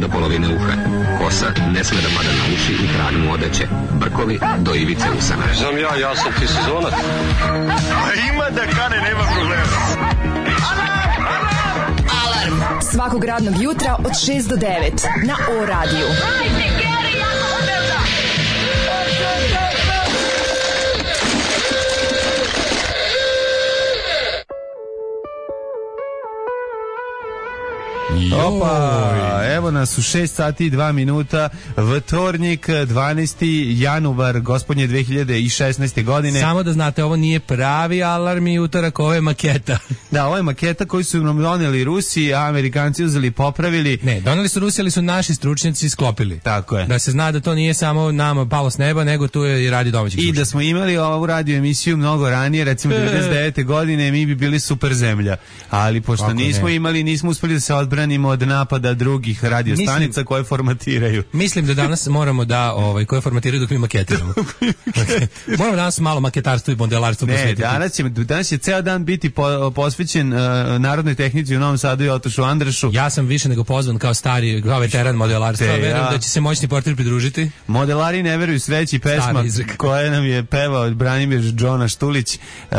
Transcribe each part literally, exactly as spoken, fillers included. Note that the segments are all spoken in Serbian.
do polovine uha. Kosa ne sme da pada na uši i trag mu odeće. Brkovi do ivice usana. Znam ja, ja sam ti sezonac. A ima da kane, nema problema. Alarm svakog radnog jutra od šest do devet na O radiju. Opa, evo nas u šest sati i dva minuta, vtornik, dvanaesti januar, gospodnje dve hiljade šesnaeste. godine. Samo da znate, ovo nije pravi alarm i utorak, ovo je maketa. Da, ovo je maketa koju su nam doneli Rusi, a Amerikanci uzeli i popravili. Ne, doneli su Rusi, ali su naši stručnjaci sklopili. Tako je. Da se zna da to nije samo nama palo s neba, nego tu je i radi domaćih I slušanja. da smo imali ovu radio emisiju mnogo ranije, recimo devedeset devete. godine, mi bi bili super zemlja. Ali pošto Kako nismo ne? imali, nismo uspeli da se odbranimo od napada drugih radio Mislim- stanica koje formatiraju. Mislim da danas moramo da, ovaj, koje formatiraju dok mi maketiramo. Moramo danas malo maketarstvo i modelarstvo Ne, posvetiti. danas će, danas će ceo dan biti po, posvećen uh, narodnoj tehnici u Novom Sadu i Otošu Andrašu. Ja sam više nego pozvan kao stari, kao veteran modelarstva. Te, Verujem ja. da će se moćni portir pridružiti. Modelari ne veruju sreći, pesma Stari izrek. koja nam je pevao Branimir Džona Štulić, uh,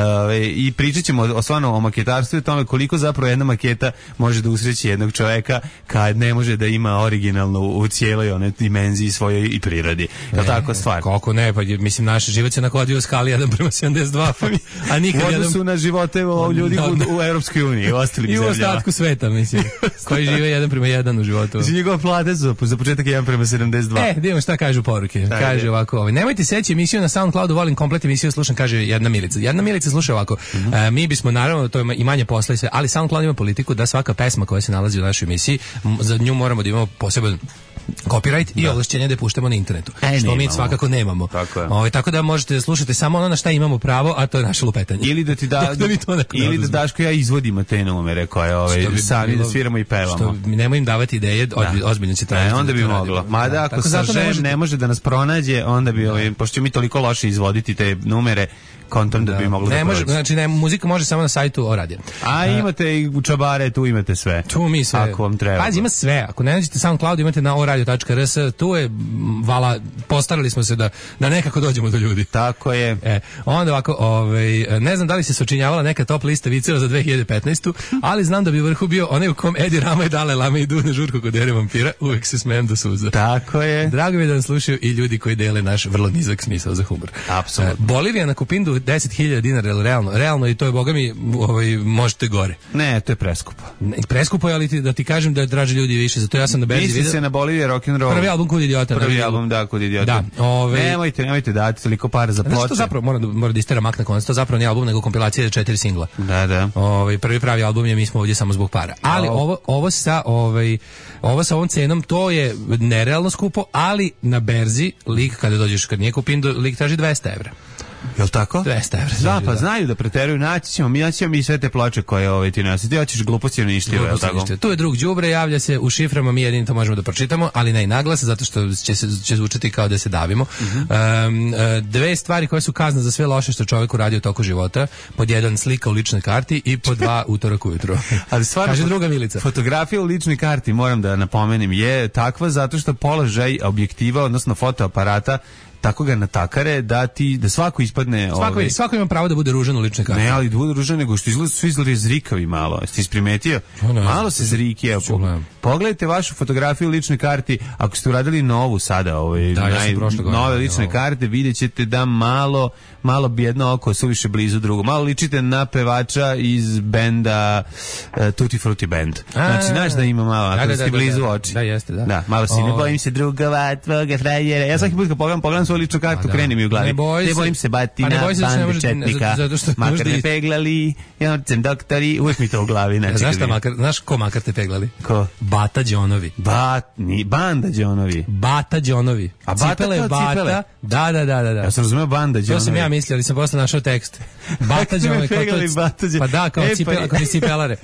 i pričat ćemo o, stvarno o maketarstvu i o tome koliko zapravo jedna maketa može da usreći jednog čoveka kad ne može da ima originalnu u cijeloj one dimenziji svojoj i prirodi. Je li tako stvar? Koliko ne, pa je, mislim, naš život se nakladio u skali jedan prema sedamdeset dva, pa, a nikad U jedan... odnosu na živote o, ljudi u, u Europskoj uniji i ostalim I u zemljama. ostatku sveta, mislim, koji žive jedan prema jedan u životu. Znači, njegove plate su za početak jedan prema sedamdeset dva. E, da imamo šta kažu poruke. Šta Kaže je? ovako, ovaj, nemojte seći emisiju na SoundCloudu, volim komplet emisiju, slušam, kaže jedna Milica. Jedna Milica sluša ovako, Mhm. e, mi bismo naravno, to je i manje posla i sve, ali SoundCloud ima politiku da svaka pesma koja se nalazi u našoj emisiji, m, za nju moramo da imamo poseban copyright i ovlašćenje da je puštamo na internetu. E, što mi nemamo. svakako nemamo. Tako je. Ovaj, tako da možete da slušate samo ono na šta imamo pravo, a to je naše lupetanje. Ili da ti da, Da mi to neko ne ili da oduzme. Daško ja izvodimo te numere koje ovaj, Što bi sami bilo- da sviramo i pevamo. Što mi nemoj im davati ideje, ozbi- ozbiljno će tražiti. E, onda da bi to moglo. radimo. Mada Da, ako tako sa zato ne žen možete- ne može da nas pronađe, onda bi, ovaj, pošto ćemo mi toliko loše izvoditi te numere, kontom da, bi moglo ne da može, prođe. znači ne, muzika može samo na sajtu O radija. A imate i u čabare, tu imate sve. Tu mi sve. Ako vam treba. Pazi, ima sve. Ako ne nađete SoundCloud, imate na o radio tačka r s. Tu je, m, vala, postarali smo se da, da nekako dođemo do ljudi. Tako je. E, onda ovako, ovaj, ne znam da li se sačinjavala neka top lista viceva za dve hiljade petnaestu. ali znam da bi u vrhu bio onaj u kom Edi Rama i Dale Lame idu na žurku kod Ere vampira. Uvijek se smijem do suza. Tako je. Drago mi je da nas slušaju i ljudi koji dele naš vrlo nizak smisao za humor. Apsolutno. E, Bolivija na Kupindu deset hiljada dinara, jel realno, realno i to je, boga mi, ovaj, možete gore. Ne, to je preskupo. Ne, preskupo je, ali ti, da ti kažem da draže ljudi više, zato ja sam na berzi Misli vidio. se na Bolivije rock'n'roll. Prvi album Kud idiota. Prvi da, album, da, Kud idiota. Da, ovaj- Nemojte, nemojte dati toliko para za Znaš što ploče. zapravo mora da, mora da istera mak na koncu, to zapravo nije album nego kompilacija četiri singla. Da, da. Ovaj prvi pravi album je Mi smo ovdje samo zbog para. Ali Au. ovo ovo sa ovaj ovo sa ovom cenom to je nerealno skupo, ali na berzi lik kada dođeš kad nije Kupindu lik traži dvesta evra. Jel tako? dvesta evra. Da, traži, pa znaju da preteruju, naći ćemo, mi naći ćemo mi sve te ploče koje ovaj, ti nosi. Ti hoćeš gluposti ili ništa, jel tako? Tu je drug đubre, javlja se u šiframa, mi jedini to možemo da pročitamo, ali ne i naglas, zato što će, se, će zvučati kao da se davimo. Um, e, dve stvari koje su kazna za sve loše što čovjek uradio u toku života. Pod jedan, slika u ličnoj karti i pod dva, utorak ujutro. Ali stvarno, Kaže druga Milica. Fotografija u ličnoj karti, moram da napomenem, je takva zato što položaj objektiva, odnosno fotoaparata, tako ga natakare da ti da svako ispadne Svako, ovaj, svako ima pravo da bude ružan u ličnoj karti. ne, ali da bude ružan, nego što izgleda svi izgledaju zrikavi malo. Jeste isprimetio? ne znam. Malo se zriki, evo. Ću gledam. Pogledajte vašu fotografiju u ličnoj karti, ako ste uradili novu sada, ovaj, Da, ja sam naj- prošle godine nove radio lične ovo. karte, vidjet ćete da malo, malo bi jedno oko suviše blizu drugo. Malo ličite na pevača iz benda uh, Tutti Frutti Band. Znači, znaš da ima malo, ako Da, da, ste da, blizu da, da. oči. Da, jeste, da. Da, malo si, ne O. bojim se drugova, tvoga frajera. Ja svaki put kad pogledam, pogledam svoju ličnu kartu, Pa da. kreni mi u glavi. Ne boj se. bojim se batina, Pa ne boj se da se ne bande može- četnika, zato što makar možda me i- peglali, ja sam doktori, uvijek mi to u glavi. Znači, Znaš kad šta mi- makar, znaš ko makar te peglali? Ko? Bata Đonovi. Bat, ni, banda Đonovi. Bata Đonovi. A Bata Cipele kao Bata. cipele? Da, da, da, da. da. Ja sam razumeo banda Đonovi. To sam ja mislio, ali sam posle našao tekst. Bata Kako ste me Đonovi. kao to- peglali Bata Đonovi? Pa da, kao E, pa cipela, je. kao ti cipelare.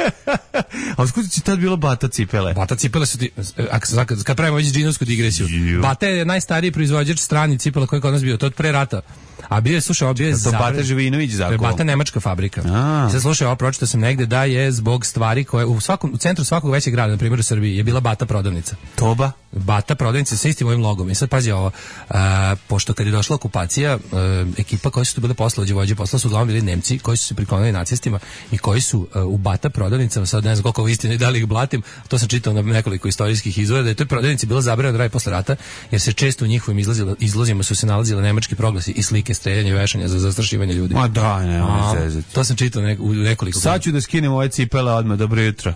A skući će tad bilo Bata cipele? Bata cipele su ti, ak- kad, kad pravimo već džinovsku digresiju. Ju. Bata je najstariji proizvođač strani cipela cipela koji je kod nas bio, to od pre rata. A bio je, slušaj, ovo bio je to Bata Živinović zakon. To je Bata nemačka fabrika. I sad slušaj, ovo pročitao sam negde da je zbog stvari koje u svakom u centru svakog većeg grada, na primjer u Srbiji, je bila Bata prodavnica. Toba? Bata prodavnica sa istim ovim logom. I sad pazi ovo, a, pošto kad je došla okupacija, a, ekipa koji su tu bile poslovođe vođe posla su uglavnom bili Nemci koji su se priklonili nacistima i koji su a, u Bata prodavnicama, sad ne znam koliko ovo istine, da li ih blatim, to sam čitao na nekoliko istorijskih izvora, da je toj prodavnici bilo zabranjeno da radi posle rata, jer se često u njihovim izlozima su se nalazile nemački proglasi i slike streljanja i vešanja za zastrašivanje ljudi. Ma da, ne, A, to sam čitao ne, u nekoliko. Sad ću da skinem ove cipele odmah, dobro jutro.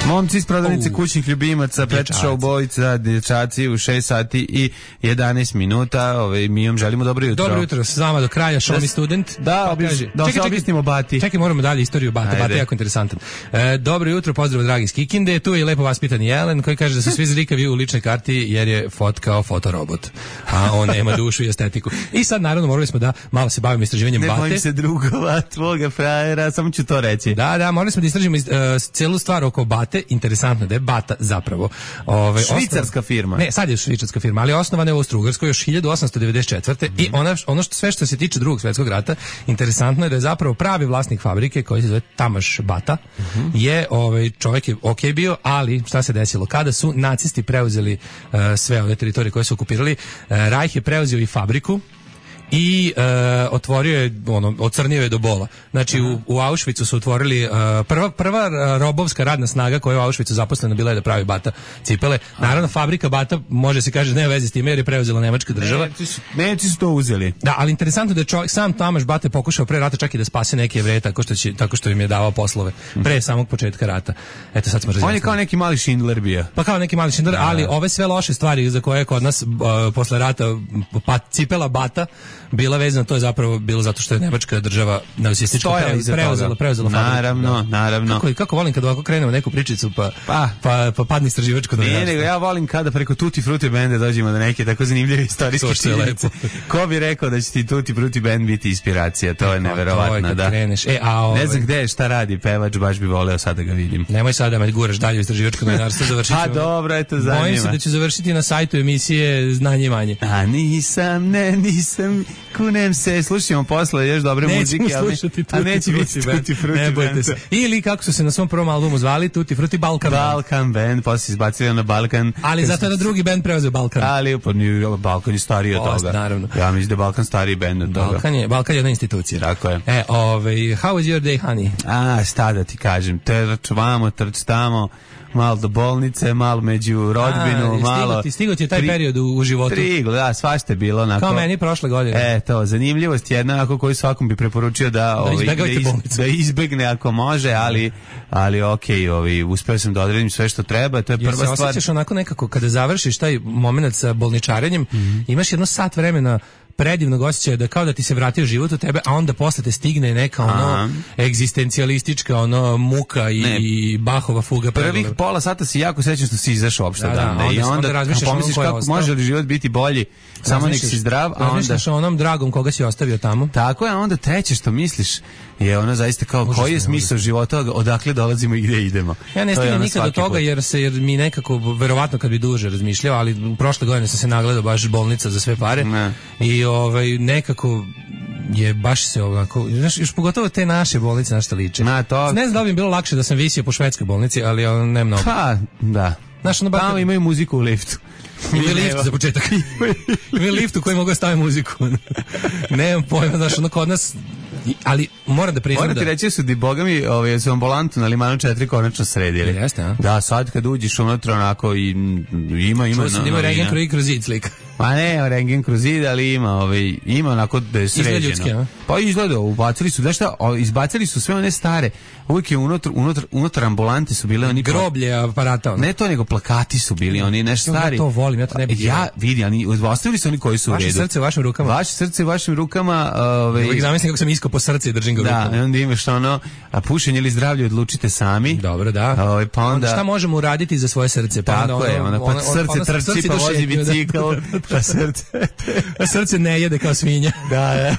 Momci iz prodavnice uh, kućnih ljubimaca, Pečaša u Bojica, dječaci u šest sati i jedanaest minuta. Ovaj, mi vam želimo dobro jutro. Dobro jutro, s vama do kraja, show me student. Da, obiš, da se objasnimo Bati. Čekaj, moramo dalje istoriju Bata, Bata je jako interesantan. E, dobro jutro, pozdrav dragi iz Kikinde, tu je lepo vaspitani Jelen koji kaže da su svi zlikavi u ličnoj karti jer je fot kao fotorobot, a on nema dušu i estetiku. I sad naravno morali smo da malo se bavimo istraživanjem ne Bate. Ne bojim se drugova, tvoga frajera, samo ću to reći. Da, da, morali smo da istražimo uh, celu stvar oko Bate. Interesantno da je Bata zapravo ove, švicarska osnov... firma. Ne, sad je švicarska firma, ali osnovana je u Austro-Ugarskoj još hiljadu osamsto devedeset četvrte Mm-hmm. I ona, ono što sve što se tiče Drugog svjetskog rata, interesantno je da je zapravo pravi vlasnik fabrike koji se zove Tamas Bata mm-hmm. je ovaj čovjek je ok bio, ali šta se desilo kada su nacisti preuzeli uh, sve ove teritorije koje su okupirali, uh, Reich je preuzeo i fabriku i e, otvorio je, ono, ocrnio je do bola. Znači, u, u Auschwitzu su otvorili, e, prva, prva robovska radna snaga koja je u Auschwitzu zaposlena bila je da pravi Bata cipele. Naravno, fabrika Bata, može se kaže, nema veze s time jer je preuzela nemačka država. Nemci su to uzeli. Da, ali interesantno da je čovjek, sam Tamas Bata pokušao pre rata čak i da spase neke Jevreje tako što, će, tako što im je davao poslove pre samog početka rata. Eto, sad smo razjasnili. On je kao neki mali Schindler bio. Pa kao neki mali Schindler, ali ove sve loše stvari za koje je kod nas uh, posle rata pa, cipela Bata bila vezana, to je zapravo bilo zato što je nemačka država nacistička preuzela, preuzela fabriku. Naravno, da. naravno. Kako, kako volim kad ovako krenemo neku pričicu pa, pa, pa, pa padne istraživačko novinarstvo. Ne, nego ja volim kada preko Tutti Frutti benda dođemo do neke tako zanimljive istorijske činjenice. Ko bi rekao da će ti Tutti Frutti band biti inspiracija, to je neverovatno, da. Kreneš. E, a ove... Ne znam gde je, šta radi pevač, baš bi voleo sad da ga vidim. Nemoj sad da me guraš dalje u istraživačko novinarstvo, završit ćemo. A dobro, eto zanima. Bojim se da ću završiti na sajtu emisije Znanje i manje. A nisam, ne, nisam, kunem se, slušamo posle još dobre nećemo muzike, ali a neće biti Tutti Frutti ne bojte se. Ili kako su se na svom prvom albumu zvali, Tutti Frutti Balkan Band. Balkan Band, posle izbacili na Balkan. Ali zato je da drugi band preuzeo Balkan. Ali pa Balkan je stariji od toga. Naravno. Ja mislim da je Balkan stariji band od toga. Balkan je, Balkan je jedna institucija. Tako je. E, ovaj, how is your day, honey? A, šta da ti kažem, trč vamo, trč tamo, malo do bolnice, malo među rodbinu, A, malo... Ti stigo ti je taj tri, period u, u životu. Trigo, da, svašta je bilo onako... Kao meni prošle godine. E, to, zanimljivost jedna, ako koju svakom bi preporučio da... Da, ovi, da, iz, da izbegne ako može, ali, ali okej, okay, ovi, uspeo sam da odredim sve što treba, to je prva stvar... Jer se osjećaš onako nekako, kada završiš taj moment sa bolničarenjem, mm-hmm. imaš jedno sat vremena predivnog osjećaja da kao da ti se vratio život u tebe, a onda posle te stigne neka ono Aha. egzistencijalistička ono muka i, i Bachova fuga. Prvih pola sata si jako srećan što si izašao uopšte da, da, odavde. onda, I onda, onda razmišljaš pomisliš kako ostao. Može li život biti bolji samo nek si zdrav, a onda... Razmišljaš o onom dragom koga si ostavio tamo. Tako je, a onda treće što misliš je ono zaista kao užasno, koji je smisao života, odakle dolazimo i gdje idemo. Ja ne stignem nikad do toga jer se jer mi nekako, verovatno kad bi duže razmišljao, ali prošle godine sam se nagledao baš bolnica za sve pare ne. I ovaj, nekako je baš se ovako, znaš, još pogotovo te naše bolnice, našto liče. Na, to... Ne znam da bi im bilo lakše da sam visio po švedskoj bolnici, ali on, ne mnogo. Pa, da. Znaš, ono, tamo imaju muziku u liftu. Imaju lift za početak. Imaju lift u koji mogu staviti muziku. Nemam pojma, znaš, ono kod nas... Ali moram da priznam da... Moram ti reći su di boga mi ovaj, su ambulantu na Limanu četiri konačno sredili. Jeste, a? Da, sad kad uđeš unutra onako i ima, ima... Čuo sam da ima rengen kroz, kroz zid slika. Pa ne, rengen kroz zid, ali ima, ovaj, ima onako da je sređeno. Izgleda ljudski, a? Pa izgleda, ubacili su, da šta, izbacili su sve one stare, uvijek je unutar, unutar, unutar ambulante su bile oni... Groblje aparata. Ne to, nego plakati su bili, oni nešto stari. Ja to volim, ja to ne bih... Ja, vidi, oni ostavili su oni koji su u redu. Vaše srce u vašim rukama. Vaše srce u vašim rukama. Ovaj... Uvijek zamislim kako sam iskao po srce i držim ga u rukama. Da, onda imaš ono, a pušenje ili zdravlje odlučite sami. Dobro, da. Ovaj, pa onda... Šta možemo uraditi za svoje srce? Pa tako onda ono, je, ono, pa ono, srce ono, trči, pa vozi bicikl, Pa srce. A srce ne jede kao svinja. Da, da.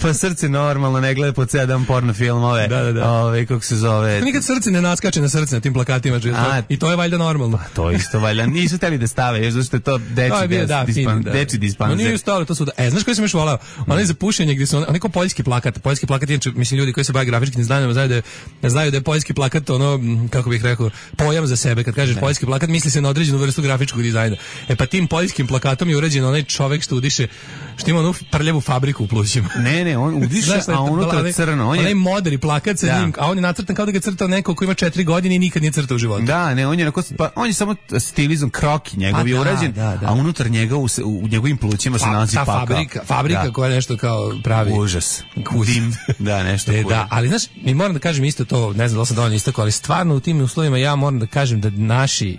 Pa srce normalno ne gleda po sedam porno filmove. Da, da, da. Ove, kako se zove. Nikad srce ne naskače na srce na tim plakatima. A, i to je valjda normalno. To isto valjda. Nisu hteli da stave, još zašto je to deči, to je bio, da, dispan, fin, da. deči dispanzer. No nije stavili to svuda. E, znaš koji sam još volao? Onaj za pušenje gdje su on, onaj ko poljski plakat. Poljski plakat, inače, mislim, ljudi koji se bave grafičkim znanjima znaju da je, znaju da je poljski plakat ono, kako bih rekao, pojam za sebe. Kad kažeš poljski plakat, misli se na određenu vrstu grafičkog dizajna. E pa tim poljskim plakatom je urađen onaj čovjek što udiše, što ima onu prljavu fabriku u plućima. Ne, ne, on udiše, znaš, a unutra crno. On je onaj modri plakat sa njim, a on je nacrtan kao da ga crtao neko ko ima četiri godine i nikad nije crtao u životu. Da, ne, on je onako, pa on je samo stilizam kroki njegov je urađen, da, da. A unutar njega u, u njegovim plućima se nalazi pakao. Fabrika, fabrika da. Koja je nešto kao pravi užas. Dim, da, nešto e, da, ali znaš, mi moram da kažem isto to, ne znam da li sam dovoljno istako, ali stvarno u tim uslovima ja moram da kažem da naši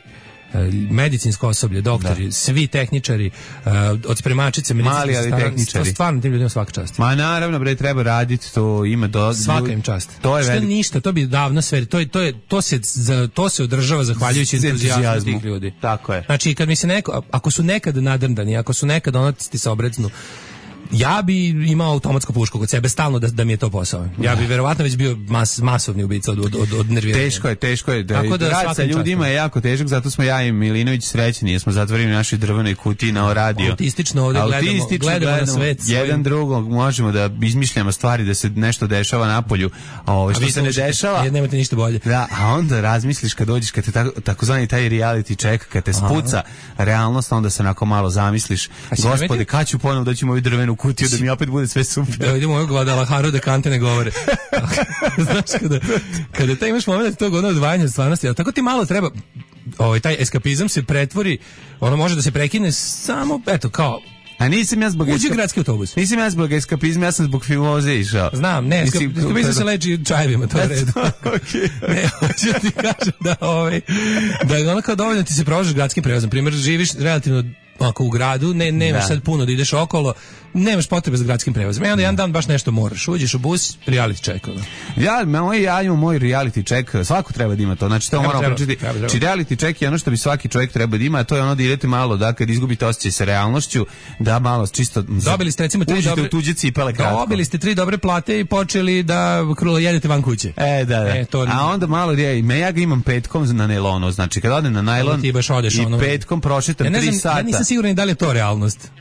medicinsko osoblje, doktori, da. Svi tehničari, uh, od spremačice, mali ali tehničari. Stvarno tim ljudima svaka čast. Ma naravno bre, treba raditi, to ima do svaka im čast. To je što velik... ništa, to bi davno sve, to je to je to se za, to se održava zahvaljujući entuzijazmu tih ljudi. Tako je. Znači kad mi se neko, ako su nekad nadrndani, ako su nekad ono ti se obrecnu, ja bi imao automatsku pušku kod sebe stalno da, da mi je to posao. Ja bi verovatno već bio mas, masovni ubica od, od, od, od nerviranja. Teško je, teško je. Da, da rad sa ljudima je jako težak, zato smo ja i Milinović srećni, jer smo zatvorili naši drvenoj kutiji na radio. Autistično ovdje gledamo, gledamo, gledamo na svet. Jedan svojim... drugog možemo da izmišljamo stvari, da se nešto dešava napolju, a ovo što a se ne dešava... Jer nemate ništa bolje. Da, a onda razmisliš kad dođeš, kad te tako, takozvani taj reality check, kad te spuca aha. Realnost, onda se onako malo zamisliš, gospode, kad ću ponovo doći u moju drvenu kutiju da mi opet bude sve super. Da idemo ovog Guadalajara da kante ne govore. Znaš, kada, kada taj imaš moment tog ono odvajanja od stvarnosti, a tako ti malo treba, ovaj, taj eskapizam se pretvori, ono može da se prekine samo, eto, kao a nisam ja zbog uđi gradski autobus. Nisam ja zbog eskapizma, ja sam zbog filmoze išao. Znam, ne, eskap, eskapizam se leči čajevima, to je redu. Okay. Ne, hoću ti kažem da, ovaj, da je ono kao dovoljno ti se prođeš gradskim prevozom. Primjer, živiš relativno ako u gradu, ne, nemaš da. Sad puno da ideš okolo, nemaš potrebe za gradskim prevozom. I onda jedan dan baš nešto moraš. Uđeš u bus, reality check. Ja, moj, ja imam moj reality check, svako treba da ima to. Znači, to treba, moramo pričati. Či reality check je ono što bi svaki čovjek treba da ima, a to je ono da idete malo, da kad izgubite osjećaj sa realnošću, da malo čisto... Dobili ste recimo tri dobre... u tuđe cipele kratko. Dobili ste tri dobre plate i počeli da krulo jedete van kuće. E, da, da. E, to... A onda malo, me ja ga imam petkom na nailonu, znači kad odem na nailon i ono... petkom prošetam tri sata. Ja nisam siguran da li je to realnost.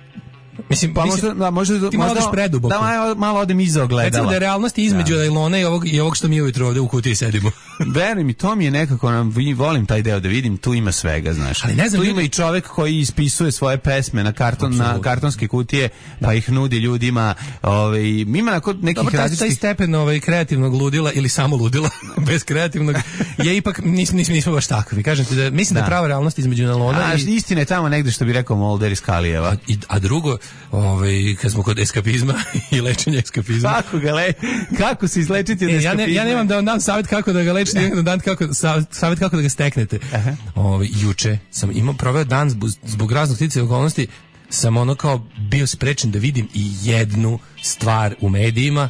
Mislim, pa možda, da, možda, ti malo odeš preduboko. Da, malo, malo odem iza ogledala. Recimo da je realnost između nailona i ovog, i ovog što mi ujutro ovde u kutiji sedimo. Veruj mi, to mi je nekako, nam, volim taj deo da vidim, tu ima svega, znaš. Ali ne znam, tu ljudi... ima i čovek koji ispisuje svoje pesme na, karton, na kartonske kutije, da. Pa ih nudi ljudima. Ovaj, ima nakon nekih dobro, različitih... Taj stepen ovaj, kreativnog ludila ili samo ludila, bez kreativnog, je ipak, nismo, nismo, nismo baš takvi. Kažem ti da, mislim da, da je prava realnost između nailona a, i... istina je tamo negde što bi rekao Mulder iz Kalijeva. A, i, a drugo, ovaj, kad smo kod eskapizma i lečenja eskapizma. Kako ga le, kako se izlečiti od e, eskapizma? Ja, ne, ja nemam da vam dam savjet kako da ga lečite, nemam da dam kako, savjet kako da ga steknete. Ove, juče sam imao, proveo dan zbog, zbog raznog sticaja okolnosti, sam ono kao bio sprečen da vidim i jednu stvar u medijima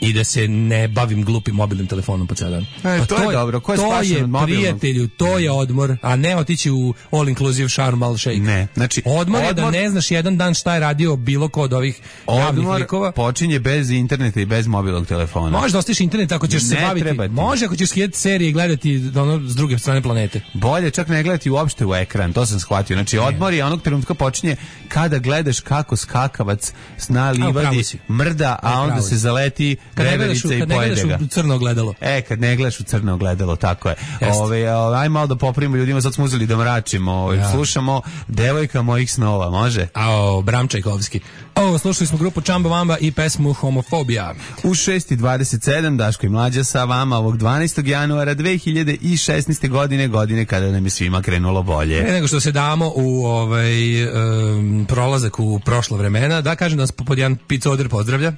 i da se ne bavim glupim mobilnim telefonom po ceo dan. E, pa to, to je dobro. Ko je to je, prijatelju, to je odmor, a ne otići u all inclusive Sharm el Sheikh. Ne, znači odmor, odmor je da ne znaš jedan dan šta je radio bilo ko od ovih javnih likova. Odmor počinje bez interneta i bez mobilnog telefona. Može da ostiš internet ako ćeš ne se baviti. Može ako ćeš skidati serije i gledati ono s druge strane planete. Bolje čak ne gledati uopšte u ekran, to sam shvatio. Znači ne. Odmor je onog trenutka počinje kada gledaš kako skakavac na livadi mrda, a, a onda se zaleti reverica i pojede ga. Kad ne gledaš u crno ogledalo. E, kad ne gledaš u crno ogledalo, tako je. Ove, aj malo da popravimo ljudima, sad smo uzeli da mračimo. Ove, ja. Slušamo Devojka mojih snova, može? Ao, Bram Čajkovski. Ovo, slušali smo grupu Čamba Vamba i pesmu Homofobija. U šest i dvadeset sedam Daško i Mlađa sa vama ovog dvanaestog januara dve hiljade šesnaeste. godine, godine kada nam je svima krenulo bolje. Pre nego što se damo u ovaj um, prolazak u prošla vremena, da kažem da nas pod jedan picoder pozdravlja,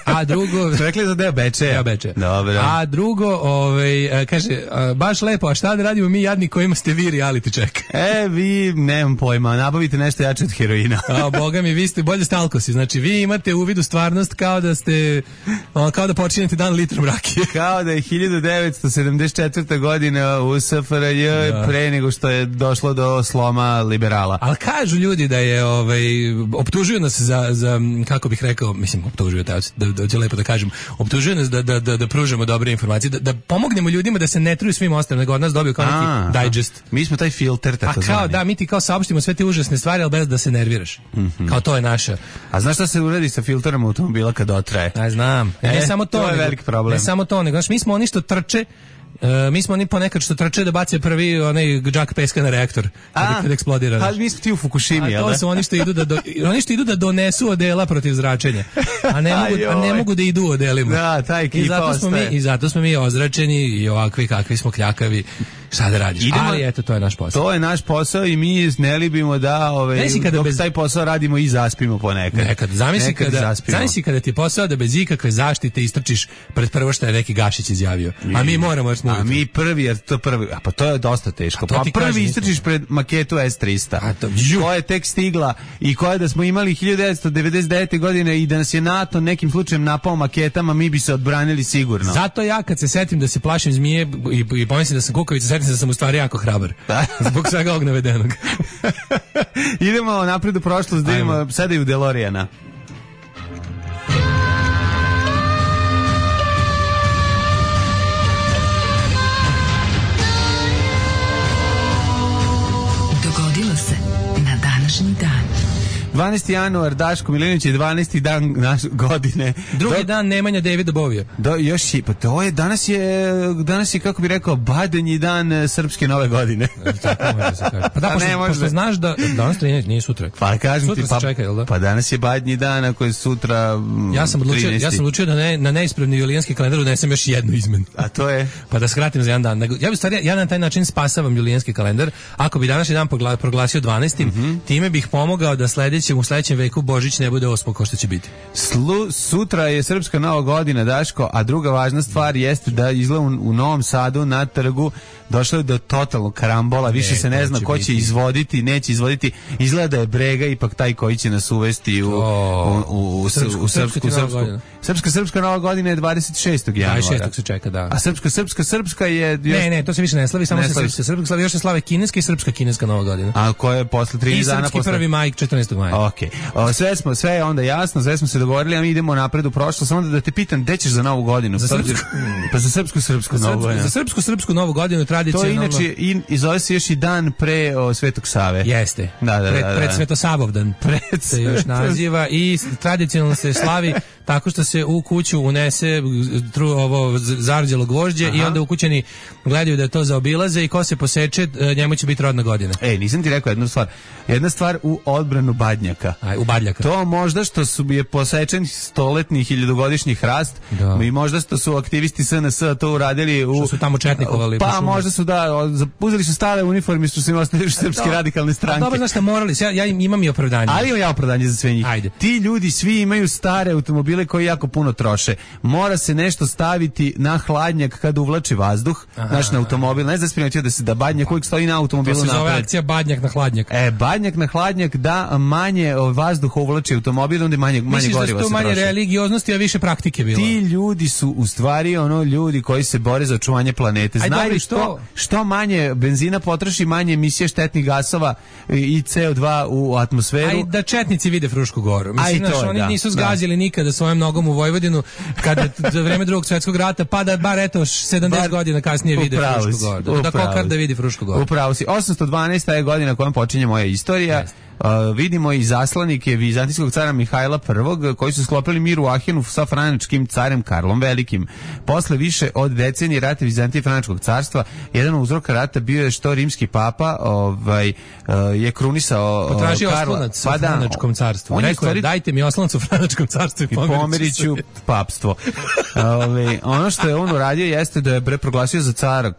a drugo... Rekli za deo Bečeja. Deo Bečeja. Dobro. A drugo, ovaj, kaže, baš lepo, a šta da radimo mi jadni kojima ste vi reality check? E, vi, nemam pojma, nabavite nešto jače od heroina. A, boga mi, vi ste bolje stalkos. si. Znači, vi imate uvid u stvarnost kao da ste, o, kao da počinjete dan litrom rakije. Kao da je hiljadu devetsto sedamdeset četvrta godina u S F R J da. Pre nego što je došlo do sloma liberala. Ali kažu ljudi da je, ovaj, optužuju nas za, za kako bih rekao, mislim, optužuju, da, da, da ću lepo da kažem, optužuju nas da, da, da, da pružamo dobre informacije, da, da pomognemo ljudima da se ne truju svim ostalim, nego od nas dobiju kao neki digest. Mi smo taj filter, tako zvani. A kao, da, mi ti kao saopštimo sve te užasne stvari, ali bez da se nerviraš. Mm-hmm. Kao to je naša. A znaš šta se uradi sa filterom automobila kad otraje? Ja znam. E, ne samo to, to je nego, velik problem. Ne samo to, nego, znaš, mi smo oni što trče, Uh, mi smo oni ponekad što trče da bace prvi onaj džak peska na reaktor kada, kada eksplodira. Ali mi smo ti u Fukushimi, jel da? A to su oni što idu da do, oni što idu da donesu odela protiv zračenja. A ne mogu, a ne mogu da idu odelima. Da, ta ekipa I zato smo ostaje. mi i zato smo mi ozračeni i ovakvi kakvi smo kljakavi. Šta da radiš? Idemo, ali eto, to je naš posao. To je naš posao i mi ne libimo da ove, dok bez... taj posao radimo i zaspimo ponekad. Nekad. Zamisli nekad kada, zamisli kada ti je posao da bez ikakve zaštite istrčiš pred prvo što je neki Gašić izjavio. A mi moramo još A mi prvi, jer to prvi, a pa to je dosta teško. Pa prvi kažem, istrčiš pred maketu S trista. A to, koja je tek stigla i koja da smo imali hiljadu devetsto devedeset devete godine i da nas je NATO nekim slučajem napao maketama, mi bi se odbranili sigurno. Zato ja kad se setim da se plašim zmije i, i pomislim da sam kukavica, setim se da sam u stvari jako hrabar. Zbog svega ovog navedenog. Idemo napred u prošlost, da idemo sada i u DeLoreana. Dogodilo se na današnji dan. dvanaesti januar, Daško Milinović je dvanaesti dan naše godine. Drugi do, dan Nemanja Davida Bovija. Do, još je, pa to je, danas je, danas je, kako bi rekao, badanji dan srpske nove godine. Tako može se kaže. Pa da, pošto, ne, pošto znaš da, danas to nije, nije sutra. Pa kažem sutra ti, pa, čeka, jel da? Pa danas je badnji dan, ako je sutra ja sam odlučio, ja sam odlučio da ne, na neispravni julijanski kalendar unesem još jednu izmenu. A to je? Pa da skratim za jedan dan. Ja bih stvari, ja na taj način spasavam julijanski kalendar. Ako bi današnji dan proglasio dvanaestim Mm-hmm. time bih pomogao da sledećem, u sledećem veku Božić ne bude osmo kao što će biti. Slu, sutra je srpska nova godina, Daško, a druga važna stvar jeste da izgleda u, u Novom Sadu na trgu došlo je do totalnog karambola, više ne, se ne zna ko će biti. izvoditi, neće izvoditi. Izgleda da je Brega ipak taj koji će nas uvesti u, oh. u, u, u, srpsku, u srpsku, srpsku. Srpska, srpska nova godina je dvadeset šestog januara. dvadeset šestog se čeka, da. A srpska, srpska, srpska je... Još... Ne, ne, to se više ne slavi, samo ne se srpska, srpska slavi, još se slave kineska i srpska kineska nova godina. A koja je posle trinaest dana posle... I srpski prvi maj, četrnaestog maja. Okej. Okay. Sve smo, sve je onda jasno, sve smo se dogovorili, a mi idemo napred u prošlost, samo da te pitam, gde ćeš za novu godinu? Za srpsku, pa za srpsku, srpsku novu godinu. Za srpsku, srpsku novu godinu tradicionalno. To je inače i, i zove se još i dan pre o, Svetog Save. Jeste. Da, da, pred, da, da. pred Svetosavovdan. Pred se još naziva i tradicionalno se slavi tako što se u kuću unese tru, ovo zarđelo gvožđe. Aha. I onda ukućani gledaju da to zaobilaze i ko se poseče, njemu će biti rodna godina. Ej, nisam ti rekao jednu stvar. Jedna stvar u odbranu badnjaka. Aj, u badljaka. To možda što su je posečen stoletni hiljadugodišnji hrast, da. I možda što su aktivisti S N S to uradili u... Što su tamo četnikovali. Pa možda su da, uzeli su stare uniforme što su im ostavili srpske radikalne stranke. Dobro, znaš šta, morali, ja, ja imam i opravdanje. Ali imam ja opravdanje za sve njih. Ajde. Ti ljudi svi imaju stare automobile koji jako puno troše. Mora se nešto staviti na hladnjak kada uvlači vazduh, znaš, na automobil. Ne znam primetio da se da badnjak uvijek stoji na automobilu. To se zove akcija badnjak na hladnjak. E, badnjak na hladnjak da manje vazduha uvlači automobil, onda manje, manje goriva se troši. Misliš da su to manje religioznosti, a više praktike bilo? Ti ljudi su u stvari ono ljudi koji se bore za očuvanje planete. Znaju što, što manje benzina potroši, manje emisije štetnih gasova i C O dva u atmosferu. Aj da četnici vide Frušku Goru. Mislim, naš, oni da, nisu zgazili da. nikada svojom nogom u Vojvodinu kada za vreme drugog svjetskog rata, pa da bar eto sedamdeset bar, godina kasnije vide Frušku Goru. Da kokar da vidi Frušku Goru. Upravo si. osamsto dvanaesta je godina kojom počinje moja istorija. Yes. Uh, vidimo i zaslanike vizantijskog cara Mihajla I koji su sklopili mir u Ahenu sa franačkim carem Karlom Velikim. Posle više od decenije rata Vizantije i franačkog carstva, jedan od uzroka rata bio je što rimski papa ovaj, uh, je krunisao potražio Karla, oslanac pa u franačkom carstvu. Rekao je, stvari... dajte mi oslanac u franačkom carstvu i pomerit ću papstvo. Ove, ono što je on uradio jeste da je proglasio za cara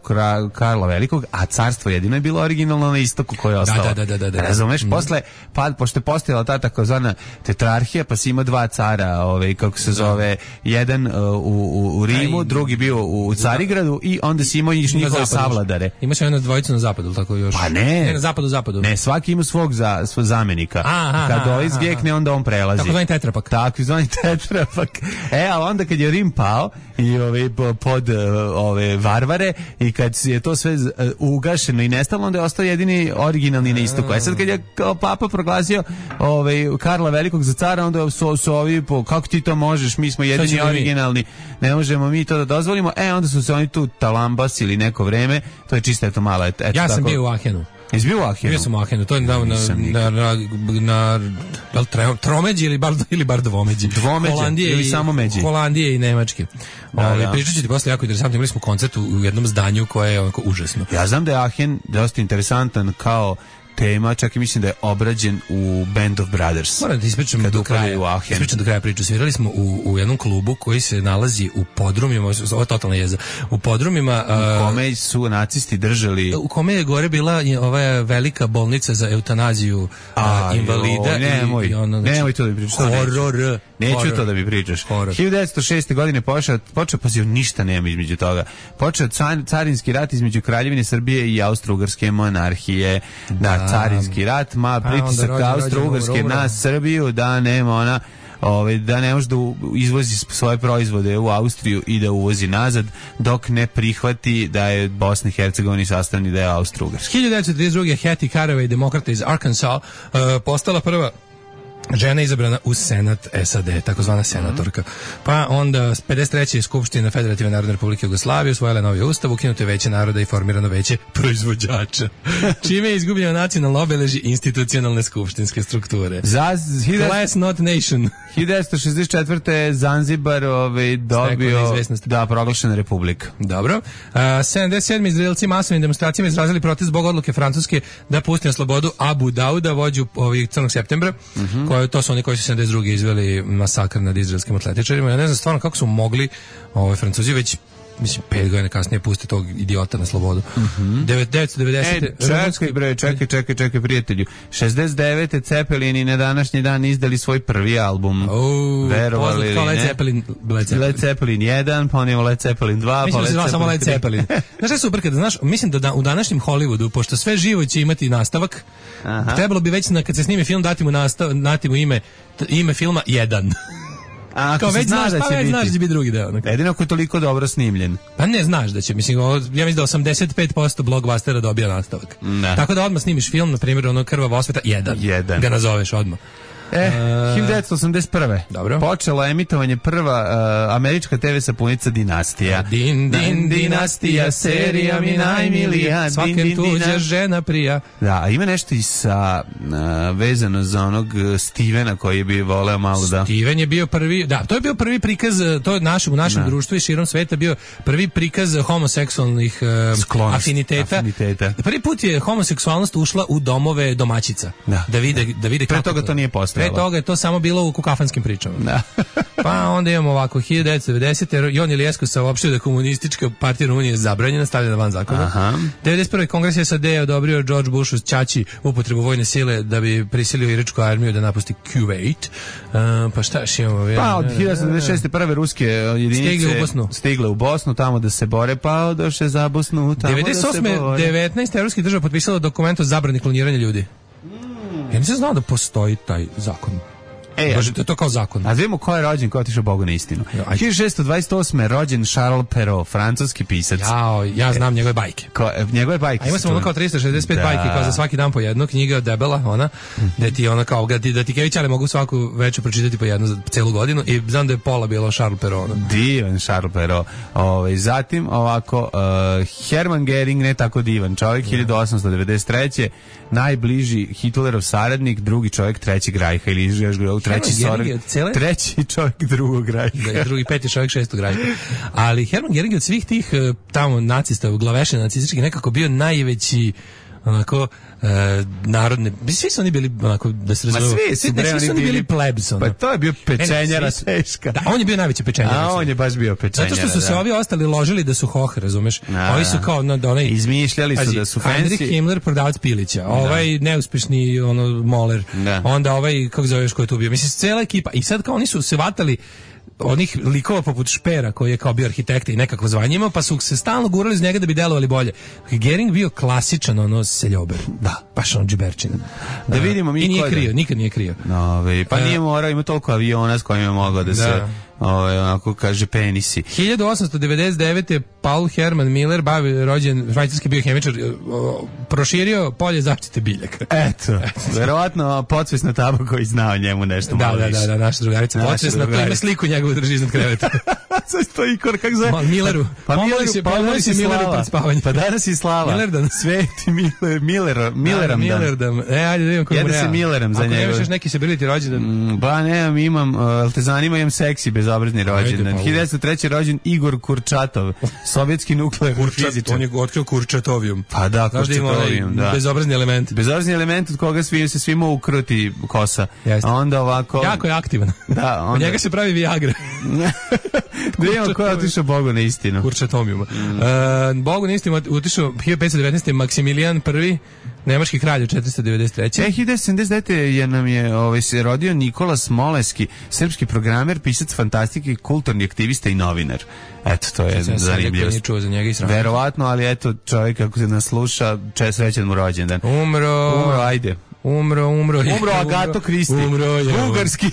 Karla Velikog, a carstvo jedino je bilo originalno na istoku koje je ostalo. Da, da, da, da, da. Razumeš? Mm. Posle, pa, pošto je postojala ta takozvana tetrarhija, pa si imao dva cara, ovaj, kako se zove, jedan uh, u, u Rimu, drugi bio u Carigradu i onda si imao i njihove savladare. Ima se jedna dvojica na zapadu, tako još? Pa ne. Ne, na zapadu, zapadu. Ne, svaki ima svog, za, svog zamenika. Aha, kad ovaj zgjekne, onda on prelazi. Tako zvani tetrapak. Tako zvani tetrapak. E, a onda kad je Rim pao i ove, pod ove varvare i kad je to sve ugašeno i nestalo, onda je ostao jedini originalni na istoku. E sad kad je kao papa proglasio ove, Karla Velikog za cara, onda su, su ovi, po, kako ti to možeš, mi smo jedini originalni, ne možemo mi to da dozvolimo. E, onda su se oni tu talambasili neko vreme, to je čisto eto mala. Eto, ja sam tako, bio u Ahenu. Jesi bio u Ahenu? Bio sam u Ahenu, to je na, na, na, na, na, na tromeđi ili bar, ili bar dvomeđi. Dvomeđi Holandije ili i, samo međi. Holandije i Nemačke. Da, Ove, da. pričat ću ti posle jako interesantno, imali smo koncert u, u jednom zdanju koje je onako užasno. Ja znam da je Ahen dosta interesantan kao tema, čak i mislim da je obrađen u Band of Brothers. Moram da ti ispričam do kraja. Ispričam do kraja priču. Svirali smo u, u jednom klubu koji se nalazi u podrumima, ovo je totalna jeza, u podrumima... U kome su nacisti držali... U kome je gore bila ova velika bolnica za eutanaziju a, invalida. Jo, nemoj, i, i ono, znači, nemoj to da mi pričaš. Horor. Neću horror. to da mi pričaš. Horror. hiljadu devetsto šeste. godine počeo, počeo pa ništa nema između toga. Počeo car, carinski rat između Kraljevine Srbije i Austro-Ugarske monarhije. Da, da carinski rat, ma pritisak Austro-Ugarske na Srbiju da nema ona Ove, da ne može da izvozi svoje proizvode u Austriju i da uvozi nazad dok ne prihvati da je Bosna i Hercegovina sastavni deo Austro-Ugarske. hiljadu devetsto trideset druge. Hattie Caraway, demokrata iz Arkansas, uh, postala prva žena izabrana u Senat S A D, takozvana senatorka. Pa onda pedeset treće. Skupština Federativne Narodne Republike Jugoslavije usvojila novi ustav, ukinuto je veće naroda i formirano veće proizvođača. Čime je izgubljeno nacionalno obeležje institucionalne skupštinske strukture. Za Class not nation. hiljadu devetsto šezdeset četvrte. Zanzibar ovaj, dobio da proglašena republika. Dobro. Uh, sedamdeset sedme. Izraelci masovnim demonstracijama izrazili protest zbog odluke Francuske da pusti na slobodu Abu Dauda, vođu ovih crnog septembra, mm-hmm. koje, to su oni koji su sedamdeset druge izveli masakr nad izraelskim atletičarima. Ja ne znam stvarno kako su mogli ovaj, Francuzi već mislim, pet godina kasnije pusti tog idiota na slobodu. Mm-hmm. devetsto devedesete. E, čekaj bre, čekaj, čekaj, čekaj, prijatelju. šezdeset devete. Cepelini na današnji dan izdali svoj prvi album. Oh, verovali kao li Led ne? Zeppelin, Led Zeppelin. Led Zeppelin jedan, pa onimo Led Zeppelin dva, mislim pa Led da Zeppelin samo Led Zeppelin. Znaš šta je super kada, znaš, mislim da, da u današnjem Hollywoodu, pošto sve živo će imati nastavak, aha. trebalo bi već na, kad se snimi film dati mu, nastav, dati mu ime, ime filma jedan. A kao već znaš, da će pa već biti. znaš da će biti drugi deo. Nekako. Jedino ako je toliko dobro snimljen. Pa ne znaš da će, mislim, ovo, ja mislim da osamdeset pet posto blockbustera dobija nastavak. Ne. Tako da odmah snimiš film, na primjer, ono Krvava osveta, jedan. Jedan. Ga nazoveš odmah. E, hiljadu devetsto osamdeset prve. Dobro. Počelo emitovanje prva uh, američka te ve sapunica Dinastija. Din, din, dinastija, serija mi najmilija, svakem tuđa žena prija. Da, a ima nešto i sa uh, vezano za onog Stevena koji bi voleo malo da... Steven je bio prvi, da, to je bio prvi prikaz, to je našem, u našem da. društvu i širom sveta bio prvi prikaz homoseksualnih uh, Sklonost, afiniteta. afiniteta. Prvi put je homoseksualnost ušla u domove domaćica. Da, da vide, da vide pre kako toga to nije postalo. Pre toga je to samo bilo u kukafanskim pričama. Da. Pa onda imamo ovako, hiljadu devetsto devedesete. Jon Iliescu saopštio da je komunistička partija Rumunije zabranjena, stavljena van zakona. Aha. devedeset prve. Kongres S A D je odobrio George Bushu ćaći upotrebu vojne sile da bi prisilio iračku armiju da napusti Kuvejt. Uh, pa šta još imamo? Pa od hiljadu devetsto devedeset šeste. prve ruske jedinice stigle u Bosnu. Stigle u Bosnu, tamo da se bore, pa odoše za Bosnu, tamo devedeset osme. da se bore. devetnaest evropskih država potpisalo dokument o zabrani kloniranja ljudi. Mm. Ja nisam znao da postoji taj zakon. E, Bože, to je to kao zakon. A znamo ko je rođen, ko je otišao Bogu na istinu. hiljadu šessto dvadeset osme. rođen Charles Perrault, francuski pisac. Jao, ja znam njegove bajke. Ko, njegove bajke. A ima sam ono kao tristo šezdeset pet da. bajke, kao za svaki dan po jednu, knjiga debela, ona, mm-hmm. da ti ona kao, da ti, da ti kevićale mogu svaku večer pročitati po jednu za celu godinu i znam da je pola bilo Charles Perrault. Ono. Divan Charles Perrault. Ove, zatim ovako, uh, Hermann Göring, ne tako divan čovjek, yeah. hiljadu osamsto devedeset treće. najbliži Hitlerov saradnik, drugi čovjek trećeg Rajha ili još gledao, treći sorg, cele... treći čovjek drugog Rajha. Da, drugi, peti čovjek šestog Rajha. Ali Hermann Göring od svih tih tamo nacista, glavešena nacističkih nekako bio najveći onako e, narodne, svi su oni bili onako, da se razumemo, svi su, ne, svi su oni bili plebs. Ono. Pa to je bio pečenjara teška. Da, on je bio najveći pečenjara. A on je baš bio pečenjara. Zato što su se da. ovi ostali ložili da su hoh, razumeš? A, ovi su kao, no, da onaj... izmišljali su da su fancy. Heinrich Himmler, prodavac pilića, ovaj neuspešni ono, moler, da. onda ovaj, kako zoveš ko je tu bio, mislim, cijela ekipa. I sad kao oni su se vatali onih likova poput Špera koji je kao bio arhitekta i nekako zvanje imao, pa su se stalno gurali iz njega da bi delovali bolje. Gering bio klasičan ono seljober. Da, baš ono džiberčina. Da vidimo mi. I nije krio, nikad nije krio. No, pa nije morao, ima toliko aviona s kojima je mogao da, da. se ovaj, onako kaže penisi. hiljadu osamsto devedeset devete. Paul Herman Miller, bavi rođen švajcarski biohemičar, proširio polje zaštite biljaka. Eto, verovatno podsvesna taba koji znao njemu nešto da, malo da, više. Da, da, naša drugarica podsvesna, to ima sliku njegovu drži iznad kreveta. Sve to ikor, kako zove? Milleru. Pa Milleru, se, pa pomoli se Milleru pred spavanjem. Pa danas je slava. Millerdan. Sveti Miller, Miller, Milleram dan. Millerdan. E, ajde da vidimo koji mu Jede se Milleram za njega. Ako nemaš još neki sebiliti rođendan. Mm, ba, nemam, imam, uh, te zanima, imam seksi bezobrazni rođendan. Pa, hiljadu devetsto treće. rođen Igor Kurčatov, sovjetski nuklearni fizičar. On je otkrio Kurčatovijum. Pa da, Kurčatovijum, da. Bezobrazni element. Bezobrazni element od koga svi, se svima ukruti kosa. Jeste. A onda ovako... Jako je aktivan. Da, onda... Od njega se pravi Viagra. Da imamo ko je otišao Bogu na istinu. Kurčatomijuma. Mm. Uh, Bogu na istinu otišao hiljadu petsto devetnaeste. Maksimilijan prvi, nemački kralj od četiristo devedeset treće. E, hiljadu devetsto sedamdeset devete. je nam je ovaj, se rodio Nikola Smoleski, srpski programer, pisac fantastike, kulturni aktivista i novinar. Eto, to je zanimljivost. Verovatno, ali eto, čovjek kako se nas sluša, čest srećan mu rođendan. Umro. Umro, ajde. Umro, umro je. Umro Agato Kristi. Umro je. Bugarski.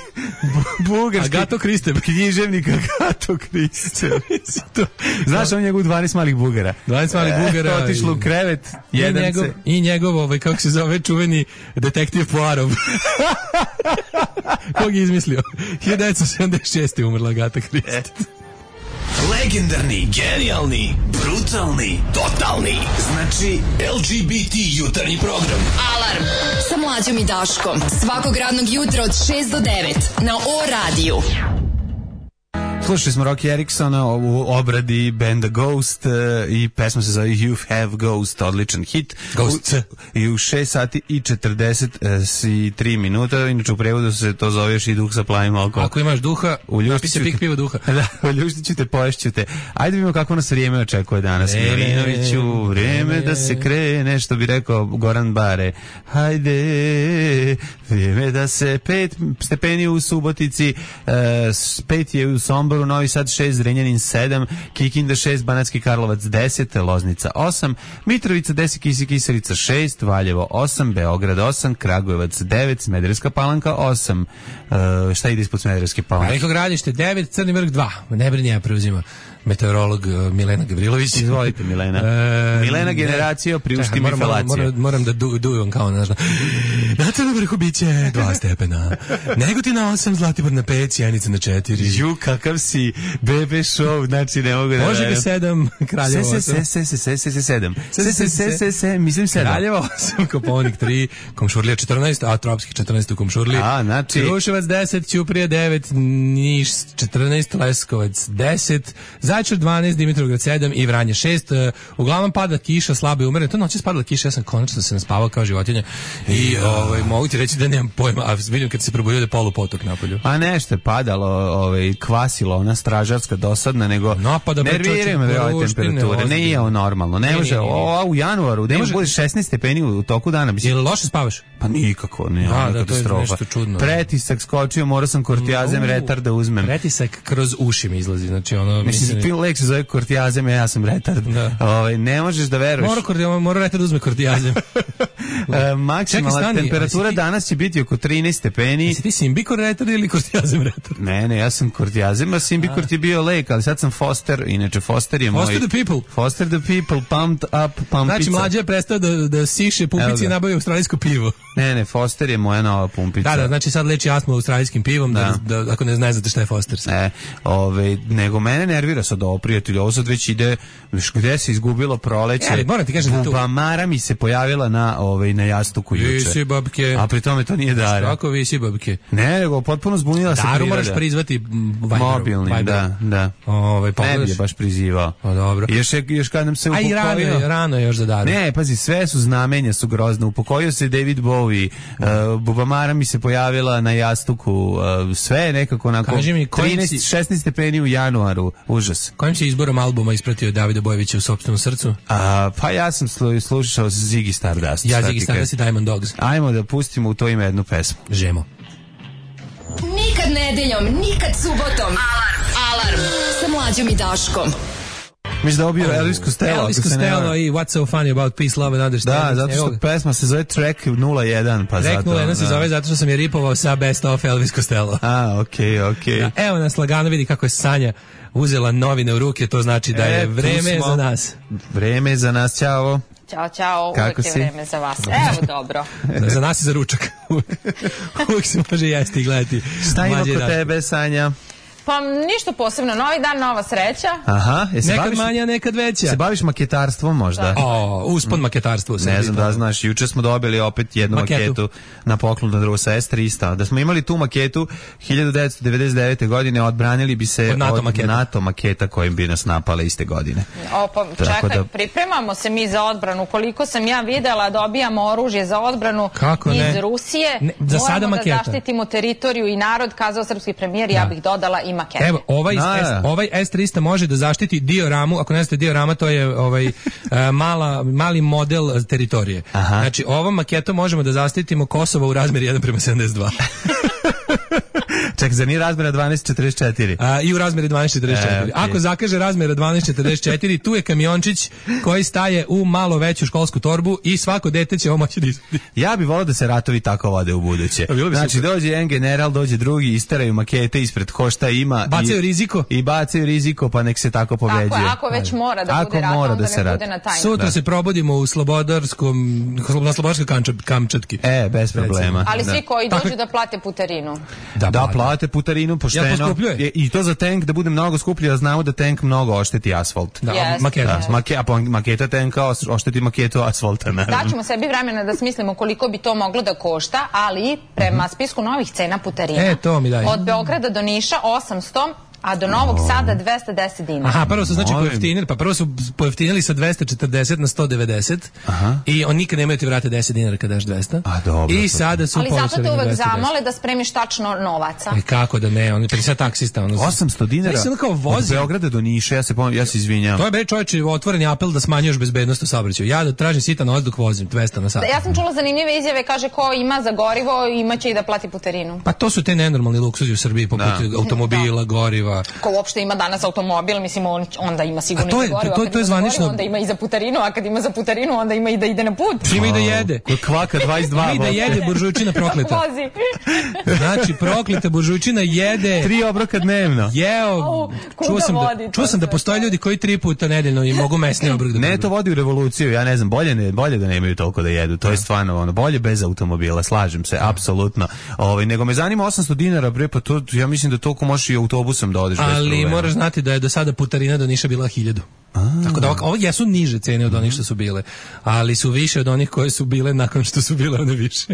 Bugarski. Agato Kriste. Književnik Agato Kriste. Znaš on njegov dvanaest malih Bugara. dvanaest malih Bugara. Otišlo u krevet. I njegov, i njegov ovaj, kako se zove, čuveni detektiv Poirot. Kog je izmislio? hiljadu devetsto sedamdeset šeste. umrla Agata Kristi. Legendarni, genijalni, brutalni, totalni. Znači L G B T jutarnji program. Alarm sa Mlađom i Daškom. Svakog radnog jutra od šest do devet na O radiju. Slušali smo Rocky Ericksona u obradi benda Ghost uh, i pesma se zove You Have Ghost, odličan hit. Ghost. U, I u šest sati i četrdeset tri minuta, inače u prevodu se to zove još i duh sa plavim alkoholom. Ako imaš duha, napi se pik piva duha. Da, uljuštit ću te, poješću te. Ajde vidimo kako nas vrijeme očekuje danas. Milinoviću, vrijeme da se krene, što bi rekao Goran Bare. Hajde, vrijeme da se pet stepeni u Subotici, uh, pet je u Somboru, Novi Sad šest, Zrenjanin sedam, Kikinda šest, Banatski Karlovac deset, Loznica osam, Mitrovica deset, Kisi Kisarica šest, Valjevo osam, Beograd osam, Kragujevac devet, Smederevska Palanka osam. Uh, šta ide ispod Smederevske Palanke? Veliko Gradište devet, Crni Vrh dva. Ne brini, ja preuzima meteorolog uh, Milena Gavrilović. Izvolite, Milena. E, Milena generacija, priušti mi felacija. Moram, moram da du, dujem kao, znaš, na Crnom Vrhu biće dva stepena, Negotina osam, Zlatibor na pet, Sjenica na četiri. Ju, kakav si, bebe show, znači ne mogu da... Može ga sedam, Kraljevo osam. Se, se, se, se, se, se, sedam. Se, se, se, se, se, mislim sedam. Kraljevo osam, Koponik tri, Komšurlija četrnaest, a Tropskih četrnaest u Komšurliji. A, znači... Kruševac deset, Ćuprija devet, Niš četrnaest, Leskovac deset, Zaječar dvanaest, Dimitrovgrad sedam i Vranje šest. Uglavnom pada kiša, slabo i umereno. To noći spadala kiša, ja sam konačno se naspavao kao životinja i ja. ovaj, mogu ti reći da nemam pojma, a vidim kad se probudio da je polupotok napolju. A nešto je padalo, ovaj, kvasilo, ona stražarska dosadna, nego nerviraju me ove temperature. Ne je ovo normalno. Ne, ne može, o, u januaru, ne može bude šesnaest stepeni u toku dana. Je li loše spavaš? Pa nikako, ne, da, da, katastrofa. Pretisak skočio, morao sam kortijazem uh, retar da uzmem. Pretisak kroz uši mi izlazi, znači ono... Mislim, ti lek se zove kortijazem, ja sam retard. Ovaj, ne možeš da veruješ. Mora, kortijazem, mora retard da uzme kortijazem. e, maksimalna Čekaj, temperatura ti... danas će biti oko trinaest stepeni. Jesi ti simbikor retard ili kortijazem retard? Ne, ne, ja sam kortijazem, a simbikor ti je bio lek, ali sad sam Foster, inače Foster je Foster moj... Foster the people. Foster the people, pumped up, pumpica. Znači, mlađe je prestao da, da siše pumpici i nabavio australijsko pivo. Ne, ne, Foster je moja nova pumpica. Da, da, znači sad leči astmu australijskim pivom, da, da, da ako ne znate šta je Foster. E, ove, nego mene nervira, s sad ovo, prijatelju, ovo sad već ide, viš, gde se izgubilo proleće. Ja, moram ti kažem da tu... Bubamara mi se pojavila na, ovaj, na jastuku juče. Visi babke. A pri tome to nije Dara. Kako visi babke? Ne, nego potpuno zbunila se priroda. Daru moraš prizvati Viberom. Mobilnim, da, da. Ove, ne bi je baš prizivao. O, dobro. Još, još kad nam se upokojio... A i rano je, rano je još za Daru. Ne, pazi, sve su znamenja, su grozne. Upokojio se David Bowie, uh, Bubamara mi se pojavila na jastuku, uh, sve je nekako onako trinaest šesnaest stepeni u januaru, užas. Kojim si izborom albuma ispratio Davida Bojevića u sopstvenom srcu? A, pa ja sam slu, slušao Ziggy Stardust. Ja Ziggy Stardust i Diamond Dogs. Ajmo da pustimo u to ime jednu pesmu. Žemo. Nikad nedeljom, nikad subotom. Alarm, alarm, sa Mlađom i Daškom. Mislim da obio Elvis Costello. Elvis Costello i What's So Funny About Peace, Love and Understanding. Da, zato što Evo, pesma se zove Track nula jedan. Pa Track zato, nula jedan se da. zove zato što sam je ripovao sa Best of Elvis Costello. A, okej, okay, okej. Okay. Da, evo nas lagano, vidi kako je Sanja uzela novine u ruke, to znači da je e, vreme za nas. Vreme je za nas, ćao. Ćao, čao, kako uvek je si? Vreme za vas. Evo, dobro. Za nas i za ručak. Uvijek se može jesti i gledati. Šta ima kod tebe, Sanja? Pa ništa posebno, novi dan, nova sreća. Aha, e, nekad baviš, manja, nekad veća. Se baviš maketarstvom možda? Da. O, uspon maketarstvo. Ne znam da znaš, juče smo dobili opet jednu maketu, maketu na poklon na drugo sa S tristo. Da smo imali tu maketu hiljadu devetsto devedeset devete. godine, odbranili bi se od NATO, od maketa. NATO maketa kojim bi nas napale iste godine. O, pa čekaj, da... pripremamo se mi za odbranu. Koliko sam ja videla, dobijamo oružje za odbranu Kako iz ne? Rusije. Ne, za Moramo sada da maketa. zaštitimo teritoriju i narod, kazao srpski premijer, ja bih dodala i maketa. Evo, ovaj, S, ovaj S tristo može da zaštiti dioramu, ako ne znate diorama, to je ovaj, mala, mali model teritorije. Aha. Znači, ovom maketom možemo da zaštitimo Kosovo u razmeri jedan prema sedamdeset dva. Ček, za nije razmjera dvanaest četrdeset četiri. A, I u razmeri dvanaest četrdeset četiri. E, okay. Ako zakaže razmjera dvanaest četrdeset četiri, tu je kamiončić koji staje u malo veću školsku torbu i svako dete će ovo moći da izvedi. Ja bih volao da se ratovi tako vode u buduće. Znači, dođe jedan general, dođe drugi, istaraju makete ispred ko šta ima. Bacaju i, riziko. I bacaju riziko, pa nek se tako povređuje. Tako je, ako već mora da ako bude rat, mora onda da se ne rat. bude na tajnu. Sutra da. se probudimo u Slobodarskom, na Slobodarskoj Kamčatki. E, bez problema. Ali da. svi koji Tako... dođu da plate putarinu. Da, da plate putarinu pošteno. Ja, I to za tank da bude mnogo skuplje, da znamo da tank mnogo ošteti asfalt. Da, yes, maketa. Yes. Make, a maketa tanka ošteti maketu asfalta. Daćemo sebi vremena da smislimo koliko bi to moglo da košta, ali prema spisku novih cena putarina. E, to mi daj. Od Beograda do Niša osamsto, a do Novog Sada dvesta deset dinara. Aha, prvo su znači pojeftinili, pa prvo su pojeftinili sa dvesta četrdeset na sto devedeset. Aha. I on nikad nemaju ti vrate deset dinara kad daš dvesta. A dobro. I sada su ali zato te uvek zamole da spremiš tačno novaca. E kako da ne, on je pedeset taksista. Ono, osamsto dinara od Beograda do Niša, ja se pomem, ja se izvinjam. To je bre čovječe otvoreni apel da smanjuješ bezbednost u saobraćaju. Ja da tražim sitan vazduh vozim dvesta na sat. Da, ja sam čula zanimljive izjave, kaže ko ima za gorivo imaće i da plati putarinu. Pa to su te nenormalni luksuzi u Srbiji poput da. automobila, da. goriva. Ko uopšte ima danas automobil, mislim on onda ima sigurno to je, i za gorivo, to, to, to je zvanično. Onda ima i za putarinu, a kad ima za putarinu onda ima i da ide na put. Ima i da jede. Kod kvaka dvadeset dva. Ima i da jede buržujčina prokleta. Znači prokleta buržujčina jede tri obroka dnevno. Jeo. Čuo sam da, čuo sam da postoje ljudi koji tri puta nedeljno i mogu mesni obrok da. Ne, to vodi u revoluciju. Ja ne znam, bolje ne, bolje da nemaju toliko da jedu. To je stvarno ono, bolje bez automobila, slažem se, apsolutno. Ovaj nego me zanima osamsto dinara, bre, pa to ja mislim da toliko možeš i autobusom da odeš bez problema. Ali moraš znati da je do sada putarina do Niša bila hiljadu. Tako da ovo jesu niže cene od onih što su bile, ali su više od onih koje su bile nakon što su bile one više.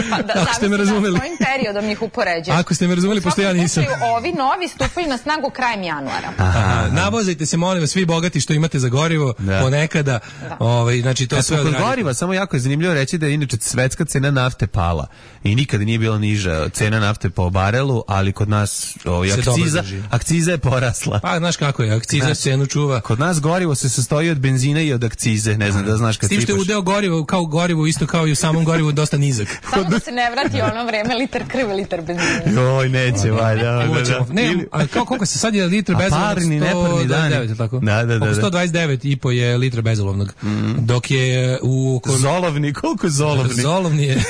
Pa da, ako ste me razumeli. Kojim periodom ih upoređuješ? Ako ste me razumeli, pošto ja nisam. Ovi novi stupaju na snagu krajem januara. Aha, navozajte se, molim vas, svi bogati što imate za gorivo, da. ponekada. Da. Ovaj, znači, to ja, sve kod goriva, samo jako je zanimljivo reći da je inače svetska cena nafte pala i nikada nije bila niža cena nafte po barelu, ali kod nas ovaj, akciza, akciza je porasla. Pa, znaš kako je, akciza cenu čuva. Kod nas gorivo se sastoji od benzina i od akcize, ne znam da znaš kad sipaš. S tim što je udeo gorivo, kao gorivo, isto kao i u samom gorivu, dosta nizak. Samo da se ne vrati ono vreme, litar krve, litar benzina. Joj, neće, valjda. Ne, a kao koliko se sad je litar bezolovnog? Parni, neparni dani. Tako? Da, da, da. Oko sto dvadeset devet i po je litra bezolovnog. Mm. Dok je u... Zolovni, koliko zolovni? Zolovni je,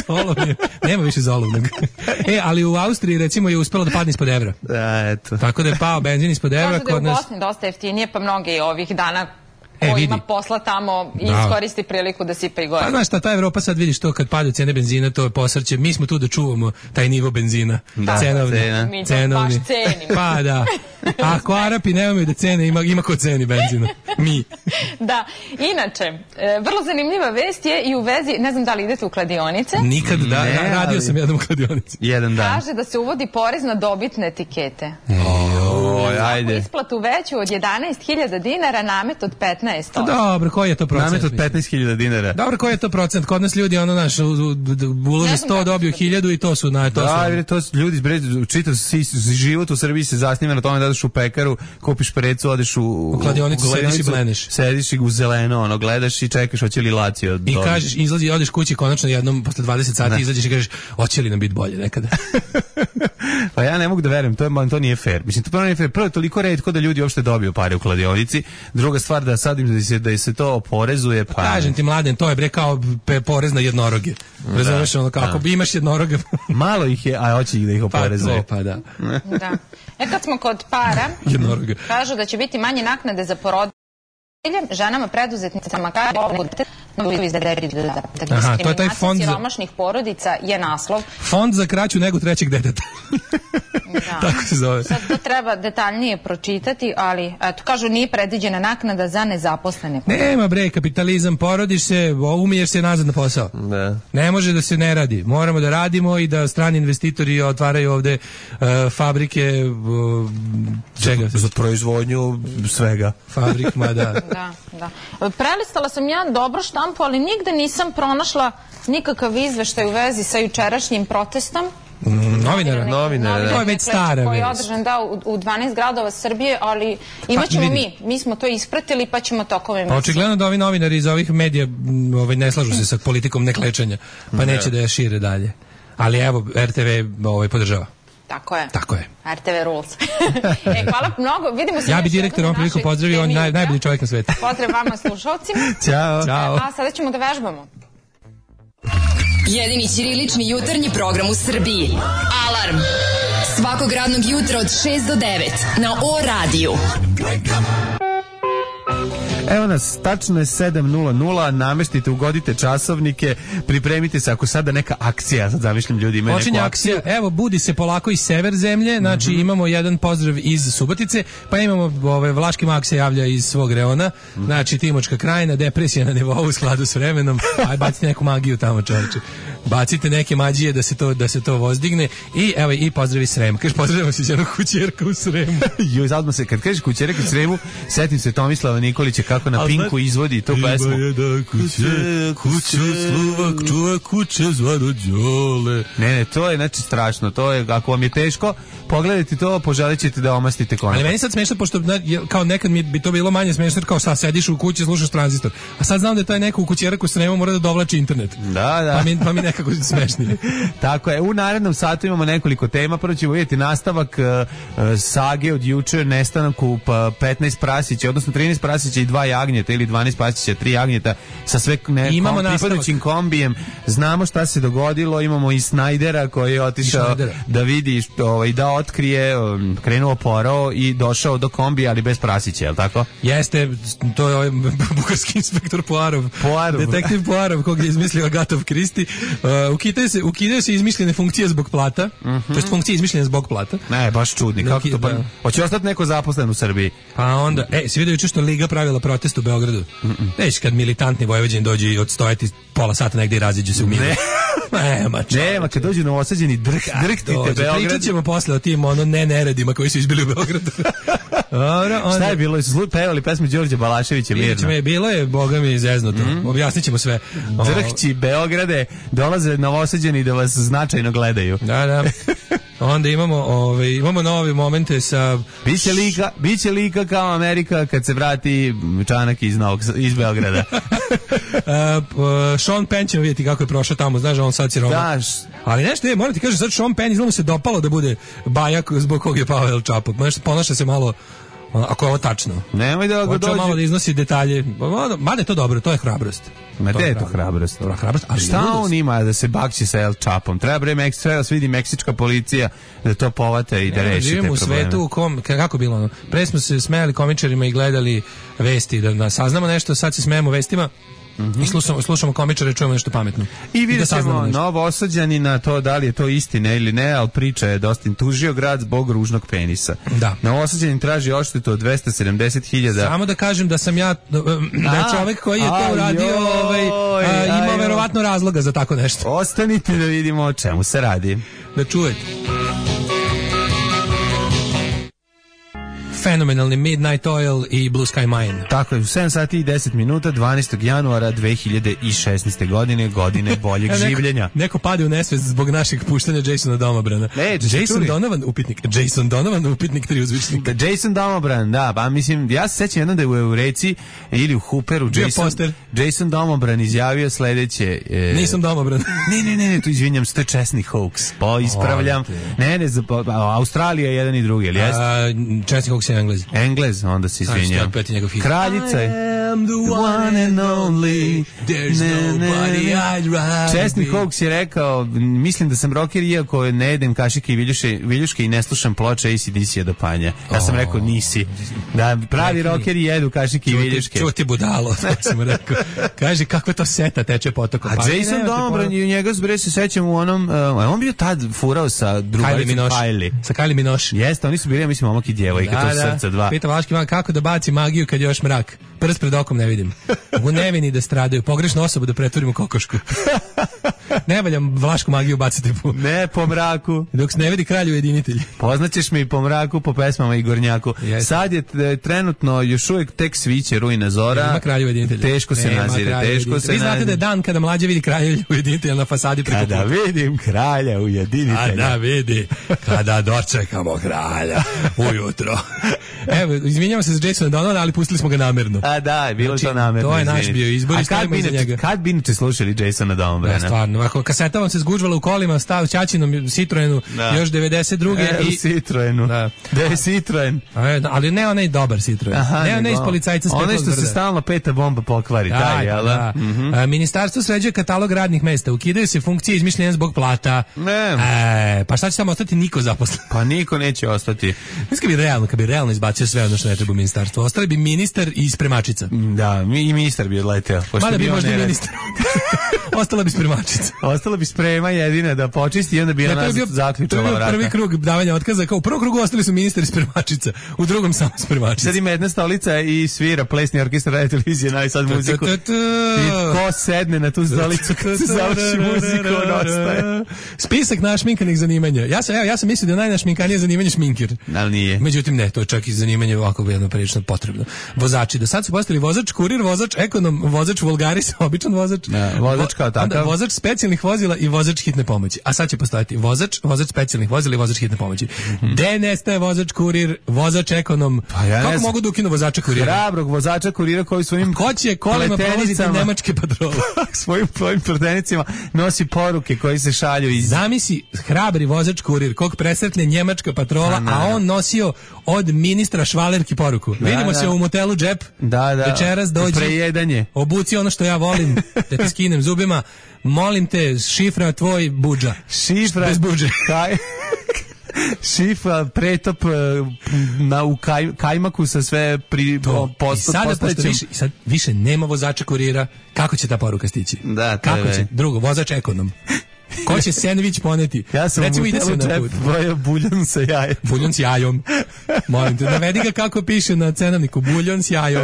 zolovni je, nema više zolovnog. E, ali u Austriji recimo je uspelo da padne ispod evra. Da, eto. Tako da je pao benzin ispod evra. Možda da je u Bosni dosta jeftinije, pa mnogi ovih dana E, ko vidi. ima posla tamo i Bravo. iskoristi priliku da sipa i gore. Pa znaš šta, ta Evropa sad vidiš to kad padaju cene benzina, to je posrće. Mi smo tu da čuvamo taj nivo benzina. Da, cenovni. cena. Mi to Cenovni. baš cenimo. Pa da. A ako Arapi nemaju da cene, ima, ima ko ceni benzina. Mi. Da, inače, e, vrlo zanimljiva vest je i u vezi, ne znam da li idete u kladionice, Nikad, da, Ne, ra- radio ali- sam jednom u kladionici. Jedan dan. kaže da se uvodi porez na dobitne etikete. Oj, ajde. Isplatu veću od jedanaest hiljada dinara, namet od petnaest Pa posto. dobro, koji je to procent? Namet od mislim? petnaest hiljada dinara. Dobro, koji je to procent? Kod nas ljudi, ono, naš, u- u- u- ulože Ne znam sto, kako dobiju se to hiljadu i to su, na, to Da, su. jer to su ljudi, bre, čitav si- život u Srbiji se zasniva na tome da odeš u pekaru, kupiš precu, odeš u... U kladionicu, sediš i bleniš. Sediš i u zeleno, ono, gledaš i čekaš hoće li lacio. I kažeš, izlazi, odeš kući konačno jednom, posle dvadeset sati izađeš i kažeš, hoće li nam biti bolje nekada? Pa ja ne mogu da verujem, to, je, to nije fair. Mislim, to prvo nije fair. Prvo je toliko retko da ljudi uopšte dobiju pare u kladionici. Druga stvar da sad im da se, da se to oporezuje, pa... Kažem ti, Mladen, to je bre kao pe- porez na jednoroge. Razumeš, ono, kako bi imaš jednoroge. Malo ih je, a hoće ih da ih Pa oporezuje. to, pa da. Da. E kad smo kod para, Jednoroge. kažu da će biti manje naknade za porodilje, ženama preduzetnicama kažu Aha, to je taj fond za- siromašnih porodica je naslov. Fond za kraću nego trećeg deteta. Da. Tako se zove. Sad to treba detaljnije pročitati, ali eto, kažu nije predviđena naknada za nezaposlene. Nema bre, kapitalizam, porodiš se, umiješ se nazad na posao. Da. Ne može da se ne radi. Moramo da radimo i da strani investitori otvaraju ovde uh, fabrike uh, čega? Za proizvodnju svega. Fabrik, ma da. Da, da. Prelistala sam ja dobro štampu, ali nigde nisam pronašla nikakav izveštaj u vezi sa jučerašnjim protestom. Mm, Novinara. Novinara, da. To je već stara koji je vest. održan da, u, u dvanaest gradova Srbije, ali imat ćemo vidi. mi. Mi smo to ispratili pa ćemo tokom Pa emisije. očigledno da ovi novinari iz ovih medija m, ovaj, ne slažu se sa politikom neklečanja, pa neće da je šire dalje. Ali evo, R T V ovaj, podržava. Tako je. Tako je. R T V rules. e, hvala mnogo. Vidimo se Ja bi još direktor jednom ovom na prilikom našoj pozdravio, on temi naj, jutra. najbolji čovjek na svetu. Pozdrav vama slušalcima. Ćao. Ćao. A sada ćemo da vežbamo. Jedini ćirilični jutarnji program u Srbiji. Alarm. Svakog radnog jutra od šest do devet na O radiju. Evo nas, tačno je sedam nula nula, nameštite, ugodite časovnike, pripremite se ako sada neka akcija, sad zamišljam ljudi imaju Počinje neku akcija, akciju. evo budi se polako iz sever zemlje, znači Mhm. imamo jedan pozdrav iz Subotice, pa imamo ove, Vlaški mak se javlja iz svog reona, Mhm. znači Timočka krajina, depresija na nivou u skladu s vremenom, aj bacite neku magiju tamo čovječe, bacite neke mađije da se to, da se to vozdigne i evo i pozdrav iz Srema, kaže pozdravimo se iz jednog kućerka u Sremu. Joj, zadno se, kad kažeš kućerek u Sremu, setim se Tomislava Nikolića kako na A Pinku znaš- izvodi tu pesmu. Ima jedan kuće, kuće Slovak, čuva kuće zvano Đole. Ne, ne, to je znači strašno, to je, ako vam je teško, pogledajte to, poželit ćete da omastite konopar. Ali meni sad smešno, pošto na- je- kao nekad mi bi to bilo manje smešno, jer kao šta, sediš u kući, slušaš tranzistor. A sad znam da je taj neko u kućerak u Sremu mora da dovlači internet. Da, da. Pa mi, pa mi nekako smešnije. Tako je, u narednom satu imamo nekoliko tema, prvo ćemo vidjeti nastavak uh, uh, sage od juče, nestanku pa petnaest prasića, odnosno trinaest prasića i dva jagnjeta, ili dvanaest prasića, tri jagnjeta, sa sve ne, Imamo kom, nastavak. pripadajućim kombijem. Znamo šta se dogodilo, imamo i Snajdera koji je otišao Schneidera. da vidi, što, ovaj, da otkrije, um, krenuo porao i došao do kombija, ali bez prasića, je li tako? Jeste, to je ovaj bugarski inspektor Poirov. Poirov. Detektiv Poirov, kog je izmislio Agatov Kristi. Uh, ukidaju se, ukidaju se izmišljene funkcije zbog plata, to jest funkcije izmišljene zbog plata. Ne, baš čudni, Da, kako to pa... da. Hoće ostati neko zaposlen u Srbiji? Pa onda, e, si vidio juče što Liga pravila protest u Beogradu? Već kad militantni Vojvođani dođu i odstojati pola sata negdje i raziđu se u miru. Ne. Nema čovječe. Nema, kad dođu novosađeni, drh, drhtite Dođe, Beograd. Pričat ćemo posle o tim ono ne neredima koji su izbili u Beogradu. Dobro, onda... Šta je bilo? Su slu- pevali pesmu Đorđe Balaševića Vidjet mirno. ćemo je, bilo je, boga mi, zeznuto. Objasnit ćemo sve. O, Drhći Beograde, dolaze novosađeni da vas značajno gledaju. Da, da. Onda imamo, ove, imamo nove momente sa... Biće lika, biće lika kao Amerika kad se vrati Čanak iz, Novog, iz Beograda. uh, Sean Penn ćemo vidjeti kako je prošao tamo, znaš, on sad siroma. Daš. Ali nešto je, moram ti kažem, sad Sean Penn izgleda mu se dopalo da bude bajak zbog kog je pao El Chapo. Znaš, ponaša se malo Ako je ovo tačno. Nemoj da ga dođe. Malo da iznosi detalje. Mada je to dobro, to je hrabrost. Ma gde je to hrabrost? Dobra hrabrost, ali šta on ima da se bakći sa El Chapom? Treba bre Meksika, treba da se vidi meksička policija da to povate i da reši te probleme. Živimo u svetu u kom, kako bilo ono, pre smo se smejali komičarima i gledali vesti, da, da saznamo nešto, sad se smejemo vestima. Mm-hmm. I slušamo, slušamo komičare, čujemo nešto pametno. I vidjet ćemo da novo osađani na to da li je to istina ili ne, ali priča je dosta tužio grad zbog ružnog penisa. Da. Novo osađani traži odštetu od dvesta sedamdeset hiljada. Samo da kažem da sam ja, da je čovjek koji je to uradio, ovaj, a, ima verovatno razloga za tako nešto. Ostanite da vidimo o čemu se radi. Da čujete. Fenomenalni Midnight Oil i Blue Sky Mine. Tako je, u sedam sati i deset minuta, dvanaestog januara dve hiljade šesnaeste. godine, godine boljeg neko, življenja. Neko pade u nesvest zbog našeg puštanja Jasona Domobrana. Ne, Jason Donovan, upitnik. Jason Donovan, upitnik tri uzvičnika. Da, Jason Domobran, da, pa mislim, ja se sećam jednom da je u Eureci ili u Hooperu Jason, Jason Domobran izjavio sledeće. E, Nisam Domobran. ne, ne, ne, ne, tu izvinjam, to je česni hoax. Pa ispravljam. Ne, ne, Australija je jedan i drugi, ali jeste? Česni hoax je Englez. Englez, onda se izvinjam. Kraljica je. I am the one and only. There's nobody I'd rather. Česni hoax je rekao, mislim da sam rocker iako ne jedem kašike i viljuške, viljuške i ne slušam ploče A C D C-a do panja. Ja sam rekao nisi. Da pravi rockeri jedu kašike i viljuške. Čuti budalo, to sam rekao. Kaže kakva to seta teče potokom. A Jason Domobran i njega zbre se sećam u onom, uh, on bio tad furao sa drugaricom Kylie. Sa Kylie Minogue. Jeste, oni su bili, ja mislim, momak i djevojka, da, to su srca dva. Pita Vlaški man kako da baci magiju kad je još mrak. Prst pred okom ne vidim. U nevini da stradaju, pogrešnu osobu da pretvorimo kokošku. Ne valjam Vlašku magiju baciti po... Ne, po mraku. Dok se ne vidi kralj ujedinitelj. Poznaćeš mi po mraku, po pesmama i Gornjaku. Yes. Sad je t, trenutno još uvijek tek sviće rujna zora. Nema kralja ujedinitelja. Teško se Nema nazire, teško se. Vi znate da je dan kada mlađe vidi kralja ujedinitelja na fasadi preko puta. Kada vidim kralja ujedinitelja. Kada vidi, kada dočekamo kralja ujutro. Evo, izvinjamo se za Jasona Donovana, ali pustili smo ga namerno. A da, bilo znači, to namerno. To je naš bio izbor i stavimo iza njega. Kad bi inače slušali Jasona Donovana? Ja, stvarno, ako kaseta vam se zgužvala u kolima, stav Ćaćinom Citroenu, da. Još devedeset druge E, i... Citroenu. Da. Da je Citroen. Ali ne onaj dobar Citroen. Aha, ne onaj iz policajca s petlom onaj što se stalno peta bomba pokvari. Da, taj, jel? Da. Mm-hmm. A, ministarstvo sređuje katalog radnih mesta. Ukidaju se funkcije izmišljene zbog plata. Ne. E, pa šta će tamo ostati? Niko zaposlen. Pa niko neće ostati. Mislim kad bi realno, kad bi realno izbacio sve ono što ne treba ministarstvo. Ostali bi ministar i spremačica. Da, i ministar bi odleteo. Mada bi možda ministar. Ostala bi spremačica. Ostala bi sprema jedina da počisti i onda bi ja, ona zaključala vrata. Prvi krug davanja otkaza. Kao u prvom krugu ostali su ministar i spremačica. U drugom samo spremačica. Sad ima jedna stolica i svira plesni orkestar radio televizije, navi sad muziku. I ko sedne na tu stolicu kad se završi muziku, on ostaje. Spisak našminkanih zanimanja. Ja sam, evo, ja sam mislio da je najnašminkanije zanimanje šminkir. Ali nije. Međutim ne, to je čak i zanimanje ovako jedno prilično potrebno. Vozači. Do sad su postali vozač, kurir, vozač, ekonom, vozač, vulgaris, običan vozač. Da, vozač kao takav. Vozač specijalnih vozila i vozač hitne pomoći. A sad će postojati vozač, vozač specijalnih vozila i vozač hitne pomoći. Mm-hmm. De nestaje vozač kurir, vozač ekonom. Pa ja kako mogu da ukinu vozača kurira? Hrabrog vozača kurira koji svojim ko će kolima prolaziti nemačke patrole? Svojim svojim pletenicima nosi poruke koji se šalju iz... Zamisli hrabri vozač kurir kog presretne njemačka patrola, a, a on nosio od ministra Švalerki poruku. Da, vidimo da. Se u motelu Džep. Da, da. Večeras dođi. Prejedanje. Obuci ono što ja volim, da ti skinem zubima. Molim te, šifra tvoj budža. Šifra bez budže. Kaj... Šifra, pretop na, u kaj, kajmaku sa sve pri, posto, I sada više, sad više nema vozača kurira. Kako će ta poruka stići? Da, kako će? Drugo, vozač ekonom. Ko će sendvič poneti? Ja sam recimo ide se na put. Bojo buljon sa jajem. Buljon s jajom. Molim te, navedi ga kako piše na cenovniku. Buljon s jajom.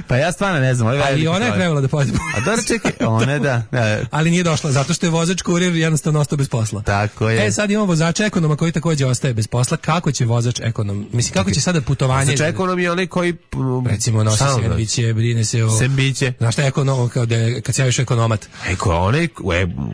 Pa ja stvarno ne znam. Ali ona je trebala da pojede. A dobro čekaj, ona da, da. Ali nije došla, zato što je vozač kurir jednostavno ostao bez posla. Tako je. E sad imamo vozača ekonoma koji također ostaje bez posla. Kako će vozač ekonom? Mislim, kako će sada putovanje? Vozač ekonom je onaj koji... Recimo nosi sendviče, brine se o... Sendviče. Znaš šta je ekonom, kao da kad se javiš ekonomat? Eko, onaj,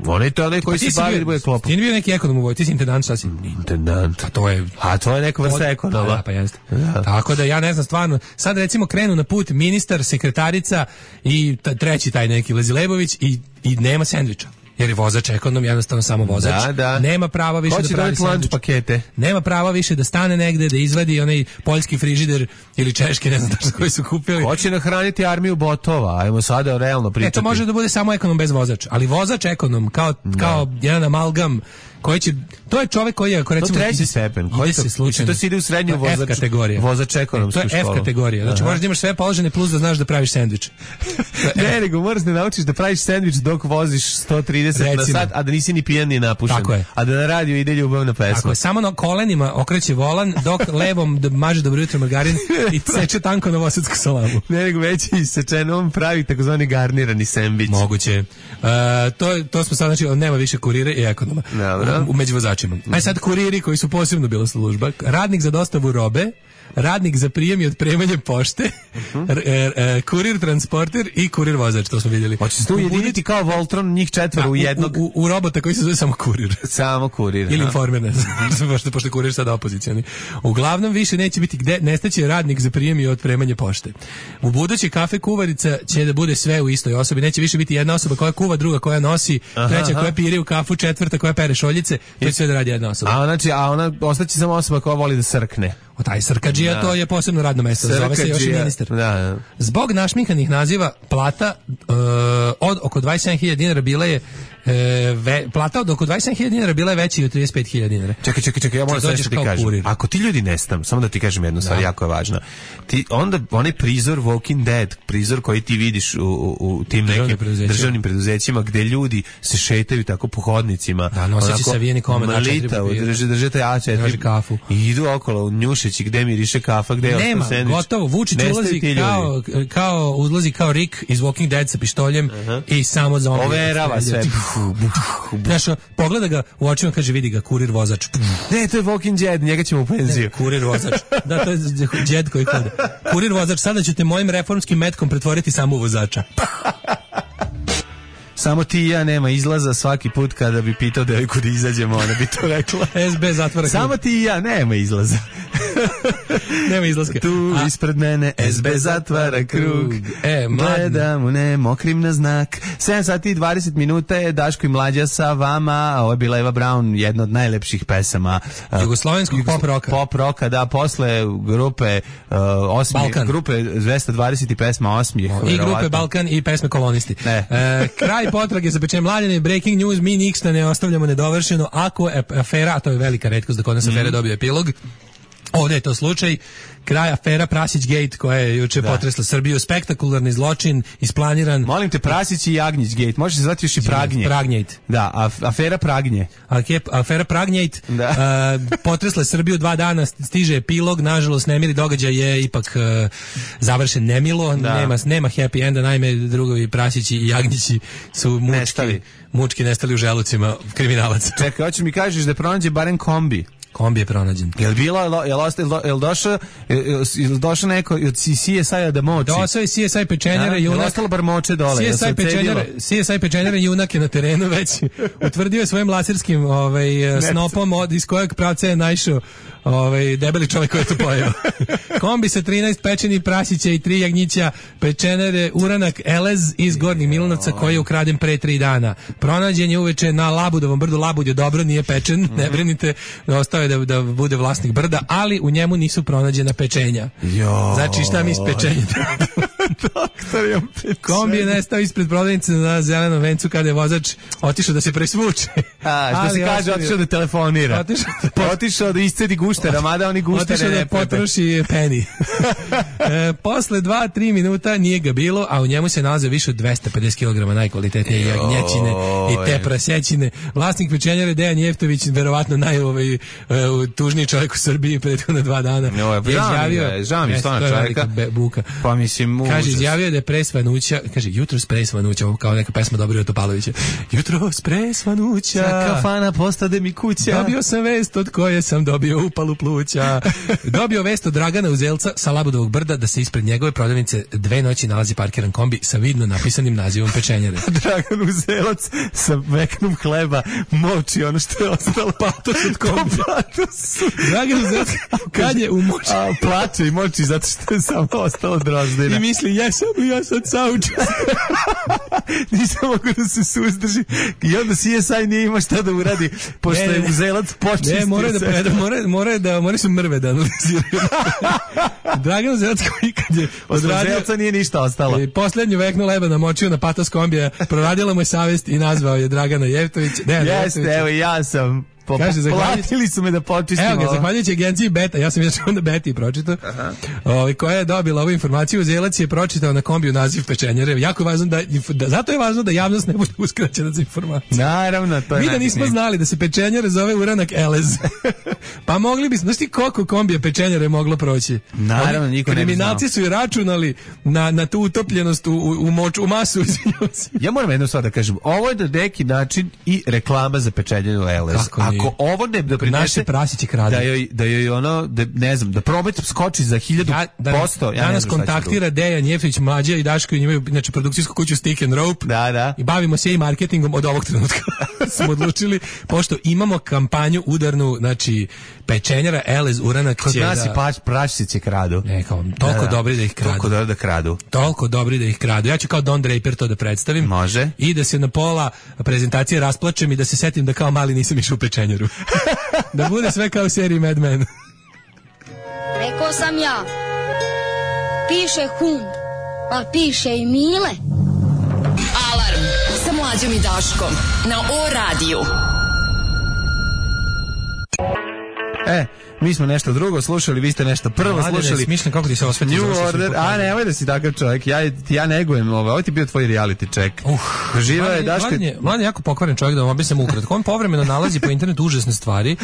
onaj to onaj koji se bavi da bude klopom. Ti nije bio neki ekonom u vojsci, ti si intendant, šta si? Intendant. A to je... A to je neka vrsta ekonoma. Da, pa jeste. Da. Tako da ja ne znam stvarno. Sad recimo krenu na put ministar, sekretarica i ta, treći taj neki Lezilebović i, i nema sendviča. jer je vozač ekonom, jednostavno samo vozač. Da, da. Nema prava više da pravi sendvič. pakete. Nema prava više da stane negde, da izvadi onaj poljski frižider ili češki, ne znam tačno koji su kupili. Hoće nahraniti armiju botova, ajmo sada realno pričati. E, to može da bude samo ekonom bez vozač, ali vozač ekonom, kao, kao jedan amalgam, koji će, to je čovjek koji je, ako recimo, to treći stepen, ide se slučajno, to se ide u srednju vozač, F kategorija. Vozač ekonomsku školu. To je F kategorija, znači možeš da imaš sve položene plus da znaš da praviš sendvič. Ne, nego moraš da naučiš da praviš sendvič dok voziš sto trideset recimo na sat, a da nisi ni pijan ni napušen. Tako je. A da na radiju ide ljubavna pesma. Tako je, samo na kolenima okreće volan, dok levom da maže dobro jutro margarin i seče tanko novosadsku salamu. Ne, nego već i sečeno, on pravi takozvani garnirani sendvič. Moguće. Uh, to, to smo sad, znači, nema više kurira i ekonoma. Dobro. U među vozačima. Aj sad kuriri koji su posebno bila služba. Radnik za dostavu robe, radnik za prijem i otpremanje pošte, uh-huh. r, r, r, kurir transporter i kurir vozač, to smo vidjeli. Hoće se tu ujediniti kao Voltron, njih četvoro u jednog. U, u, u robota koji se zove samo kurir. Samo kurir. Ili informer, ne znam, pošto, pošto kurir sada opozicioni. Uglavnom više neće biti gde, nestaće radnik za prijem i otpremanje pošte. U budući kafe kuvarica će da bude sve u istoj osobi, neće više biti jedna osoba koja kuva, druga koja nosi, aha, treća aha. koja pire u kafu, četvrta koja pere šoljice, to će sve da radi jedna osoba. A znači, a ona ostaće samo osoba koja voli da srkne. O taj srkadžija, to je posebno radno mesto, zove se još i ministar. Da, da. Zbog našminkanih naziva plata uh, od oko dvadeset sedam hiljada dinara bila je uh, ve, plata od oko dvadeset sedam hiljada dinara bila je veća od trideset pet hiljada dinara. Čekaj, čekaj, čekaj, ja moram sve što ti kažem. Kurir. Ako ti ljudi nestanu, samo da ti kažem jednu stvar, da. Jako je važna. Ti, onda onaj prizor Walking Dead, prizor koji ti vidiš u, u, u tim nekim državnim preduzećima gde ljudi se šetaju tako po hodnicima. Da, noseći savijeni komad A četiri papira. Drže, drže taj A četiri. Drži kafu. I idu okolo, njušeći gde miriše kafa, gde je ostao sendvič. Nema, gotovo, Vučić ulazi kao, kao, uzlazi kao Rick iz Walking Dead sa pištoljem uh-huh. i samo zombi. Overava sve. Znaš, pogleda ga u očima, kaže, vidi ga, kurir vozač. Ne, to je Walking Dead, njega ćemo u penziju. Ne, kurir vozač. Da, to je Dead koji hode. Kurir vozač, sada ću te mojim reformskim metkom pretvoriti samo u vozača. Samo ti i ja nema izlaza, svaki put kada bi pitao devojku da izađemo, ona bi to rekla. S B zatvara krug. Samo ti i ja, nema izlaza. Nema izlaska. Tu A, ispred mene S B zatvara krug. E, gledam u ne, mokrim na znak. sedam sati i dvadeset minuta je Daško i Mlađa sa vama. Ovo je bila Eva Braun, jedna od najlepših pesama jugoslovenskog uh, pop roka. Pop roka, da, posle grupe uh, osmi, grupe dvesta dvadeset i pesma Osmijeh. I grupe verovatno. Balkan i pesme Kolonisti. Ne. E, kraj potrage za pečenjem Mlađane, breaking news, mi ništa ne ostavljamo nedovršeno. Ako je afera, a to je velika retkost da kod nas afere mm. dobije epilog, ovdje je to slučaj, kraj afera Prasić Gate koja je juče da. potresla Srbiju, spektakularni zločin, isplaniran. Molim te, Prasić i Jagnjić Gate, može se zvati još i Pragnje. Pragnjejt. Da, af, afera Pragnje. Afera Pragnjejt, da. uh, potresla Srbiju dva dana, stiže epilog, nažalost nemili događaj je ipak uh, završen nemilo, da. nema, nema happy enda, naime drugovi Prasići i Jagnjići su mučki, nestali. mučki nestali u želucima kriminalaca. Čekaj, hoćeš mi kažeš da pronađe barem kombi? Kombi je pronađen. Jel bilo, jel ostao, jel došao, jel došao neko od C S I-a da moči? Došao je C S I pečenjara, junak. Jel ostalo bar moče dole? C S I pečenjara, C S I pečenjara junak je na terenu već utvrdio je svojim laserskim ovaj, snopom od, iz kojeg pravca je naišao ovaj, debeli čovjek koji je to pojeo. Kombi sa trinaest pečenih prasića i tri jagnjića, pečenere uranak Elez iz Gornjih Milanovca koji je ukraden pre tri dana. Pronađen je uveče na Labudovom brdu, Labud je dobro, nije pečen, mm-hmm. ne brinite, ostao je da, da bude vlasnik brda, ali u njemu nisu pronađena pečenja. Jo. Znači šta mi iz pečenja? Doktor je pečenja. Kombi je nestao ispred prodavnice na Zelenom vencu kada je vozač otišao da se presvuče. A, što ali se kaže, otišao da telefonira. Otišao da, otišao da iscedi guštera, mada oni guštere otišao da potroši peni. e, posle dva do tri minuta nije ga bilo, a u njemu se nalaze više od dvesta pedeset kilograma najkvalitetnije jagnjećine i te prasećine. Vlasnik pečenjare Dejan Jeftović, verovatno naj ovaj, uh, tužniji čovjek u Srbiji prethodna dva dana. No, je izjavio, žao mi stvarno čovjeka. Buka. Pa mislim, kaže, izjavio da je pre svanuća, kaže, jutro pre svanuća, kao neka pesma Dobrila Topalovića. Jutro pre svanuća, kafana postade mi kuća. Dobio sam vest od koje sam dobio upalu pluća. Dobio vest od Dragana Uzelca sa Labudovog brda da se ispred njegove prodavnice dve noći nalazi parkiran kombi sa vidno napisanim nazivom pečenjare. Dragan Uzelac sa veknom hleba moči ono što je ostalo. Patos od kombi. Dragan Uzelac kad je u moči. A, plače i moči zato što je samo ostalo drozdina. I misli, jesam li ja sad saučas? Nisam mogu da se suzdrži. I onda C S I nije ima šta da uradi, pošto ne, je Uzelac počistio ne, mora da preda, mora, mora da, mora su mrve da analiziraju. Dragan Uzelac koji kad je od Uzelca nije ništa ostalo. I poslednju veknu leba namočio na patos kombija, proradila mu je savest i nazvao je Dragana Jeftović. Jeste, evo ja sam. Po, Kaže, platili su me da počistimo. Evo ga, zahvaljujući agenciji Beta, ja sam još onda Beti pročitao, ovaj, koja je dobila ovu informaciju, Uzelac je pročitao na kombiju naziv pečenjare. Jako je važno da, da, zato je važno da javnost ne bude uskraćena za informaciju. Naravno, to je mi da nismo znali da se pečenjare zove uranak Elez. Pa mogli bi, znaš ti koliko kombija pečenjare moglo proći? Naravno, niko ne bi znao. Kriminalci su i računali na, na tu utopljenost u, u, u, moč, u masu. Ja moram jednu stvar da kažem, ovo je do neki način i reklama za pečenjaru Elez. Ako ovo ne doprinese naše prasiće krade, da joj, da joj ono, da, ne znam, da promet skoči za hiljadu ja, da, posto. Ja danas kontaktira Dejan Jeftović, Mlađa i Daško i imaju znači, produkcijsku kuću Stick and Rope. Da, da. I bavimo se i marketingom od ovog trenutka. Smo odlučili, pošto imamo kampanju udarnu, znači, pečenjara Elez uranak kod će nas da... i pač, praščice kradu. Ne, kao, toliko da, da. dobri da ih kradu. Toliko dobri da kradu. Toliko dobri da ih kradu. Ja ću kao Don Draper to da predstavim. Može. I da se na pola prezentacije rasplačem i da se setim da kao mali nisam išao u pečenjaru. Da bude sve kao u seriji Mad Men. Rekao sam ja, piše hum, a piše i Mile. Alarm sa Mlađom i Daškom na O radiju. E, mi smo nešto drugo slušali, vi ste nešto prvo Mladine, slušali. Smišljam kako ti se osveti. New Order, a nemoj da si takav čovjek, ja, ja negujem ovo, ovo ti je bio tvoj reality check. Uh, Živa je Daško. Mladen je jako pokvaren čovjek, da vam objasnim ukratko. On povremeno nalazi po internetu užasne stvari,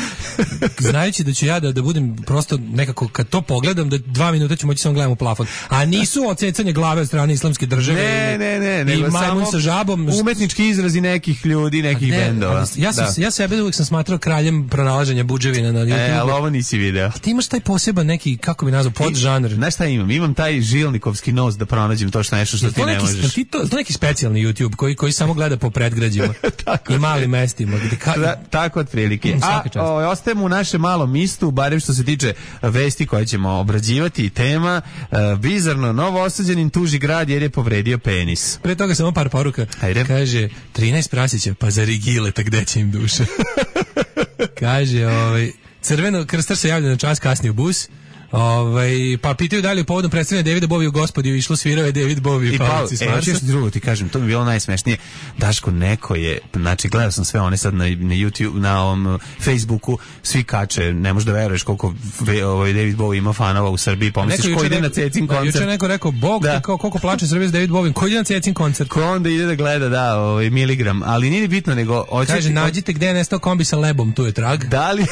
znajući da ću ja da, da budem prosto nekako, kad to pogledam, da dva minuta ću moći samo gledam u plafon. A nisu ocecanje glave od strane islamske države. Ne, ne, ne, i nego majmun samo sa žabom. Umetnički izrazi nekih ljudi, nekih ne, bendova. Ja, sam, da. ja sebe uvijek sam smatrao kraljem pronalaženja budževina na YouTube. E, ali ovo nisi video. Ti imaš taj poseban neki, kako bi nazvao, podžanr. Znaš šta imam? Imam taj žilnikovski nos da pronađem to što nešto što ti ne neki, možeš. Ti to, to neki specijalni YouTube koji, koji samo gleda po predgrađima i malim mestima. Gde ka... da, tako otprilike. A o, ostajemo u našem malom mistu, barem što se tiče vesti koje ćemo obrađivati i tema. Uh, bizarno, novo osuđenin tuži grad jer je povredio penis. Pre toga samo par poruka. Ajde. Kaže, trinaest prasića, pa za rigile, tak gde će im duše. Kaže, ovaj... Crveno krstar se javlja na čas kasni u bus. Ovaj pa pitaju da li je povodom predstavljanja Davida Bowie u Gospodiju išlo svirao je David Bowie i Pavci s Marsa. E, još drugo ti kažem, to mi je bilo najsmešnije. Daško, neko je, znači gledao sam sve one sad na, na YouTube, na ovom Facebooku, svi kače, ne možeš da veruješ koliko ovaj David Bowie ima fanova u Srbiji, pomisliš ko ide na Cecin koncert. Juče neko rekao, Bog da. Te kao koliko plače Srbija s David Bowie, ko ide na Cecin koncert. Ko onda ide da gleda, da, ovaj miligram, ali nije bitno nego hoće. Kaže, nađite gde je nestao kombi sa lebom, tu je trag. Da li,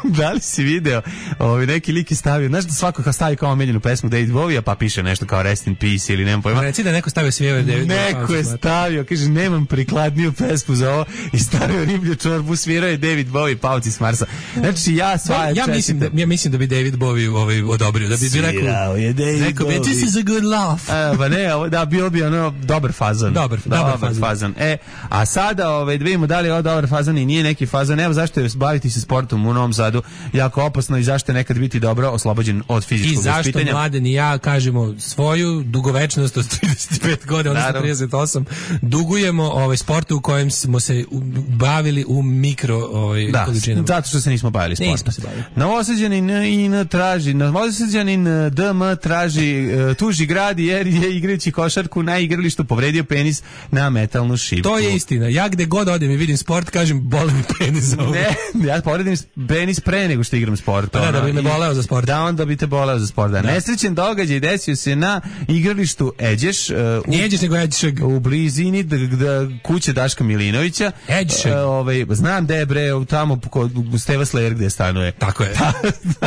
da li si video, ovaj neki lik je stavio, znaš da svako kao stavi kao omiljenu pesmu David Bowie, pa piše nešto kao Rest in Peace ili nemam pojma. Reci da neko stavio svijeve David Bowie. Neko je stavio, kaže, nemam prikladniju pesmu za ovo i stavio riblju čorbu, svirao je David Bowie, Pavci s Marsa. Znači, ja sva ja, ja mislim da ja mislim da bi David Bowie ovaj odobrio, da bi bi rekao, je David rekao bi, this is a good laugh. A, pa ne, ovo, da, bio bi ono dobar fazan. Dobar, dobar, dobar fazan. fazan. E, a sada, ovaj, da vidimo da li je ovo dobar fazan i nije neki fazan. Evo zašto je baviti se sportom u Novom Sadu jako opasno i zašto je nekad biti dobro oslobođen od fizičkog vaspitanja. I zašto Mladen i ja kažemo svoju dugovečnost od trideset pet godina, odnosno trideset osam, dugujemo ovaj sportu u kojem smo se bavili u mikro ovaj, da, količinama. Zato što se nismo bavili sportom. Nismo se bavili. Novosađanin in traži, Novosađanin D M traži, tuži grad jer je igrajući košarku na igralištu povredio penis na metalnu šipku. To je istina. Ja gde god odem i vidim sport, kažem, boli mi penis za ovo. Ne, ja povredim penis pre nego što igram sport. Pa da, da bi me boleo za sport. Da, onda bi te boleo za sport. Da. Nesrećen događaj desio se na igralištu Eđeš. Uh, Nije Eđeš, nego Eđšeg. U blizini d- d- kuće Daška Milinovića. Eđšeg. Uh, ovaj, znam da je bre, tamo kod Steva Slayer gde stanuje. Tako je.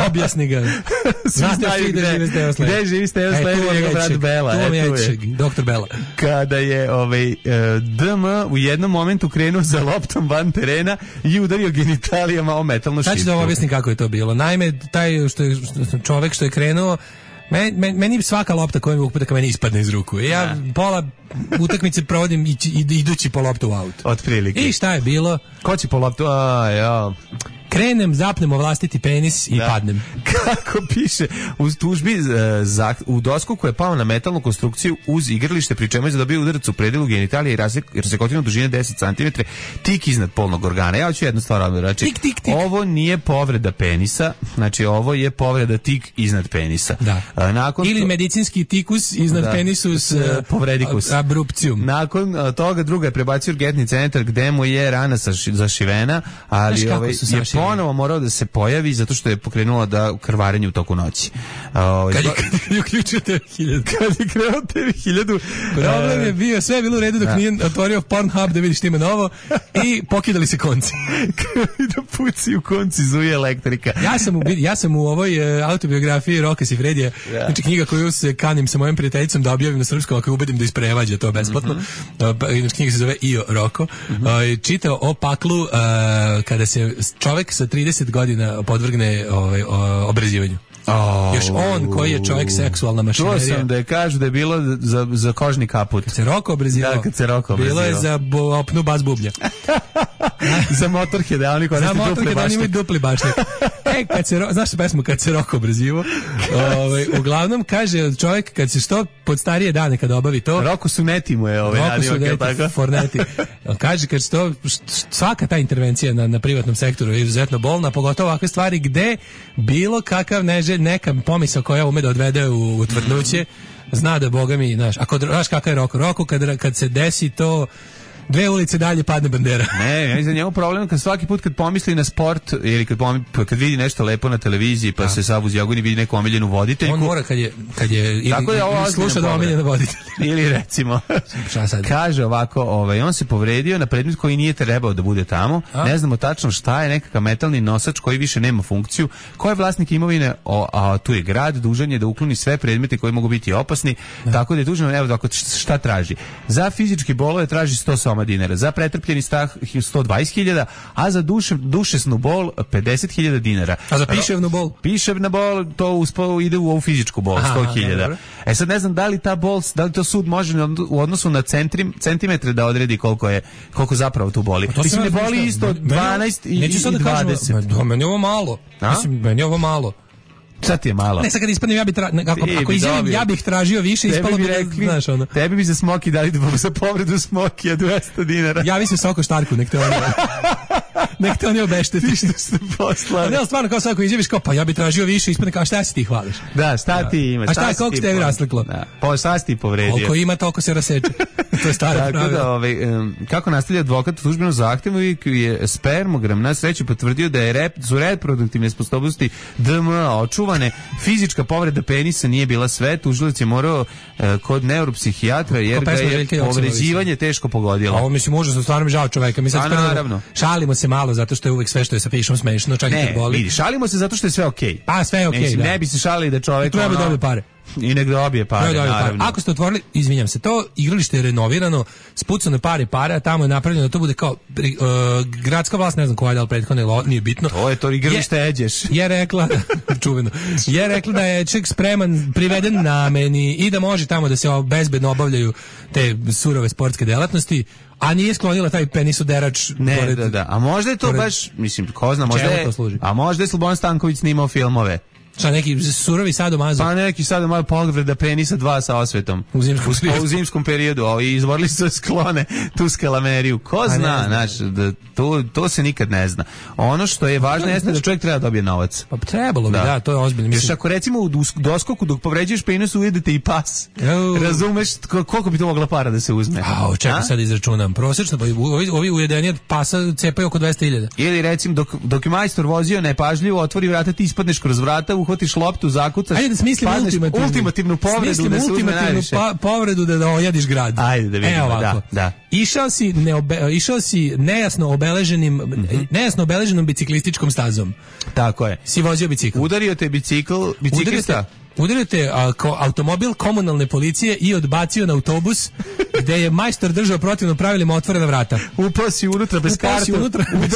Objasni ga. Znate svi da žive Steva Slayer. Gde živi Steva Slayer i njegov brat Bela. Tu vam je Eđšeg, doktor Bela. Kada je ovaj, uh, D M u jednom momentu krenuo za loptom van terena i udario genitalijama o metalnu šipku. Znači da vam objasnim kako je to bilo. Naime, taj što je, što, čovek što je krenuo, meni, meni, meni svaka lopta koja mi upita ka meni ispadne iz ruku. Ja ja. pola utakmice provodim ići, idući po loptu u auto. Otprilike. I šta je bilo? Ko će po loptu? A, ja... Krenem, zapnem vlastiti penis i da. padnem. Kako piše u tužbi za, u dosku koja je pao na metalnu konstrukciju uz igralište, pri čemu je zadobio udarac u predelu genitalije i razsekotinu dužine deset centimetara tik iznad polnog organa. Ja ću jednu stvar odmah reći. Tik, tik, tik. Ovo nije povreda penisa, znači ovo je povreda tik iznad penisa. Da. A, nakon ili to... medicinski tikus iznad da. penisus povredikus. Abrupcijum. Nakon toga druga je prebacio urgentni centar gde mu je rana zašivena, ali ovaj, je ponovo morao da se pojavi zato što je pokrenulo da krvarenje u toku noći. Uh, kad je, kad je uključio te hiljadu. Kad je krenuo te hiljadu. Problem je bio, sve je bilo u redu dok da. nije otvorio Pornhub da vidi šta ima novo i pokidali se konci. Da puci u konci zuje elektrika. Ja sam u, ja sam u ovoj uh, autobiografiji Roka Sifredija, yeah. znači knjiga koju se kanim sa mojom prijateljicom da objavim na srpskom ako je ubedim da isprevađa to besplatno. Mm-hmm. Uh, knjiga se zove Io Roko. Mm-hmm. Uh, čitao o paklu uh, kada se čovek sa trideset godina podvrgne ovaj, obrazivanju. Oh, još on koji je čovjek seksualna mašinerija. To sam da je kažu da je bilo za, za kožni kaput. Kad se Roko obrazivao. Da, kad se Roko obrazivao. Bilo je za bo, opnu bas bublja. Za Motorhead, oni koji za Motorhead, oni imaju dupli bašnik. E, kad se, znaš što pesmu kad se Roko obrazivao? Ovaj, uglavnom, kaže čovjek kad se što pod starije dane kada obavi to. Roko su neti mu je ovaj nadimak. Roko su neti, forneti. Kaže kad se to, svaka ta intervencija na, na privatnom sektoru je izuzetno bolna, pogotovo ovakve stvari gde bilo kakav neže neka pomisao koja ume da odvede u, u tvrdnuće, zna da Boga mi, znaš, ako znaš kakav je Roko, Roko kad, kad se desi to dve ulice dalje padne bandera. Ne, ja za njemu problem kad svaki put kad pomisli na sport ili kad pomisli, kad vidi nešto lepo na televiziji pa da. se sav uz jagoni vidi neku omiljenu voditeljku. On mora kad je kad je ili, tako je ovo sluša da omiljena voditelj. Ili recimo kaže ovako, ovaj on se povredio na predmet koji nije trebao da bude tamo. A? Ne znamo tačno šta je, nekakav metalni nosač koji više nema funkciju. Ko je vlasnik imovine? O, a tu je grad, dužan je da ukloni sve predmete koji mogu biti opasni. Da. Tako da je dužan, evo tako šta traži. Za fizički bolove traži sto soma dinara, za pretrpljeni strah sto dvadeset hiljada, a za duše, dušesnu bol pedeset hiljada dinara. A za piševnu bol? Piševna bol, to uspo, ide u ovu fizičku bol, sto hiljada. E sad ne znam da li ta bol, da li to sud može u odnosu na centrim, centimetre da odredi koliko je, koliko zapravo tu boli. Mislim, ne boli isto dvanaest i, i dvadeset. Da, meni je ovo malo. Mislim, meni je ovo malo. Sad ti je malo. Ne, sad kad ispadnem, ja bih tra... ako, ako izjavim, ja bih tražio više, ispalo bi, rekli, znaš, ono. Tebi bi za Smoki dali za povredu Smokija dvesta dinara. Ja mislim Soko Štarku, nek te oni... nek te oni obešteti. Ti što ste poslali. Ne, ali stvarno, kao sad ako izjaviš, kao, pa ja bih tražio više, ispadne kao, šta si ti hvališ? Da, šta ti ima? A šta je, koliko ste tebi rasliklo? Da, pa šta si ti povredio? Koliko ima, toliko se raseče. To je stara pravila. Da, ovaj, um, kako nastavlja advokat u službenom zahtevu je spermogram na sreću potvrdio da je rep, su reproduktivne sposobnosti D M A očuvane. Fizička povreda penisa nije bila sve. Tužilac je morao uh, kod neuropsihijatra jer ga je povređivanje teško pogodilo. A ovo mislim užasno, stvarno mi žao čoveka. Mi sad naravno. Šalimo se malo zato što je uvek sve što je sa pišom smešno, čak i kad boli. Vidi, šalimo se zato što je sve okej. Okay. A sve je okej, okay, da. Ne bi se šalili da čovek treba da dobije pare. I nek dobije pare, naravno. Ako ste otvorili, izvinjam se, to igralište je renovirano, spucane pare pare, a tamo je napravljeno da to bude kao uh, gradska vlast, ne znam koja je, ali prethodno nije bitno. To je to igralište je, Eđeš. Je rekla, čuveno, je rekla da je ček spreman, priveden nameni i da može tamo da se bezbedno obavljaju te surove sportske delatnosti, a nije sklonila taj penisoderač. Ne, pored, da, da. A možda je to pored, baš, mislim, ko zna, možda je, a možda je Slobodan Stanković snimao filmove. Šta, neki surovi sadomazo? Pa neki sadomazo povreda penisa dva sa osvetom. U zimskom, u, u zimskom periodu. O, i izvorili su sklone tu skalameriju. Ko zna, znaš, da, to, to se nikad ne zna. Ono što je važno jeste znaš, da čovjek treba da dobije novac. Pa trebalo bi, da, da to je ozbiljno. Mislim. Još ako recimo u doskoku dok povređuješ penis ujedete i pas. Oh. Razumeš koliko bi to mogla para da se uzme? A, čekaj sad izračunam. Prosečno, pa ovi, ovi ujedeni od pasa cepaju oko dvesta hiljada. Ili recimo dok, dok je majstor vozio nepažljivo, otvori vrata, ti ispadneš kroz vrata, uhvatiš loptu, zakucaš, ajde da smislim ultimativnu, ultimativnu povredu da se uzme najviše. Pa, povredu da, da ojadiš grad. Ajde da vidimo, Evo da, da. Išao si, neobe, išao si nejasno obeleženim, mm-hmm. nejasno obeleženom biciklističkom stazom. Tako je. Si vozio bicikl. Udario te bicikl, biciklista. Udario te a, ko, automobil komunalne policije i odbacio na autobus gde je majstor držao protivno pravilima otvorena vrata. Upao si unutra bez kartu. Unutra bez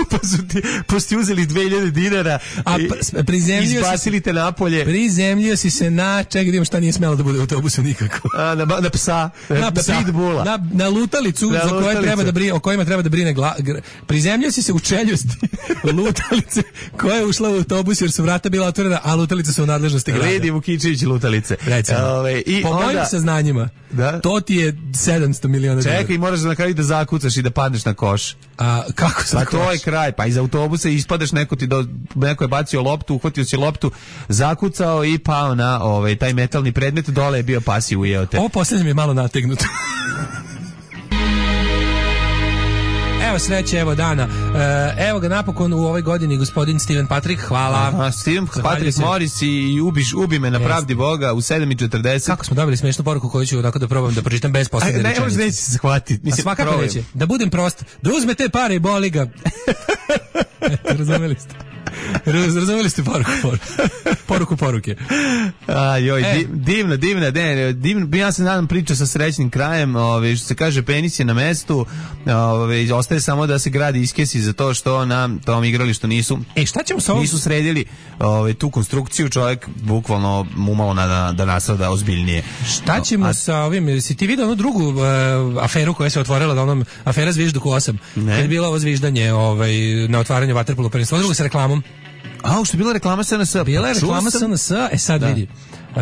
Upao si ti, posti uzeli dve hiljade dinara a prizemljio izbacili te napolje. Prizemljio si se na, čekaj da imam šta nije smelo da bude u autobusu nikako. A, na, na psa, na, na psa, pitbula. Na, na lutalicu na za koje lutalicu. Treba da brine, o kojima treba da brine gla, gr, prizemljio si se u čeljusti lutalice koja je ušla u autobus jer su vrata bila otvorena, a lutalice su u nadležnosti grada. Ledi Vukičević lutalice. Ove, i po onda, mojim saznanjima, da? To ti je sedamsto miliona dinara. Čekaj, moraš na kraju da zakucaš i da padneš na koš. A kako se pa to je kraj, pa iz autobusa ispadaš, neko ti do, neko je bacio loptu, uhvatio si loptu, zakucao i pao na ovaj taj metalni predmet, dole je bio pas i ujeo te. Ovo poslednje mi je malo nategnuto. Evo sreće, evo dana. E, evo ga napokon u ovoj godini gospodin Steven Patrick, hvala. Aha, Steven Patrick Morris i ubiš, ubi me na pravdi Boga u sedam i četrdeset. Kako smo dobili smešnu poruku koju ću tako da probam da pročitam bez poslednje rečenice. Ne, možda neće se shvatiti. A svakako neće. Da budem prost, da uzme te pare i boli ga. Razumeli ste? Razumeli ste poruku, poruku, poruku poruke. A, joj, e. divna, divna, ne, divna, ja se nadam priča sa srećnim krajem, ove, što se kaže, penis je na mestu, ove, ostaje samo da se gradi iskesi za to što na tom igralištu nisu, e, šta ćemo sa ovom? Nisu sredili ove, tu konstrukciju, čovjek bukvalno umalo na, da, da nasada ozbiljnije. Šta ćemo A, sa ovim, si ti vidio onu drugu uh, aferu koja se otvorila, da onom, afera Zvižduku osam, kad je bilo ovo zviždanje ovaj, na otvaranju vaterpolo prvenstva, drugo sa reklamom. A, što je bila reklama S N S? Bila je reklama S N S, e sad da. Vidi. Uh,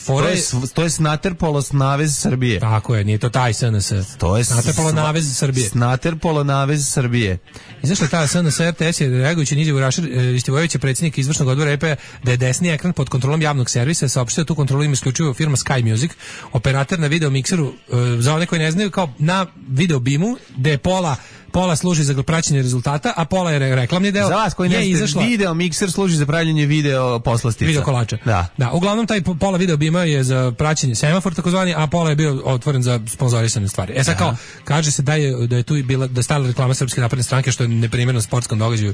to, je, to je Snaterpolo Navez Srbije. Tako je, nije to taj S N S. To je Snaterpolo Navez Srbije. Snaterpolo Navez Srbije. Izašla ta S N S, R T S je reagujući na izjavu Rašir Istivojevića, predsjednik izvršnog odbora E P A, da je desni ekran pod kontrolom javnog servisa, saopštio tu kontrolu ima isključivo firma Sky Music, operator na video mikseru, uh, za one koji ne znaju, kao na video bimu, gde je pola pola služi za praćenje rezultata, a pola je reklamni deo. Za vas koji ne znate, izašla... video mikser služi za pravljenje video poslastica. Video kolača. Da. Da, uglavnom taj pola video bima je za praćenje semafor takozvani, a pola je bio otvoren za sponzorisane stvari. E sad kao, kaže se da je da je tu i bila da stala reklama Srpske napredne stranke, što je neprimereno sportskom događaju.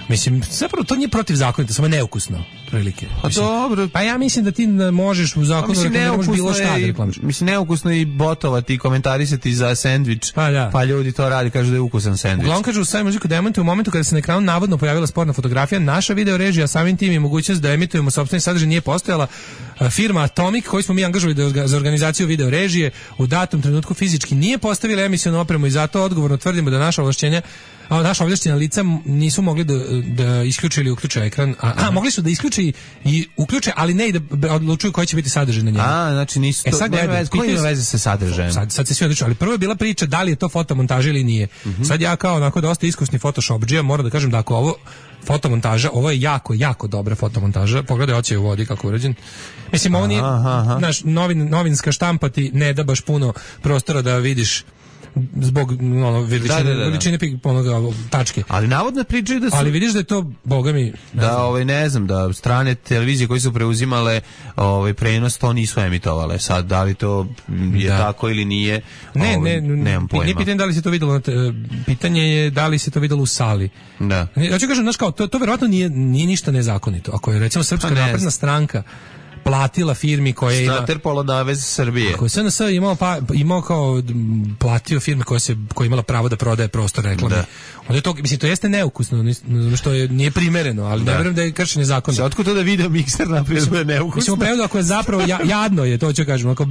Mislim, zapravo to nije protivzakonito, samo neukusno, prilike. Pa dobro. Pa ja mislim da ti možeš u zakonu pa, da možeš bilo šta da reklamiš. Mislim, neukusno i botovati i komentarisati za sendvič, pa, da. Pa ljudi to radi, kažu da je ukusan sendvič. Uglavnom kažu, Sky Music demantuju u momentu kada se na ekranu navodno pojavila sporna fotografija, naša video režija, samim tim i mogućnost da emitujemo sopstveni sadržaj nije postojala. Firma Atomic, koju smo mi angažovali za organizaciju video režije, u datom trenutku fizički nije postavila emisionu opremu i zato odgovorno tvrdimo da naša ovlašćenja a naša ovlašćena lica nisu mogli da, da isključe ili uključe ekran. A, a mogli su da isključe i uključe, ali ne i da odlučuju koji će biti sadržaj na njemu. A, znači nisu to, e, sad nema veze, koji ima veze sa sadržajem? Sad, sad se svi odlučuju, ali prvo je bila priča da li je to fotomontaža ili nije. Mm-hmm. Sad ja kao onako dosta iskusni photoshopdžija moram da kažem da ako ovo fotomontaža, ovo je jako, jako dobra fotomontaža. Pogledaj oči u vodi kako je urađen. Mislim, ovo nije, naš novin, novinska štampa ti ne da baš puno prostora da vidiš zbog ono, veličine, da, da, da. veličine onoga, tačke. Ali navodno pričaju da su... Ali vidiš da je to, boga mi... Ne da, ovaj, ne znam, da strane televizije koje su preuzimale ovaj, prenos, to nisu emitovale. Sad, da li to je da. tako ili nije, ne, ovaj, ne, nemam pojma. Nije pitanje da li se to videlo, pitanje je da li se to videlo u sali. Da. Ja ću kažem, znaš kao, to, to verovatno nije, nije ništa nezakonito. Ako je, recimo, Srpska napredna stranka platila firmi koja ima Snaterpolo Navez Srbije. Ako je S N S imao pa imao kao platio firme koja se koja imala pravo da prodaje prostor reklame. Da. Onda je to mislim to jeste neukusno, što je nije primereno, ali da. Ne verujem da je kršenje zakona. Otkud to da video mikser napravio da je neukusno? Mislim u prevodu ako je zapravo ja, jadno je, to ću kažem, ako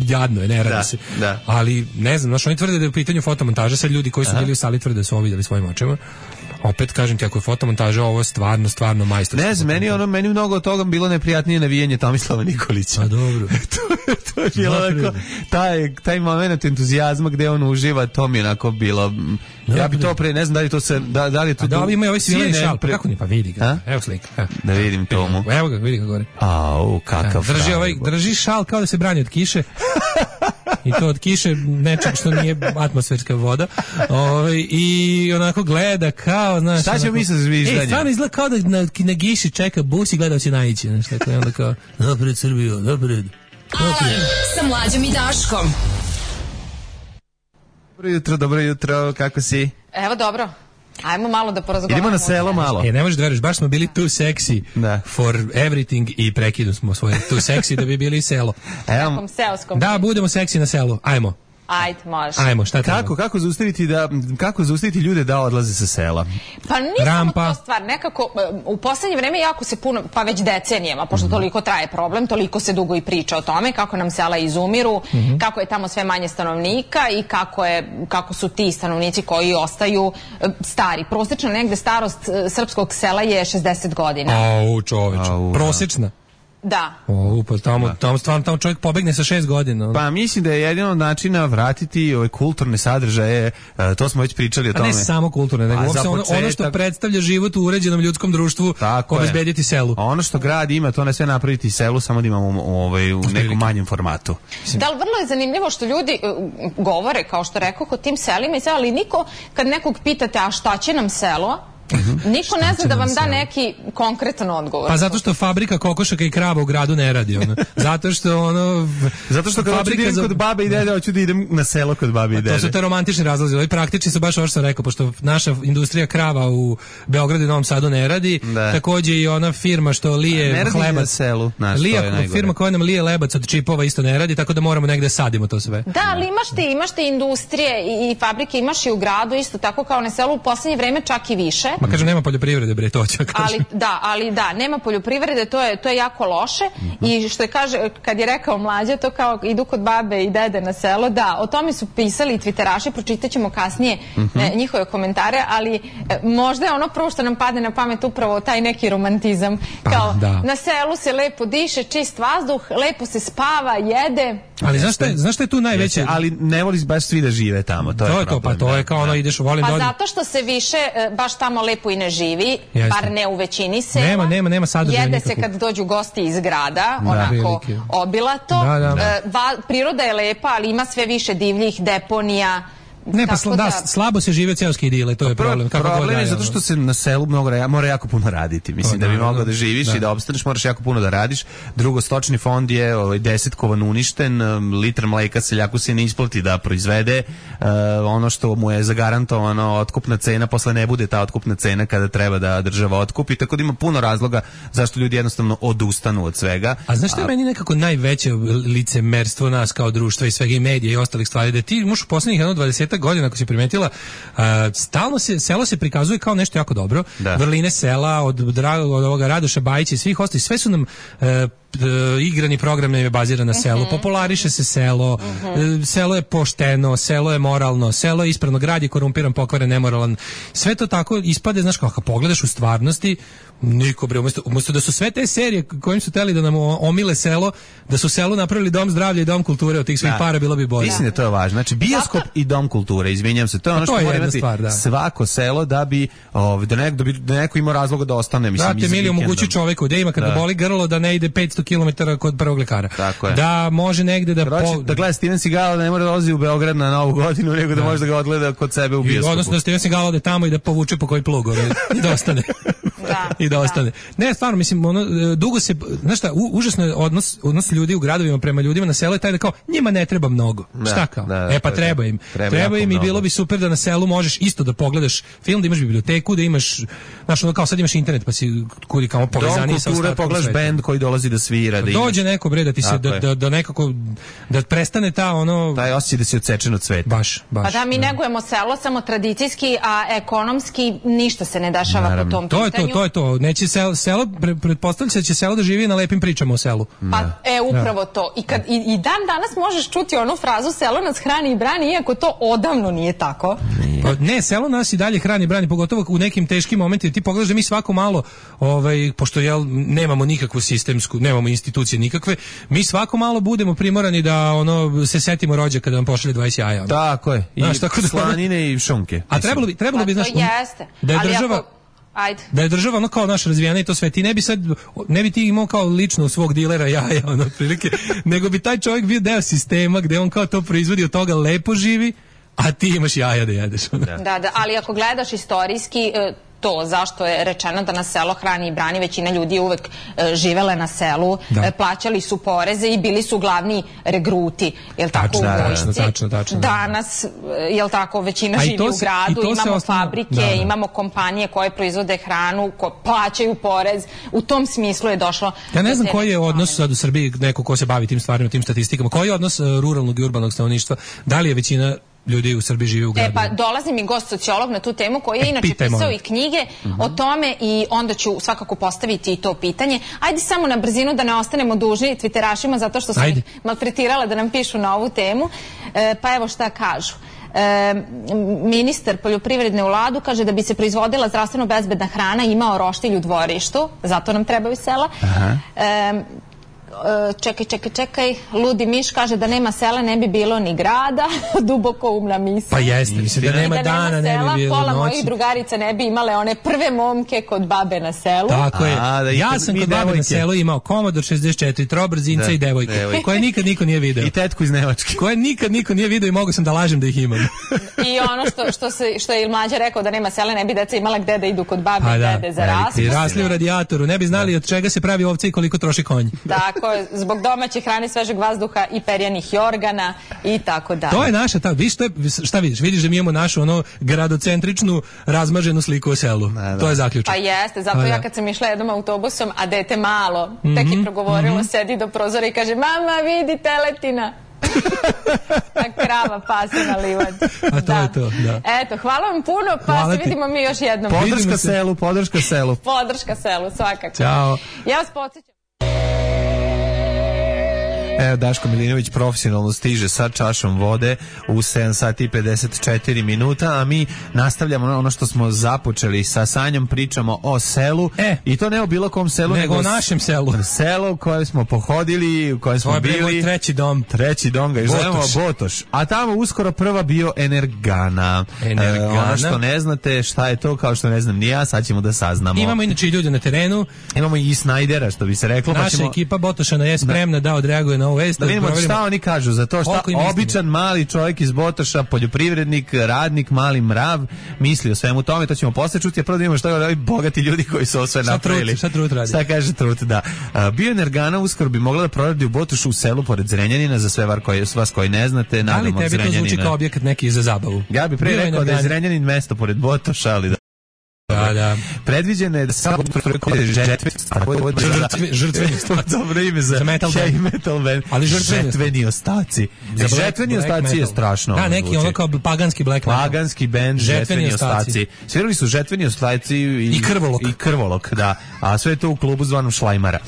jadno je, ne radi da, se. Da. Ali ne znam, znači oni tvrde da je u pitanju fotomontaža, sad ljudi koji su Aha. bili u sali tvrde da su ovo videli svojim očima. Opet kažem ti, ako je fotomontaža, ovo je stvarno, stvarno majstorsko. Ne znam, meni, ono, meni mnogo od toga bilo neprijatnije navijanje Tomislava Nikolića. A dobro. to, to je bilo onako, taj, taj moment entuzijazma gde on uživa, to mi je onako bilo... Dobre. Ja bi to pre, ne znam da li to se... Da, da li to... A da li ima ovaj svileni šal? Pa kako ni, pa vidi ga. A? Evo slika. A? Da vidim tomu. Evo ga, vidi ga gore. Au, kakav drži, ovaj, drži šal kao da se brani od kiše. I to od kiše nečeg što nije atmosferska voda. Ove, I onako gleda kao, znaš... Šta ćemo mi sa zviždanjem? E, stvarno izgleda kao da na, na giši čeka bus i gleda da će naići. Znaš, tako je onda kao, napred Srbijo, napred. Alarm sa Mlađom i Daškom. Dobro jutro, dobro jutro, kako si? Evo dobro. Ajmo malo da porazgovaramo. Idemo na selo malo. E, ne možeš da veriš, baš smo bili too sexy da. for everything i prekinu smo svoje too sexy da bi bili selo. Evo, Nekom seoskom. Da, budemo seksi na selu. Ajmo. Ajde, može. Ajmo, šta treba? Kako, kako zaustaviti da kako zaustaviti ljude da odlaze sa sela? Pa nije Rampa. samo to stvar, nekako u poslednje vreme jako se puno, pa već decenijama, pošto mm-hmm. toliko traje problem, toliko se dugo i priča o tome kako nam sela izumiru, mm-hmm. kako je tamo sve manje stanovnika i kako je kako su ti stanovnici koji ostaju stari. Prosečna negde starost srpskog sela je šezdeset godina. Au, čoveče. Prosečna. Da. O, pa tamo, tamo, stvarno, tamo čovjek pobegne sa šest godina. Pa mislim da je jedino od načina vratiti ove kulturne sadržaje, to smo već pričali o tome. A ne samo kulturne, nego pa, ono, ono što predstavlja život u uređenom ljudskom društvu, obezbediti selu. Ono što grad ima, to ne sve napraviti selu, samo da imamo ovaj, u nekom manjem formatu. Da, ali vrlo je zanimljivo što ljudi uh, govore, kao što rekao, o tim selima i sela, ali niko, kad nekog pitate, a šta će nam selo, Uh-huh. niko ne zna da vam da neki konkretan odgovor. Pa zato što fabrika kokošaka i krava u gradu ne radi, ono. Zato što ono zato što kad hoću da idem za... kod babe i dede, hoću da idem na selo kod babe i dede. To su te romantični razlozi, ovi praktični su baš ovo što sam rekao, pošto naša industrija krava u Beogradu i Novom Sadu ne radi, da. Takođe i ona firma što lije ne radi hlebac na selu, naš, lije, firma koja nam lije lebac od čipova isto ne radi, tako da moramo negde sadimo to sve. Da, ali imaš ti, imaš ti industrije i, i fabrike, imaš i u gradu isto tako kao na selu, u poslednje vreme čak i više. Ma kažem, nema poljoprivrede. Bre, to ću ali da, ali da, nema poljoprivrede, to je to je jako loše. Mm-hmm. I što je kaže kad je rekao Mlađa, to kao idu kod babe i dede na selo, da, o tome su pisali i tviteraši, pročitaćemo kasnije mm-hmm. e, njihove komentare, ali e, možda je ono prvo što nam padne na pamet upravo taj neki romantizam, kao pa, na selu se lepo diše, čist vazduh, lepo se spava, jede. Ali znaš šta je, znaš šta je tu najveće? Ali ne voli baš svi da žive tamo, to, to je to, problem. Pa to je kao ono ideš, volim pa da... Pa zato što se više baš tamo lepo i ne živi. Jeste. Bar ne u većini sela. Nema, nema, nema sadržaja Jede nikakvog. se kad dođu gosti iz grada, da, onako velike. Obilato. Da, da. E, va, priroda je lepa, ali ima sve više divljih deponija. Ne, pa sla, da, da, slabo se žive seoske idile, to je Pro, problem. Kako problem god je zato što se na selu mnogo mora jako puno raditi. Mislim, to, da bi da, mogao da, da živiš da. i da opstaneš, moraš jako puno da radiš. Drugo, stočni fond je ovaj, desetkovan uništen, litar mleka seljaku se ne isplati da proizvede. Uh, ono što mu je zagarantovano, otkupna cena, posle ne bude ta otkupna cena kada treba da država otkupi. Tako da ima puno razloga zašto ljudi jednostavno odustanu od svega. A znaš što je meni nekako najveće licemerstvo nas kao društva i svega i medija i ostalih stvari, da ti možeš u poslednjih jedno dvadesetak godina, ako si primetila, Uh, stalno se selo se prikazuje kao nešto jako dobro. Da. Vrline sela od dragog od ovoga Radoša Bajića i svih ostalih, sve su nam uh, igrani program je baziran na selu. Uh-huh. Populariše se selo, uh-huh. selo je pošteno, selo je moralno, selo je ispravno, grad je korumpiran, pokvaren, nemoralan. Sve to tako ispade, znaš, kako pogledaš u stvarnosti, niko bre, umesto, umesto da su sve te serije kojim su teli da nam omile selo, da su selu napravili dom zdravlja i dom kulture, od tih svih da. para bilo bi bolje. Mislim da to je važno. Znači bioskop i dom kulture, izvinjam se, to je ono što mora imati stvar, da. svako selo da bi ov, da, nek, da bi da neko ima razloga da ostane, mislim. Brate, mili omogući čoveku da ima kada da. boli grlo da ne ide petsto kilometara kod prvog lekara. Da može negde da Kroči, po... da gleda Steven Seagal, da ne mora da dolazi u Beograd na Novu godinu, nego da, da može da ga odgleda kod sebe u bioskopu. Odnosno da Steven Seagal ode tamo i da povuče po koji plug i da ostane. Da, i da ostane. Da. Ne, stvarno, mislim, ono, dugo se, znaš šta, u, užasno je odnos, odnos ljudi u gradovima prema ljudima na selu je taj da kao, njima ne treba mnogo. Da, šta kao? Da, e pa treba im. Treba, treba im i bilo bi super da na selu možeš isto da pogledaš film, da imaš biblioteku, da imaš, znaš, ono kao sad imaš internet, pa si kudi kao povezani sa ostatkom pogledaš sveta. Bend koji dolazi da svira. Da dođe neko, bre, da ti se, da, da, da nekako, da prestane ta, ono... Taj osjećaj da si odsečen od sveta. Baš, baš. Pa da, mi da. negujemo selo samo tradicijski, a ekonomski ništa se ne dešava Naravno. po tom to pitanju. Je to, to je to. Neće selo, selo pretpostavlja se da će selo da živi na lepim pričama o selu. Pa, e, upravo to. I, kad, i, i dan danas možeš čuti onu frazu selo nas hrani i brani, iako to odavno nije tako. Pa, ne, selo nas i dalje hrani i brani, pogotovo u nekim teškim momentima. Ti pogledaš da mi svako malo, ovaj, pošto jel, nemamo nikakvu sistemsku, nemamo institucije nikakve, mi svako malo budemo primorani da ono se setimo rođaka da nam pošalje dvadeset jaja. Tako je. I znaš, tako da, slanine i šunke. A trebalo bi, trebalo bi, znaš, jeste. da je ali država... Ako... Ajde. Da je država ono kao naš razvijena i to sve, ti ne bi sad, ne bi ti imao kao lično svog dilera jaja, ono, prilike, nego bi taj čovjek bio deo sistema gde on kao to proizvodi, od toga lepo živi, a ti imaš jaja da jedeš. Ono. Da, da, ali ako gledaš istorijski, to zašto je rečeno da na selo hrani i brani, većina ljudi je uvek e, živele na selu, e, plaćali su poreze i bili su glavni regruti, jel tako, tačno, u vojsci. Tačno, tačno, danas, jel tako, većina živi u gradu, imamo osnovno, fabrike, da, da. imamo kompanije koje proizvode hranu, ko plaćaju porez, u tom smislu je došlo. Ja ne znam koji je odnos sad u Srbiji, neko ko se bavi tim stvarima, tim statistikama, koji je odnos ruralnog i urbanog stanovništva, da li je većina ljudi u Srbiji žive u gradu? E pa dolazi mi gost sociolog na tu temu koji je e, inače pisao moram. i knjige uh-huh. o tome i onda ću svakako postaviti i to pitanje. Ajde samo na brzinu da ne ostanemo dužni twitterašima zato što sam ih maltretirala da nam pišu na ovu temu. E, pa evo šta kažu. E, ministar poljoprivredne u Ladu kaže da bi se proizvodila zdravstveno bezbedna hrana imao roštilj u dvorištu, zato nam trebaju sela. Uh-huh. E, čekaj, čekaj, čekaj, Ludi Miš kaže da nema sela ne bi bilo ni grada, duboko umna misla. Pa jeste, mislim da nema dana, ne bi bilo pola noći. Mojih drugarica ne bi imale one prve momke kod babe na selu. Tako je. A, da ja sam kod babe na selu imao Commodore šezdeset četiri, trobrzinca da, i devojku, devojku, koje nikad niko nije video. I tetku iz Nemačke. Koje nikad niko nije video i mogu sam da lažem da ih imam. I ono što, što, se, što je Mlađa rekao da nema sela, ne bi deca imala gde da idu kod babe i da, dede za raspust. I rasli u radijatoru, ne bi znali od čega se pravi ovce i koliko troši konj. Tako je, zbog domaće hrane, svežeg vazduha i perjanih jorgana i tako dalje. To je naša, ta, viš, to je, šta vidiš? Vidiš da mi imamo našu ono gradocentričnu razmaženu sliku o selu. Ne, da. To je zaključak. Pa jeste, zato pa, ja kad sam išla jednom autobusom, a dete malo, mm-hmm, tek je progovorilo, mm-hmm. sedi do prozora i kaže, mama, vidi teletina. A krava pase na livadi. A to da. je to, da. Eto, hvala vam puno, pa hvala se ti. vidimo mi još jednom. Podrška selu, podrška selu. Podrška selu, svakako. Ćao. Ja vas podsjećam. Evo, Daško Milinović profesionalno stiže sa čašom vode u sedam sati i pedeset četiri minuta, a mi nastavljamo ono što smo započeli sa Sanjom, pričamo o selu e, i to ne o bilo kom selu, nego o našem selu. Selo u koje smo pohodili, u koje smo to bili. Moj treći dom. Treći dom ga zovemo Botoš. A tamo uskoro prva bioenergana. Energana. E, ono što ne znate šta je to, kao što ne znam ni ja, sad ćemo da saznamo. Imamo inače i ljude na terenu. Imamo i Snajdera, što bi se reklo. Naša pa ćemo... ekipa Botošana je spremna da, da odreaguje na ovu vest. Da vidimo šta oni kažu za to, šta običan mali čovjek iz Botoša, poljoprivrednik, radnik, mali mrav, misli o svemu tome, to ćemo posle čuti, a prvo da vidimo šta ovi bogati ljudi koji su ovo sve napravili. Šta Trut radi? Šta kaže Trut, da. Bioenergana uskoro bi mogla da proradi u Botošu u selu pored Zrenjanina, za sve var koji, vas koji ne znate, nadam od Zrenjanina. Ali tebi to zvuči kao objekat neki za zabavu? Ja bih pre rekao da je Zrenjanin mesto pored Botoša, ali da. Da, da. Predviđeno je da samo žrtveni ostaci. Dobro ime za metal band. Ali žrtveni ostaci. Žrtveni ostaci je strašno. Da, neki ono kao paganski black metal. Paganski band, žrtveni ostaci. Svirali su žrtveni ostaci i krvolok. I krvolok, da. A sve to u klubu zvanom Šlajmara.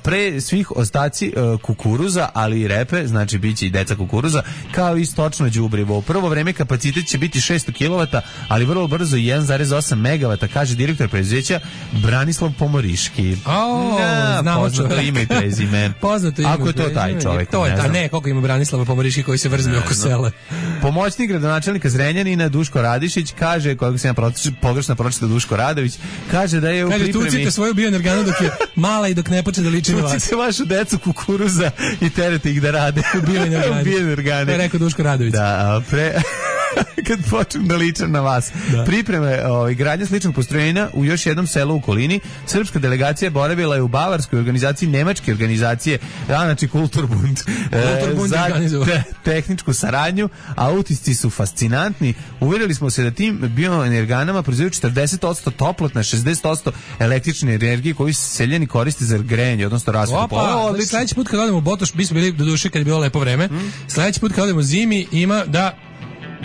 Pre svih ostaci kukuruza, ali i repe, znači biće i deca kukuruza, kao i stočno đubrivo. U prvo vreme kapacitet će biti šesto kilovata, ali vrlo brzo jedan zarez osam megavata, kaže direktor preduzeća Branislav Pomoriški. O, znamo poznato ime i prezime. Poznato ime. Ako je to taj čovjek. To je ta, ne, koliko ima Branislava Pomoriški koji se vrzmi oko sela. Pomoćnik gradonačelnika Zrenjanina Duško Radišić kaže, kojeg sam ja pogrešno pročitao Duško Radović, kaže da je u pripremi... Kaže, tucite svoju bioenerganu dok je mala i dok ne počne da liči na vas. Tucite vašu decu kukuruza i terete ih da rade u bioenergane. To je rekao Duško Radović. Da, pre... kad počnem da ličem na vas. Da. Pripreme ovaj, gradnja sličnog postrojenja u još jednom selu u okolini. Srpska delegacija boravila je u bavarskoj organizaciji, nemačke organizacije, da, znači Kulturbund, Kulturbund e, za te, tehničku saradnju, a utisci su fascinantni. Uvjerili smo se da tim bioenerganama proizvedu četrdeset posto toplotna, šezdeset posto električne energije koju seljani koriste za grejanje, odnosno rasvetu. Opa, sledeći put kad odemo u Botoš, mi smo bili do duše kad je bilo lepo vreme, mm. sledeći put kad odemo zimi ima da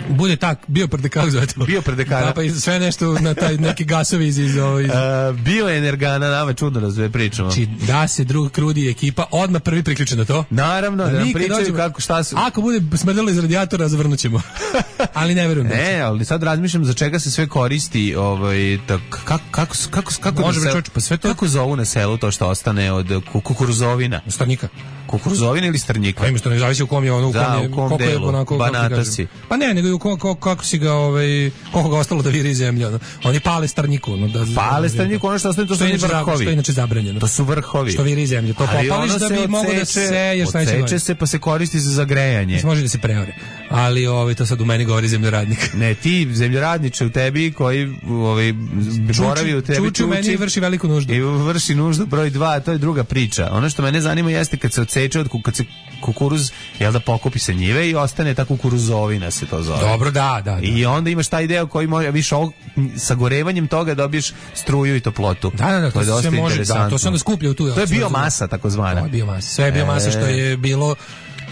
bude tak, bio predekar zove to. Bio predekar. Da, pa i sve nešto na taj neki gasovi iz... iz, iz... Uh, bioenergana, nama čudno razve pričamo. Znači, da se drug krudi ekipa, odmah prvi priključen na to. Naravno, da nam pričaju dođemo, kako šta su... Ako bude smrdalo iz radijatora, zavrnut ćemo. Ali ne verujem. Ne, ali sad razmišljam za čega se sve koristi, ovaj, tak, kako, kako, kako, kako, Može sel, čoč, pa sve to... kako zovu na selu to što ostane od kukuruzovina? Stanika. kukuruzovine ili strnjika? Pa ima što ne zavisi u kom je ono, u kom da, je, u kom koliko je delu, onako, banata si. Pa ne, nego ko, ko, kako si ga, ovaj, koliko ga ostalo da viri zemlja. Ono. Oni pale strnjiku. Ono, da, pale strnjiku, ono što ostane, to su vrhovi. Što je inače zabranjeno. To su vrhovi. Što viri zemlju. To popališ da bi mogo da se seješ. Odseče se pa se koristi za grejanje. Može da se preore. Ali ovaj, to sad u meni govori zemljoradnik. Ne, ti zemljoradniče u tebi koji ovaj, boravi u tebi čuči. Čuči u meni i vrši veliku nuždu. I vrši nuždu broj dva, to je druga priča. Ono što mene zanima jeste kad se odseče od kad se kukuruz, jel da pokupi se njive i ostane ta kukuruzovina se to zove. Dobro, da, da. da. I onda imaš taj deo koji može više ovog, sagorevanjem toga dobiješ struju i toplotu. Da, da, da, to, to se može, da, to se onda skuplja u tu. To je biomasa takozvana. To je biomasa. Sve je biomasa što je bilo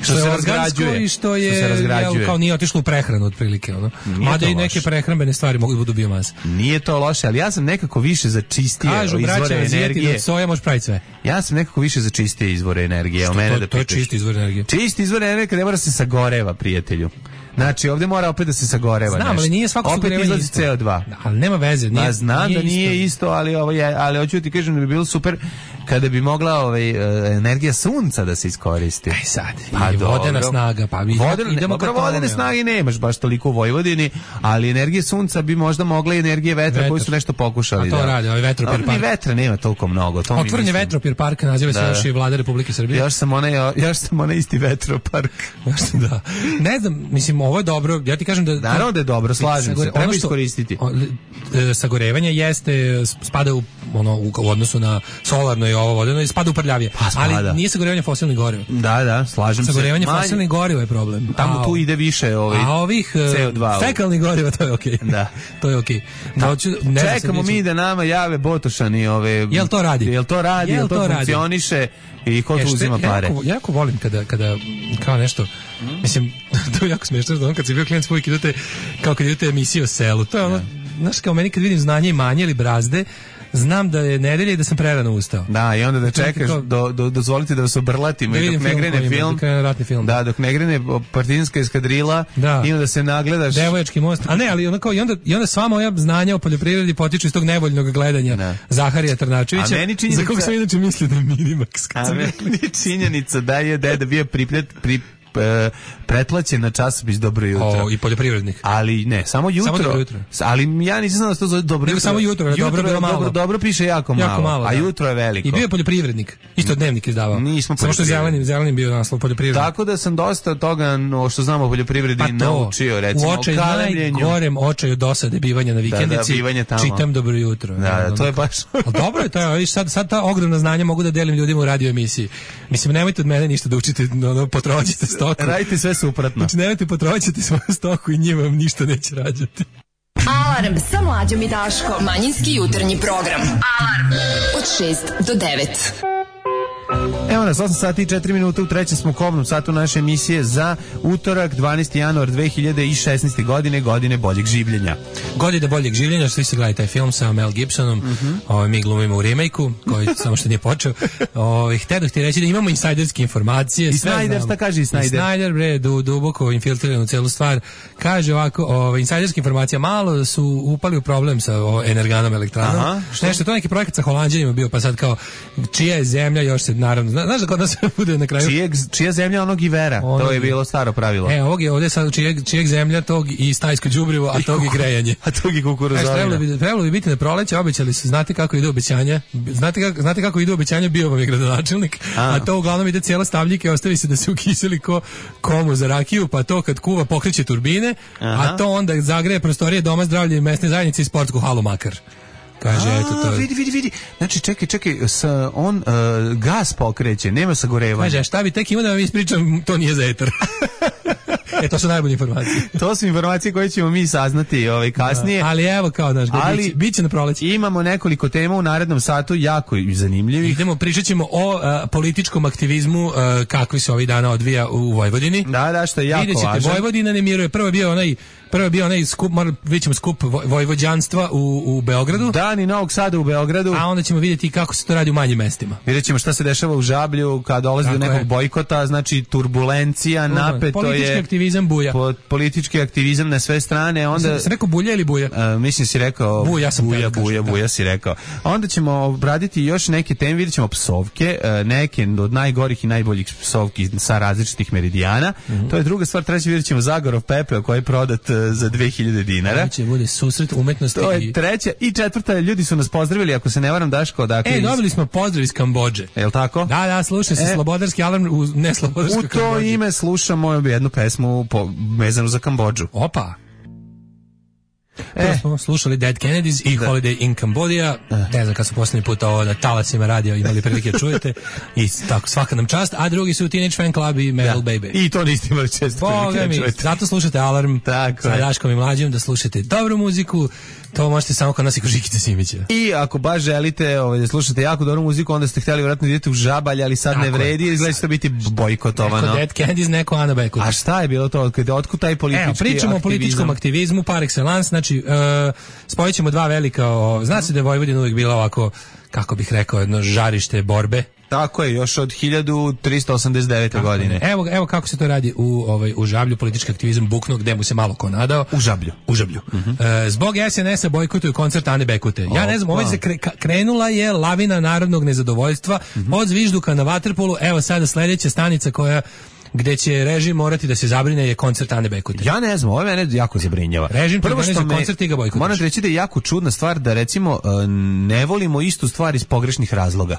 što, što se razgrađuje i što je što se jel, kao nije otišlo u prehranu otprilike ono. Mada i neke prehrambene stvari mogu da budu biomasa. Nije to loše, ali ja sam nekako više za čistije Kažu, izvore braća, energije. Od soja može praviti sve. Ja sam nekako više za čistije izvore energije. Što, mene to, da to je čisti izvor energije. Čisti izvor energije ne mora se sagoreva, prijatelju. Znači, ovdje mora opet da se sagoreva. Znam, nešto. Ali nije svako sagorevanje isto. C O dva. Da, ali nema veze. Nije, Ma, znam nije da nije isto, isto ali, ovo je, ali hoću ti kažem da bi bilo super kada bi mogla ovaj, energija sunca da se iskoristi. Aj sad, pa i vodena snaga. Pa mi Vodena, idemo ne, vodene snage nemaš baš toliko u Vojvodini, ali energije sunca bi možda mogla i energije vetra, vetra. koji su nešto pokušali. A to da. radi, ovaj vetropir park. Ni vetra nema toliko mnogo. To Otvoren je vetropir park, naziva se da. još i Vlada Republike Srbije. Još sam onaj, još sam onaj isti vetropark. Da. Ne znam, mislim, ovo je dobro. Ja ti kažem da naravno da je dobro, slažem se, treba iskoristiti. Sagorevanje jeste spada u ono u odnosu na solarno i ovo vodeno i spada u prljavije. Pa, ali nije sagorevanje fosilnih goriva. Da, da, slažem se. Sagorevanje fosilnih goriva je problem. Tamo a, tu ide više ovaj a ovih C O dva. Fekalnih goriva to je okej. Okay. Da. To je okej. Okay. Da, čekamo mi da nama jave Botošani ove. Jel to radi? Jel to radi? Jel to, to funkcioniše? I ko tu uzima pare? Ja jako, jako volim kada, kada kao nešto, mm. mislim, to je jako smiješno, da on kad si bio klijent uvijek idete, kao kad idete emisiju o selu, to je ono, znaš, kao meni kad vidim znanje i manje ili brazde, znam da je nedelja i da sam prerano ustao. Da, i onda da čekaš, kao, do, do, dozvolite da vas obrlatimo da i dok ne grene film, film, da ratni film. Da, dok ne grene partizanska eskadrila, da. I onda se nagledaš. Devojački most. A ne, ali onako, i onda, i onda sva moja znanja o poljoprivredi potiču iz tog nevoljnog gledanja da. Zaharija Trnačevića, za kog sam inače mislio da je Minimax. A meni činjenica da je deda bio priplet, pri, pretplaćen na časopis Dobro jutro. O, i poljoprivrednik. Ali ne, samo jutro. Samo jutro. Ali ja nisam znao da se to zove Dobro jutro. Samo jutro, jutro dobro, bilo malo. Dobro, dobro piše jako malo, jako malo a da. Jutro je veliko. I bio je poljoprivrednik. Isto dnevnik izdavao. Nismo samo što je zelenim, zelenim bio naslov poljoprivrednik. Tako da sam dosta toga no, što znamo o poljoprivredi pa to, naučio, recimo u očaju, najgorem očaju dosade bivanja na vikendici. Da, da, čitam Dobro jutro. Da, da, to je baš. Ali dobro je to, viš sad sad ta ogromna znanja mogu da delim ljudima u radio emisiji. Mislim, nemojte od mene ništa da učite, no, potrošite stoku. Radite sve suprotno. Znači, nemojte potrošiti svoju stoku i njima vam ništa neće rađati. Alarm sa Mlađom i Daškom. Manjinski jutarnji program. Alarm od šest do devet. Evo nas, osam sati i četiri minuta, u trećem smo kobnom satu naše emisije za utorak, dvanaesti januar dve hiljade šesnaeste. godine, godine boljeg življenja. Godine boljeg življenja, svi se gledali taj film sa Mel Gibsonom, mm-hmm. ovaj, mi glumimo u remake-u, koji samo što nije počeo. Ovaj, htjedoh ti reći da imamo insajderske informacije. I Snyder, šta kaže i Snyder? I Snyder, bre, du, duboko infiltriran u celu stvar. Kaže ovako, ovaj, insajderske informacije, malo su upali u problem sa o, energanom elektranom. Aha, nešto, to neki projekat sa Holanđanima bio, pa sad kao, čija je zemlja, još se naravno, znaš da kod nas bude na kraju. Čijeg, čija zemlja onog Ivera, onog, to je bilo staro pravilo. E, ovog je ovdje sad čijeg, čijeg zemlja, tog i stajsko đubrivo, a tog i grejanje. A tog i kukuruzovina. Trebalo bi, trebalo bi biti na proleće, obećali su, znate kako ide obećanja, znate kako, znate kako ide obećanja, bio vam je gradonačelnik, a, a to uglavnom ide cijela stavljike, ostavi se da se ukiseli ko komu za rakiju, pa to kad kuva pokreće turbine, aha. A to onda zagreje prostorije doma zdravlja i mesne zajednice i sportsku halu Makar. Kaže, a, eto to. Vidi, vidi, vidi. Znači, čekaj, čekaj, sa, on uh, gas pokreće, nema sagorevanja. Kaže, šta bi tek ima da vam ispričam, to nije za etar. E, to su najbolje informacije. To su informacije koje ćemo mi saznati ovaj, kasnije. Da, ali evo kao, znaš, ali biće, biće na proleći. Imamo nekoliko tema u narednom satu, jako zanimljivih. Idemo, pričat ćemo o uh, političkom aktivizmu uh, kakvi se ovih dana odvija u Vojvodini. Da, da, što je jako Vidjet ćete, važno. Vojvodina ne miruje. Prvo je bio onaj Prvo je bio onaj skup, moram vidjet ćemo skup vojvođanstva u, u Beogradu. Dani Novog Sada u Beogradu. A onda ćemo vidjeti kako se to radi u manjim mestima. Vidjet ćemo šta se dešava u Žablju kad dolazi do nekog je. bojkota, znači turbulencija, Uno, napeto je. Politički aktivizam buja. Po, politički aktivizam na sve strane. Onda, si rekao bulja ili buja? Uh, mislim si rekao buja, sam buja, kažem, buja, da. buja si rekao. Onda ćemo obraditi još neke teme, vidjet ćemo psovke, uh, neke od najgorih i najboljih psovki sa različitih meridijana. Mm-hmm. To je druga stvar. Treći vidjet ćemo Zagorov pepeo koji je prodat uh, za dve hiljade dinara. Ovo će bude susret umetnosti. To je treća. I četvrta, ljudi su nas pozdravili, ako se ne varam, Daško. Dakle, e, dobili smo pozdrav iz Kambodže. Je li tako? Da, da, slušaj se, e, Slobodarski alarm u neslobodarskoj Kambodži. U to Kambodži. ime slušamo jednu pesmu po, vezanu za Kambodžu. Opa! Prvo e. smo slušali Dead Kennedys i da. Holiday in Cambodia. E. Ne znam kad smo posljednji put ovo na talacima radio imali prilike čujete. I tako, svaka nam čast. A drugi su Teenage Fan Club i Metal da. Baby. I to niste imali često prilike da čujete. Zato slušate Alarm tako sa Daškom i Mlađim, da slušate dobru muziku. To možete samo kod nas i kod Žikice Simića. I ako baš želite ovaj, da slušate jako dobru muziku, onda ste htjeli vjerojatno idete u Žabalj, ali sad tako ne vredi, jer izgleda će to biti bojkotovano. Neko Dead Kennedys, neko Ana Bekuta. A šta je bilo to? Otkud taj politički Evo, pričamo aktivizam? o političkom aktivizmu par excellence, znači uh, spojit ćemo dva velika, o, zna se da je Vojvodina uvijek bila ovako, kako bih rekao, jedno žarište borbe. Tako je, još od hiljadu trista osamdeset devete. godine. Evo, evo kako se to radi u, ovaj, u Žablju, politički aktivizam buknuo, gde mu se malo ko nadao. U Žablju. U Žablju. Uh-huh. E, zbog es en es-a bojkotuju koncert Ane Bekute. Ja ne znam, ovaj se kre, krenula je lavina narodnog nezadovoljstva, uh-huh. od zvižduka na vaterpolu, evo sada sledeća stanica koja gde će režim morati da se zabrine je koncert Ane Bekute. Ja ne znam, ovo mene jako zabrinjava. Režim prvo što me, koncert i ga bojkotuješ. Moram reći da je jako čudna stvar da recimo ne volimo istu stvar iz pogrešnih razloga.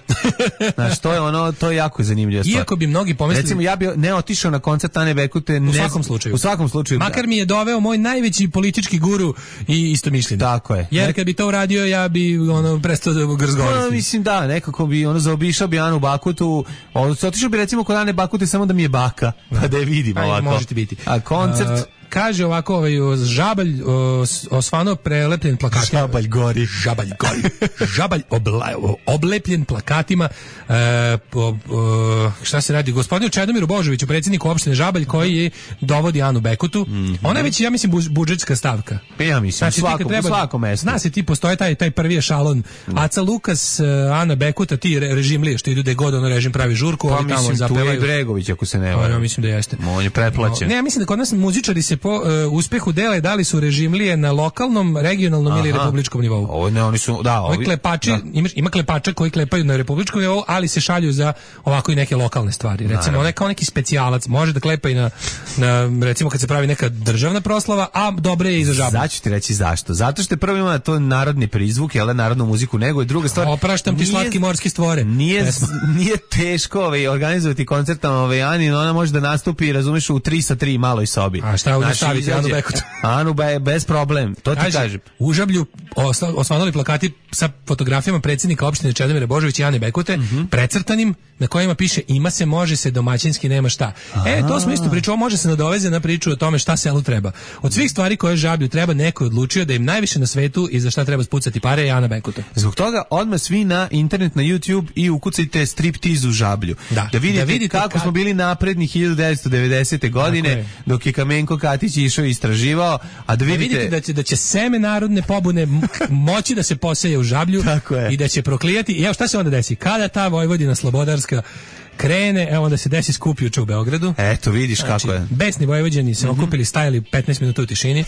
Znaš, to je ono, to je jako zanimljiva stvar. Iako bi mnogi pomislili, recimo ja bi ne otišao na koncert Ane Bekute, ne, u svakom slučaju. U svakom slučaju. Makar da. mi je doveo moj najveći politički guru i istomišljenik. Tako je. Jer kad bi to uradio, ja bi ono prestao da grzgovorim. No, mislim da, nekako bi ono zaobišao bi Anu Bakutu, otišao bi recimo kod Ane Bakute samo da mi je baka, pa da je vidimo ovako. Možete biti. A koncert uh, kaže ovako, ovaj Žabalj osvano prelepljen plakatima. Žabalj gori. Žabalj gori. Žabalj obla, oblepljen plakatima. E, po, o, šta se radi? Gospodinu Čedomiru Božoviću, predsjedniku opštine Žabalj, koji je dovodi Anu Bekutu. Mm-hmm. Ona je već, ja mislim, budžetska stavka. Ja mislim, znači, svako, treba, u svakom mestu. Zna se, ti postoje taj, taj prvi ešalon. Mm. Aca Lukas, Ana Bekuta, ti re, režimlije, što idu da god ono režim pravi žurku. Pa mislim, tu je Bregović, ako se ne varam. Ja mislim da jeste. On je pretplaćen. No, ne, ja mislim da kod nas muzičari se po uh, uspehu dele da li su režimlije na lokalnom, regionalnom Aha. ili republičkom nivou. Ovo ne, oni su, da, ovi, ovi klepači, da. Ima, ima klepača koji klepaju na republičkom nivou, ali se šalju za ovako i neke lokalne stvari. Recimo, on je kao neki specijalac, može da klepa i na, na, recimo kad se pravi neka državna proslava, a dobre je i za Žabalj. Sad ću ti reći zašto. Zato što je prvo ima to narodni prizvuk, jel da, narodnu muziku, nego je druga stvar. Opraštam ti slatki morski stvore. Nije, nije teško ovaj, organizovati koncert ovaj, Ani, no ona može da nastupi, razumeš, u tri sa tri maloj sobi. A šta ovdje staviti Anu Bekutu? Anu be, bez problem, to ti Kaži, kažem. U Žablju osvanuli plakati sa fotografijama predsjednika opštine Čedomira Božovića i Ane Bekute, mm-hmm. precrtanim, na kojima piše ima se, može se, domaćinski nema šta. Aha. E, to smo isto pričali, može se nadoveze na priču o tome šta selu treba. Od svih stvari koje Žablju treba, neko je odlučio da im najviše na svetu i za šta treba spucati pare je Ana Bekuta. Zbog toga odmah svi na internet, na YouTube i ukucajte striptiz u Žablju. Da, da vidite, da vidite kako kad... smo bili napredni hiljadu devetsto devedesete. godine, je. Dok je Kamenko Katić išao i istraživao, a da vidite, da vidite da će, da će seme narodne pobune moći da se poseje u Žablju i da će proklijati. I evo šta se onda desi? Kada ta Vojvodina slobodarska krene, evo onda se desi skup juče u Beogradu. Eto, vidiš znači, kako je. Besni Vojvođani se mm-hmm. okupili, stajali petnaest minuta u tišini.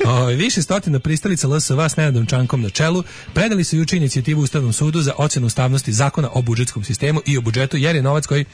O, više stotina pristalica L S V s Nenadom Čankom na čelu predali su juče inicijativu Ustavnom sudu za ocjenu ustavnosti zakona o budžetskom sistemu i o budžetu, jer je novac koji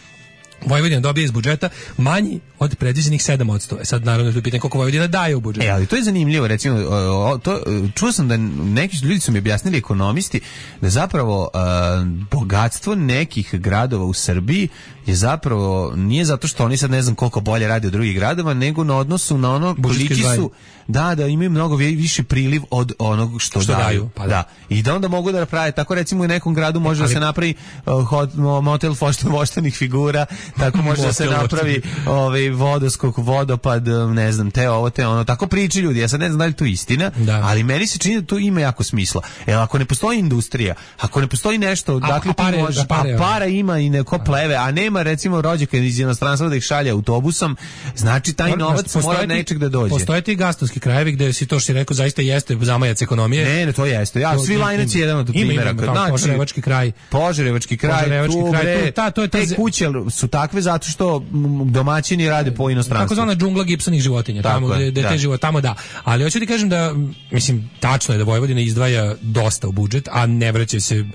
Vojvodina dobije iz budžeta manji od predviđenih sedam posto. E sad naravno je pitanje koliko Vojvodina daje u budžet. E, ali to je zanimljivo, recimo, o, to, čuo sam da neki ljudi su mi objasnili, ekonomisti, da zapravo a, bogatstvo nekih gradova u Srbiji je zapravo, nije zato što oni sad ne znam koliko bolje rade od drugih gradova, nego na odnosu na ono koliki su, da, da imaju mnogo više priliv od onog što, što daju. daju. Pa da. da. I da onda mogu da prave, tako recimo u nekom gradu može ali, da se napravi uh, hot, motel voštenih figura, tako može da se napravi ovaj vodoskok, vodopad, ne znam, te ovo, te ono, tako priči ljudi. Ja sad ne znam da li to istina, da. Ali meni se čini da to ima jako smisla. Jer ako ne postoji industrija, ako ne postoji nešto, a, dakle a pare, ti može, a pare, a para ima i neko pleve, a nema recimo rođaka iz inostranstva da ih šalje autobusom, znači taj novac mora nečeg da dođe. Postoje ti gastovski krajevi gde si to što si rekao zaista jeste zamajac ekonomije. Ne, ne, to jeste. Ja, svi Lajnac je jedan od primjera. Znači, Požarevački kraj. Požarevački kraj, Požarevački tu, kraj, bre, tu, ta, to je ta te kuće su takve zato što domaćini rade po inostranstvu. Tako zvana džungla gipsanih životinja, tamo gde, gde te život, tamo da. Ali hoću ti kažem da, mislim, tačno je da Vojvodina izdvaja dosta u budžet, a ne vraća se.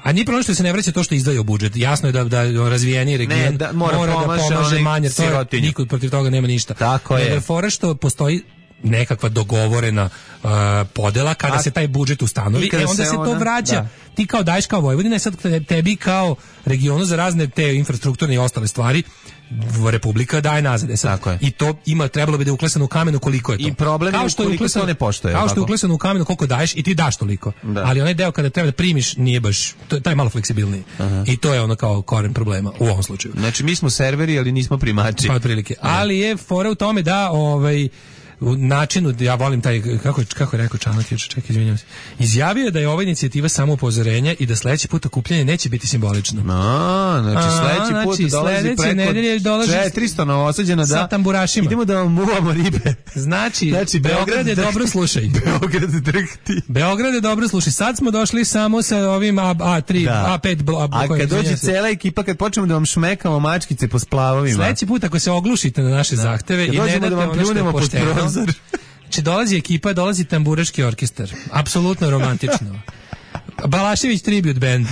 A nije problem što se ne vraća to što izdvaja u budžet. Jasno je da da razvijeni region da, mora, mora da pomaže manje, to je, niko protiv toga nema ništa. Tako je. Da je fora što postoji nekakva dogovorena uh, podela kada a, se taj budžet ustanovi, e, onda se, se to ona, vraća. Da. Ti kao daješ kao Vojvodina, sad tebi kao regionu za razne te infrastrukturne i ostale stvari Republika daje nazad. E sad, i to ima, trebalo bi da je uklesano u kamenu koliko je to. I problem kao je što je uklesano, ne poštuje. Kao što je uklesano u kamenu koliko daješ i ti daš toliko. Da. Ali onaj deo kada treba da primiš nije baš, to, taj je malo fleksibilniji. Aha. I to je ono kao koren problema u ovom slučaju. Znači mi smo serveri, ali nismo primači. Pa otprilike. Ali je fora u tome da ovaj u načinu, ja volim taj, kako, kako je rekao Čanak, čekaj, izvinjam se, izjavio je da je ova inicijativa samo upozorenje i da sledeći put okupljanje neće biti simbolično. A, znači sledeći put znači, dolazi preko dolazi četiristo novosađena da sa tamburašima. Idemo da vam muvamo ribe. Znači, znači Beograd je dobro slušaj. Beograd drhti. Beograd je dobro slušaj. Sad smo došli samo sa ovim A tri, da. A pet, a, a kad dođe cela ekipa, kad počnemo da vam šmekamo mačkice po splavovima. Sledeći put ako se oglušite na naše da. zahteve i ne date ono što je pošteno. Znači dolazi ekipa, dolazi tamburaški orkestar. Apsolutno romantično. Balašević tribute band.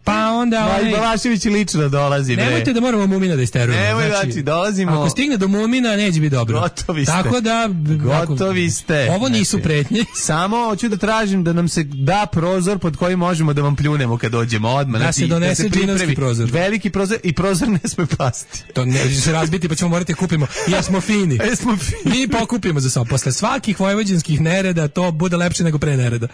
Pa onda onaj... Ma i Balašević lično dolazi, bre. Nemojte da moramo Mumina da isterujemo. Nemoj, znači, znači, dolazimo... Ako stigne do Mumina, neće biti dobro. Gotovi ste. Tako da... Gotovi ste. Ovo nisu znači, pretnje. Samo hoću da tražim da nam se da prozor pod koji možemo da vam pljunemo kad dođemo odmah. Da znači, se donese da se džinovski prozor. Veliki prozor i prozor ne sme pasti. To ne će se razbiti pa ćemo morati kupimo. Ja smo fini. E smo fini. Mi pokupimo za sobom. Posle svakih vojvođanskih nereda to bude lepše nego pre nereda.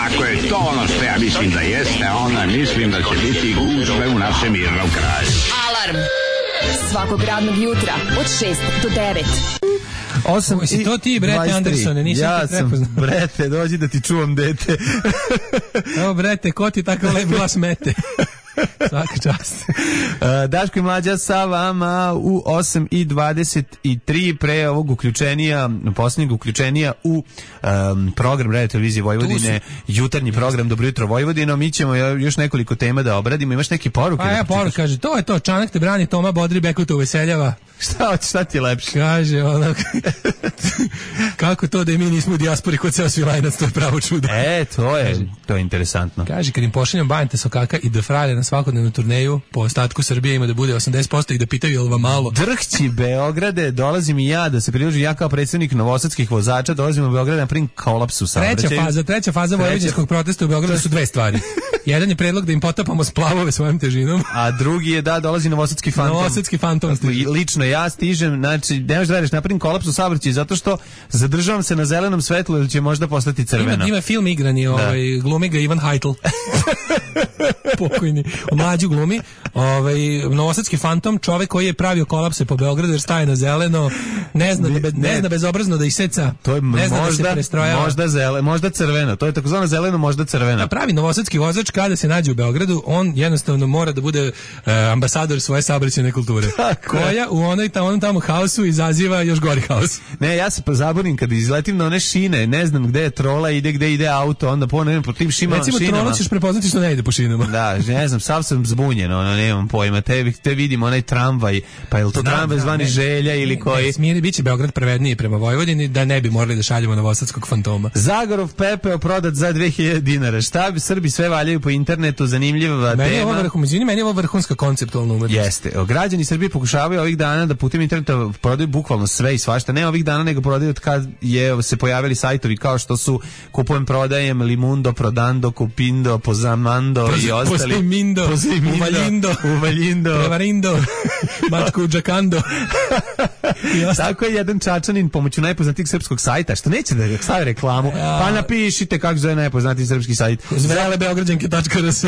Ako je to ono što ja mislim da jeste, onda mislim da će biti gužve u našem mirnom kraju. Alarm svakog radnog jutra od šest do devet. osam i to ti, Brete Andersone, nisam ja te prepoznao. Ja sam, Brete, dođi da ti čuvam dete. Evo, Brete, ko ti tako lep glas mete? Svaka čast. uh, Daško i Mlađa sa vama u osam i dvadeset tri pre ovog uključenija, posljednjeg uključenija u um, program Radio Televizije Vojvodine, jutarnji program Dobro jutro Vojvodino. Mi ćemo još nekoliko tema da obradimo. Imaš neke poruke? A ja poruke, kaže, to je to, Čanak te brani, Toma Bodri, Bekuta uveseljava. Šta, šta ti je lepše? Kaže, ono, kako to da i mi nismo u dijaspori kod ceo Svilajnac, to je pravo čudo. E, to je, kaže, to je interesantno. Kaže, kad im pošaljam Bajante Sokaka i da fralje na svakodnevnu turneju, po ostatku Srbije ima da bude osamdeset posto i da pitaju je li vam malo. Drhći Beograde, dolazim i ja da se pridružim, ja kao predsjednik novosadskih vozača, dolazim u Beograd na prim kolapsu saobraćaja. Treća faza, treća faza vojvođanskog protesta u Beogradu su dve stvari. Jedan je predlog da im potapamo splavove svojom težinom. A drugi je da dolazi novosadski fantom. Novosadski fantom stiže. Lično ja stižem, znači ne možeš da radiš napravim kolapsu saobraćaja zato što zadržavam se na zelenom svetlu ili će možda postati crveno. Ima, ima film igrani, ovaj, glumi ga Ivan Heitl. Pokojni. Mlađu glumi. Ovaj, novosadski fantom, čovek koji je pravio kolapse po Beogradu jer staje na zeleno, ne zna, da be, ne, ne zna bezobrazno da iseca, to je ne zna možda, da se prestrojava. Možda, zele, možda crveno, to je takozvano zeleno, možda crveno. A pravi novosadski vozač kada se nađe u Beogradu, on jednostavno mora da bude uh, ambasador svoje saobraćajne kulture. Tako koja u onoj tamo, onom tamo haosu izaziva još gori haos. Ne, ja se zaborim kad izletim na one šine, ne znam gde je trola, ide gde ide auto, onda ponovim po tim šima, recimo, šinama. Recimo trola ćeš prepoznati što ne ide po šinama. Da, ne znam, sav sam zbunjen, ono, nemam pojma, te, te vidim onaj tramvaj, pa je li to znam, tramvaj zvani ne, Želja ili ne, koji? Ne, smiri, bit će Beograd pravedniji prema Vojvodini da ne bi morali da šaljemo novosadskog fantoma. Zagorov pepeo prodat za dve hiljade dinara. Šta bi Srbi sve valjaju po internetu, zanimljiva meni tema. Je vrhu, meni je ovo vrhunska konceptualna umetnost. Jeste. Građani Srbije pokušavaju ovih dana da putem interneta prodaju bukvalno sve i svašta. Ne ovih dana, nego prodaju od kad je se pojavili sajtovi kao što su Kupujem, prodajem, Limundo, Prodando, Kupindo, Pozamando Poz, i ostali. Pozimindo, Uvalindo, Uvalindo, Prevarindo, Mačku Džakando. Tako je jedan Čačanin pomoću najpoznatijeg srpskog sajta, što neće da stavi reklamu, pa napišite kako zove najpoznatiji srpski sajt. zvrele beograđanke tačka r s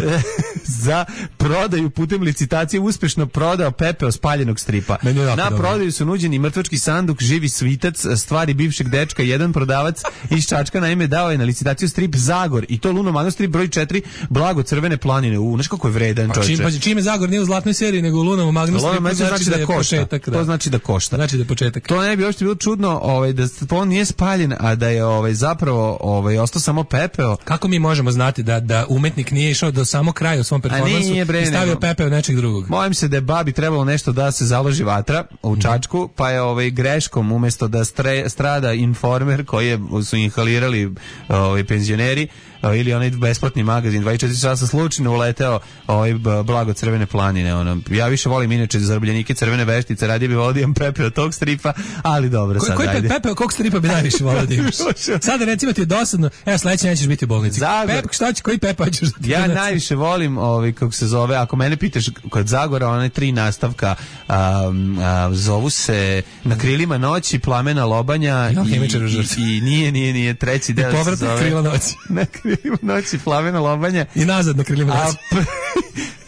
za prodaju putem licitacije uspešno prodao pepeo spaljenog stripa. Na prodaju su nuđeni mrtvački sanduk, živi svitac, stvari bivšeg dečka, jedan prodavac iz Čačka naime dao je na licitaciju strip Zagor i to Luno Magno strip broj četiri Blago crvene planine. U, znaš kako je vredan čovječe. Pa čim, čim je Zagor nije u zlatnoj seriji nego u Lunovom Magnu stripu, znači, znači da, da košta. Početak, da. To znači da košta. Znači da je početak. To ne bi uopšte bilo čudno, ovaj da on nije spaljen, a da je ovaj zapravo ovaj ostao samo pepeo. Kako mi možemo znati da da umetnik nije išao do samog kraja u svom performansu i stavio pepeo nečeg drugog? Bojim se da je babi trebalo nešto da se založi vatra u Čačku, pa je ovaj greškom umesto da stre, strada informer koji je, su inhalirali ovaj penzioneri ili onaj besplatni magazin dvadeset četiri časa slučajno uleteo ovaj Blago crvene planine. Ono. Ja više volim inače Zarobljenike crvene veštice, radije bi volio da imam Pepe od tog stripa, ali dobro. Ko, sad, koji ajde. Pepe od kog stripa bi najviše volio da imaš? Sada recimo ti je dosadno, evo sledeće nećeš biti u bolnici. Pepe, šta će, koji Pepe hoćeš da ti ja znači? Najviše volim, ovaj, kako se zove, ako mene pitaš kod Zagora, one tri nastavka um, a, zovu se Na krilima noći, Plamena lobanja no, i, i, i nije, nije, nije, treći deo se zove Krila noći. Na krilima noći, Plamena lobanja i nazad Na krilima noći.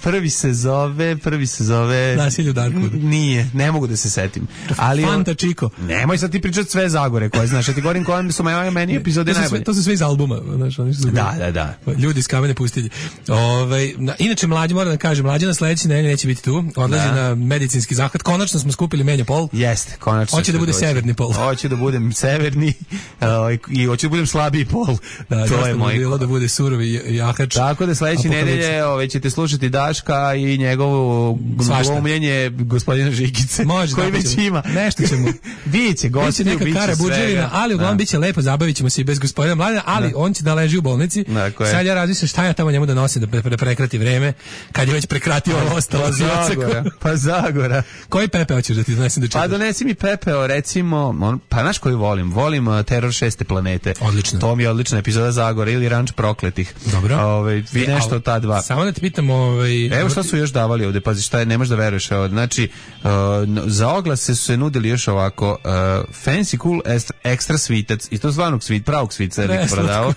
Prvi se zove, prvi se zove... Nasilje u Darkwoodu. Nije, ne mogu da se setim. Ali Fanta Chico. Nemoj sad ti pričati sve Zagore koje znaš, ja ti govorim koje su meni epizode najbolje. To su sve iz albuma. Znaš, oni su da, da, da. Ljudi iz Kamene pustinje. Ove, inače, mlađi, moram da kažem, mlađi na sledeći nedelje neće biti tu. Odlazi da. na medicinski zahvat. Konačno smo skupili menja pol. Jeste, konačno. Hoće da bude doći. Severni pol. Hoće da budem severni uh, i hoće da budem slabiji pol. Da, to je moj. Bilo da bude surovi jahač. Tako da sledeće nedelje ove ćete slušati Daška i njegovo glumljenje gospodina Žikice, može, koji već ima. Nešto ćemo. Biće gosti, biće neka kara budževina, ali uglavnom biće lepo, zabavit ćemo se i bez gospodina Mladena, ali da. On će da leži u bolnici. Sad ja razmišljam šta ja tamo njemu da nosim da, pre, da prekrati vreme, kad je već prekratio ovo ostalo. Pa Zagora. Pa Zagora. Koji Pepe hoćeš da ti donesem da čitaš? Pa donesi mi Pepeo, recimo, on, pa znaš koji volim? Volim uh, Teror šeste planete. Odlično. To mi je odlična epizoda Zagora ili Ranč prokletih. Dobro. Ove, vi nešto od ta dva. Samo da te pitam, ovaj... Evo šta su još davali ovde, pazi šta je, ne možeš da veruješ. Znači, uh, za oglase su se nudili još ovako, uh, fancy cool extra svitac, i to zvanog svit, pravog svica je prodao.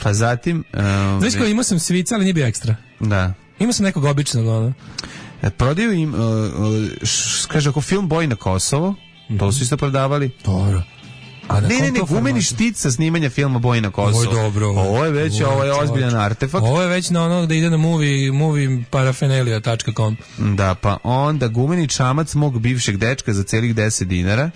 Pa zatim... Uh, Znaš kao, imao sam svica, ali nije bio ekstra. Da. Imao sam nekog običnog, ono. Prodaju im, uh, uh, š, kaže, ako film Boj na Kosovo, mm-hmm. to su isto prodavali. Dobro. A ne, ne, ne, gumeni štit sa snimanja filma Boj na Kosovo. Ovo je dobro. Ovo je već, ovo je ozbiljan artefakt. Ovo je već na ono da ide na movie, movie paraphernalia dot com. Da, pa onda gumeni čamac mog bivšeg dečka za celih deset dinara.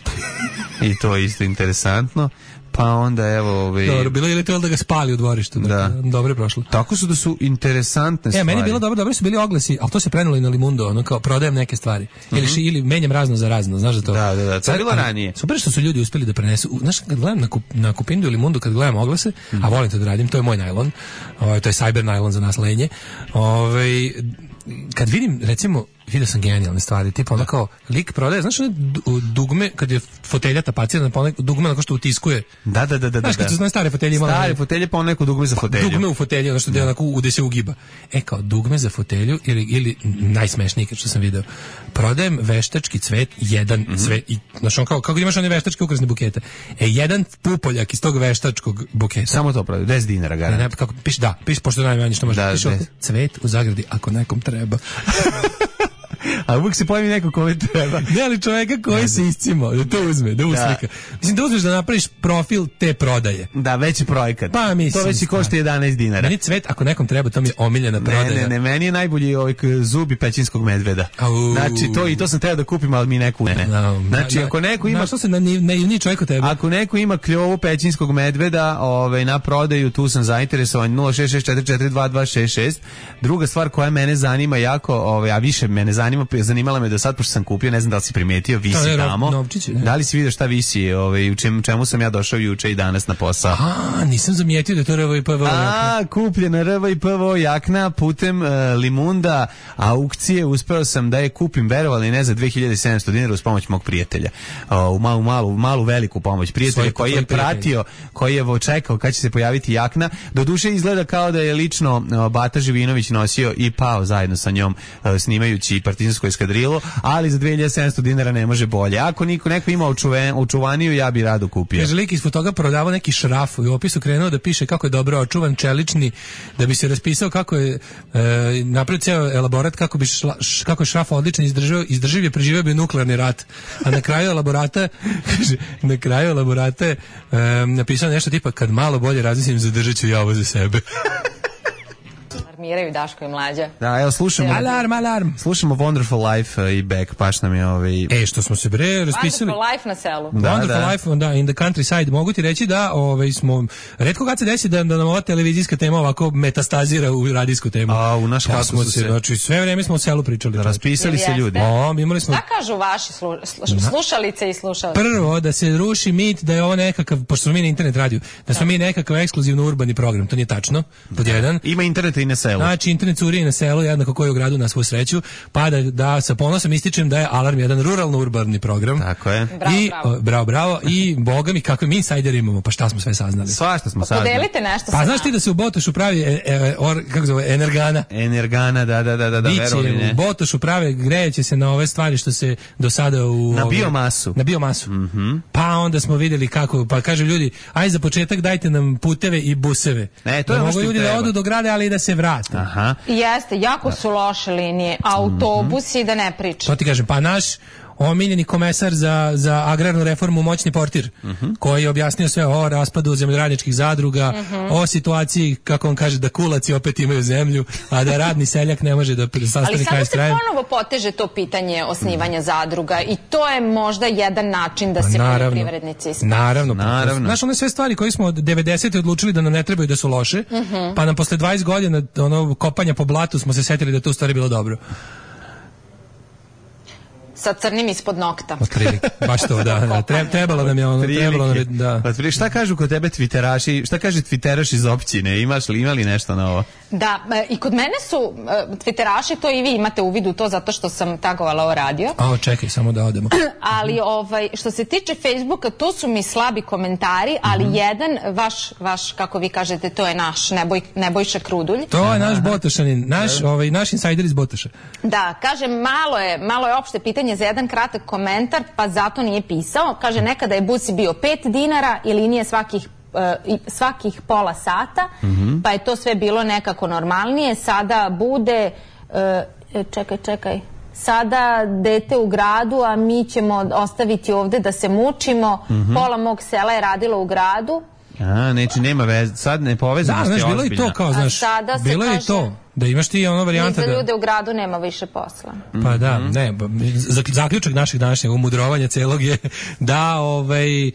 I to je isto interesantno. Pa onda evo ovaj dobro, bilo je to da ga spali u dvorištu, da. Dakle, dobro je prošlo. Tako su da su interesantne stvari. E, meni je bilo dobro, dobro su bili oglasi, al to se prenulo i na Limundo, ono kao prodajem neke stvari. Mm-hmm. Ili ši, ili menjam razno za razno, znaš da to. Da, da, da, to je bilo ranije. Super što su ljudi uspeli da prenesu. Znaš, kad gledam na kup, na Kupindu ili Limundu, kad gledam oglase, mm-hmm. a volim to da radim, to je moj najlon. Ovaj to je cyber najlon za nas lenje. Ovaj kad vidim recimo vidio sam genijalne stvari, tipa ono kao lik prodaje, znaš one dugme kad je fotelja tapacirana, pa neko dugme onako što utiskuje. Da, da, da, da. Znaš kad su stare fotelje imale. Stare fotelje pa neko dugme za fotelju. Dugme u fotelji, ono što da onako gde se ugiba. E kao dugme za fotelju ili ili najsmešnije što sam video. Prodajem veštački cvet, jedan mm-hmm. cvet i znaš on kao kako imaš one veštačke ukrasne bukete. E jedan pupoljak iz tog veštačkog buketa. Samo to prodaje, deset dinara garant. Ne, ne, kako piše da, piše pošto najmanje što može. Da, piše cvet u zagradi ako nekom treba. A uvijek se pojavi neko kome treba. Ne, ali čovjeka koji ne, se iscimo, da to uzme, da uslika. Da. Mislim, da uzmeš da napraviš profil te prodaje. Da, veći projekat. Pa, mislim. To već i košta jedanaest dinara. Meni cvet, ako nekom treba, to mi je omiljena prodaja. Ne, ne, ne, meni je najbolji ovaj zubi pećinskog medveda. Au. Znači, to i to sam teo da kupim, ali mi neko ne. No, znači, na, ako neko ima... Na što se na, na, ni čovjek od tebe? Ako neko ima kljovu pećinskog medveda ovaj, na prodaju, tu sam zainteresovan, nula šest šest četiri četiri dva dva šest šest. Druga stvar koja mene zanima jako, ovaj, a više mene zanima, zanimala me do sad, pošto sam kupio, ne znam da li si primetio, visi to je tamo. Novčić, da li si vidio šta visi, ovaj, u čemu, čemu sam ja došao juče i danas na posao? A, nisam zamijetio da je to R V I P V O jakna. A, kupljena R V I P V O jakna putem uh, Limunda aukcije, uspeo sam da je kupim, verovali ne, za dve hiljade sedamsto dinara uz pomoć mog prijatelja. Uh, u malu, malu, malu veliku pomoć prijatelja svoj, koji je pratio, koji je čekao kad će se pojaviti jakna. Doduše izgleda kao da je lično uh, Bata Živinović nosio i pao zajedno sa njom uh, snimajući partizan britansku eskadrilu, ali za dve hiljade sedamsto dinara ne može bolje. Ako niko neko ima očuven, očuvaniju, ja bi rado kupio. Kaže, lik ispod toga prodavao neki šraf i u opisu krenuo da piše kako je dobro očuvan, čelični, da bi se raspisao kako je e, napravio ceo elaborat, kako bi šla, š, kako je šraf odličan, izdržao, izdrživ je, preživio bi nuklearni rat. A na kraju elaborata, kaže, na kraju elaborata e, napisao nešto tipa, kad malo bolje razmislim, zadržat ću ja ovo za sebe. Alarmiraju Daško i Mlađa. Da, evo slušamo. Alarm, alarm. Slušamo Wonderful Life uh, i Beck, paš nam je ovaj. E, što smo se bre raspisali. Wonderful Life na selu. Da, Wonderful da. Life, da, in the countryside. Mogu ti reći da ovaj, smo, retko kad se desi da, da nam ova televizijska tema ovako metastazira u radijsku temu. A, u naš kako kako smo su se, se... znači sve vreme smo o selu pričali. Raspisali se ljudi. O, imali smo... Šta kažu vaši slu, slu, slušalice i slušalci? Prvo, da se ruši mit da je ovo nekakav, pošto smo mi na internet radiju, da smo mi nekakav ekskluzivno urbani program. To nije tačno, pod jedan. Ima interneta i na selu. Znači, internet curi na selu, jednako koji u gradu na svu sreću, pa da, da sa ponosom ističem da je Alarm jedan ruralno-urbani program. Tako je. Bravo, I, bravo. o, bravo, bravo. I, boga mi, kakve mi insajder imamo, pa šta smo sve saznali. Svašta smo saznali. Podelite nešto Pa sa znaš ti da se u Botošu pravi, e, e, or, kako zove, energana? Energana, da, da, da, da, da verovali Biće ne. u Botošu prave, grejeće se na ove stvari što se do sada u... Na ove- biomasu. Na biomasu. Mhm. Pa onda smo vidjeli kako, pa kažu ljudi, aj za početak dajte nam puteve i buseve. E, to je da ono mogu što im ljudi da treba. odu do grada, ali i da se vrate. Aha. Jeste, jako su loše linije, autobusi da ne pričam. To ti kažem, pa naš omiljeni komesar za, za agrarnu reformu Moćni Portir, koji je objasnio sve o raspadu zemljoradničkih zadruga, o situaciji, kako on kaže, da kulaci opet imaju zemlju, a da radni seljak ne može da Ali sastane sada kraj s se krajem. ponovo poteže to pitanje osnivanja zadruga i to je možda jedan način da se Naravno. poljoprivrednici isplate. Naravno, Naravno. Znaš, one sve stvari koje smo od devedesete odlučili da nam ne trebaju da su loše, pa nam posle dvadeset godina ono kopanja po blatu smo se setili da je to u stvari bilo dobro. Sa crnim ispod nokta. Otprilike, baš to, da, da. Tre- trebalo nam je ono, trebalo nam je, da. Otprilike, šta kažu kod tebe twitteraši, šta kaže twitteraš iz općine, imaš li, ima li nešto na ovo? Da, e, i kod mene su e, twitteraši, to i vi imate uvid u to zato što sam tagovala o radio. A, čekaj, samo da odemo. Ali ovaj, što se tiče Facebooka, to su mi slabi komentari, ali jedan, vaš, vaš, kako vi kažete, to je naš Neboj, Nebojša Krudulj. To je naš Botošanin, naš, ovaj, naš insajder iz Botoša. Da, kaže, malo je, malo je opšte pitanje za jedan kratak komentar, pa zato nije pisao. Kaže, nekada je busi bio pet dinara i linije svakih i svakih pola sata, Mhm. pa je to sve bilo nekako normalnije. Sada bude, e, čekaj, čekaj, sada dete u gradu, a mi ćemo ostaviti ovde da se mučimo. Mhm. Pola mog sela je radilo u gradu. A, neći, nema veze, sad ne Da, povezanost je znaš, bilo je i ozbiljna. to, kao, A znaš, sada se bilo je i kaže- to, da imaš ti ono Ni varijanta za da... ljude u gradu nema više posla. Pa da, ne, ba- zak- zaključak našeg današnjeg umudrovanja celog je da ovaj e,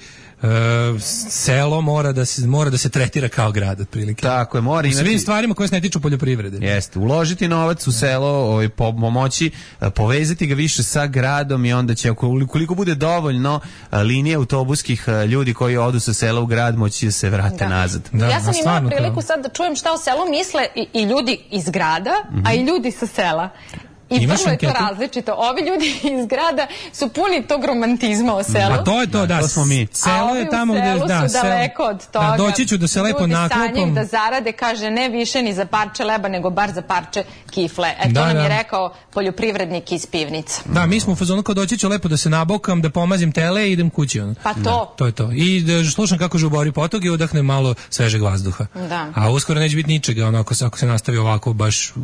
selo mora da se mora da se tretira kao grad otprilike. Tako je, mora U imati... svim stvarima koje se ne tiču poljoprivrede. Jeste, uložiti novac u selo, ovaj, pomoći, a, povezati ga više sa gradom i onda će, koliko bude dovoljno a, linije autobuskih a, ljudi koji odu sa sela u grad, moći da se vrate Da. nazad. Da, Ja a sam imala stvarno, priliku kao- sad da čujem šta o selu misle i, i ljudi iz grada, a i ljudi sa sela. I Imaš vrlo je to anketu? različito. Ovi ljudi iz grada su puni tog romantizma o selu. A to je to, da. to smo mi. A Selo ovi je u tamo gde selu da, su selo- daleko od toga. Da, doći ću da se lepo Ljudi naklopam. sanjaju da zarade, kaže, ne više ni za parče leba, nego bar za parče kifle. E, to Da, nam je da. rekao poljoprivrednik iz pivnica. Da, mi smo u fazonu kao doći ću lepo da se nabokam, da pomazim tele i idem kući. Ono. Pa to. To je to. I da slušam kako žubori potok i udahnem malo svežeg vazduha. Da. A uskoro neće biti ničega, ono, ako se, ako se nastavi ovako baš r-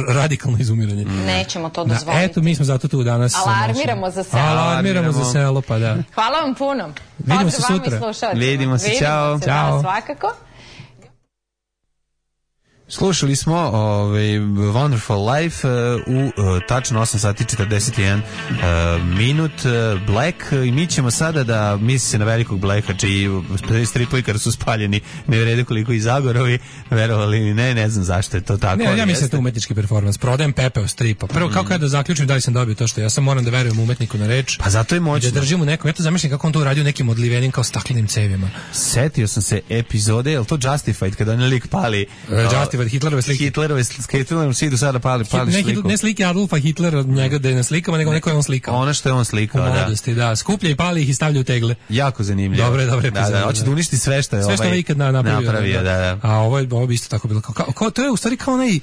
radikalno izumiranje. Nećemo to Da, dozvoliti. eto, mi smo zato tu danas. sa Alarmiramo našim- za selo. Alarmiramo za selo, pa da. Hvala vam puno. Vidimo se Pozdrav vama i sutra. slušalcima. Vidimo se, ćao. se, Ćao. Da, svakako. Slušali smo ovaj, Wonderful Life uh, u uh, tačno osam sati četrdeset jedan uh, minut uh, Black i mi ćemo sada da misli se na velikog Blacka čiji stripovi kada su spaljeni ne vrede koliko i Zagorovi, verovali ni ne, ne znam zašto je to tako. Ne, ali ja mislim da jeste. je to umetnički performans. Prodajem pepeo stripa. Prvo, kako ja da zaključim da li sam dobio to što ja sam moram da verujem umetniku na reč. Pa zato je I moćno. da držim u nekom. Ja to zamišljam kako on to uradio nekim odlivenim kao staklenim cevima. Setio sam se epizode, je li to Justified kada on lik pali? Uh, Justified protiv Hitlerove slike. Hitlerove slike, Hitlerove slike, sada pali, pali ne, sliku. Ne slike Adolfa Hitlera, njega da je na slikama, nego neko je on slikao. Ono što je on slikao, da. U mladosti, da. Skuplja i pali ih i stavlja u tegle. Jako zanimljivo. Dobre, dobre da, da, hoće da uništi sve što je sve što ovaj je ikad napravio. napravio da, da. A ovo je, ovo bi isto tako bilo. Kao, kao, to je u stvari kao onaj,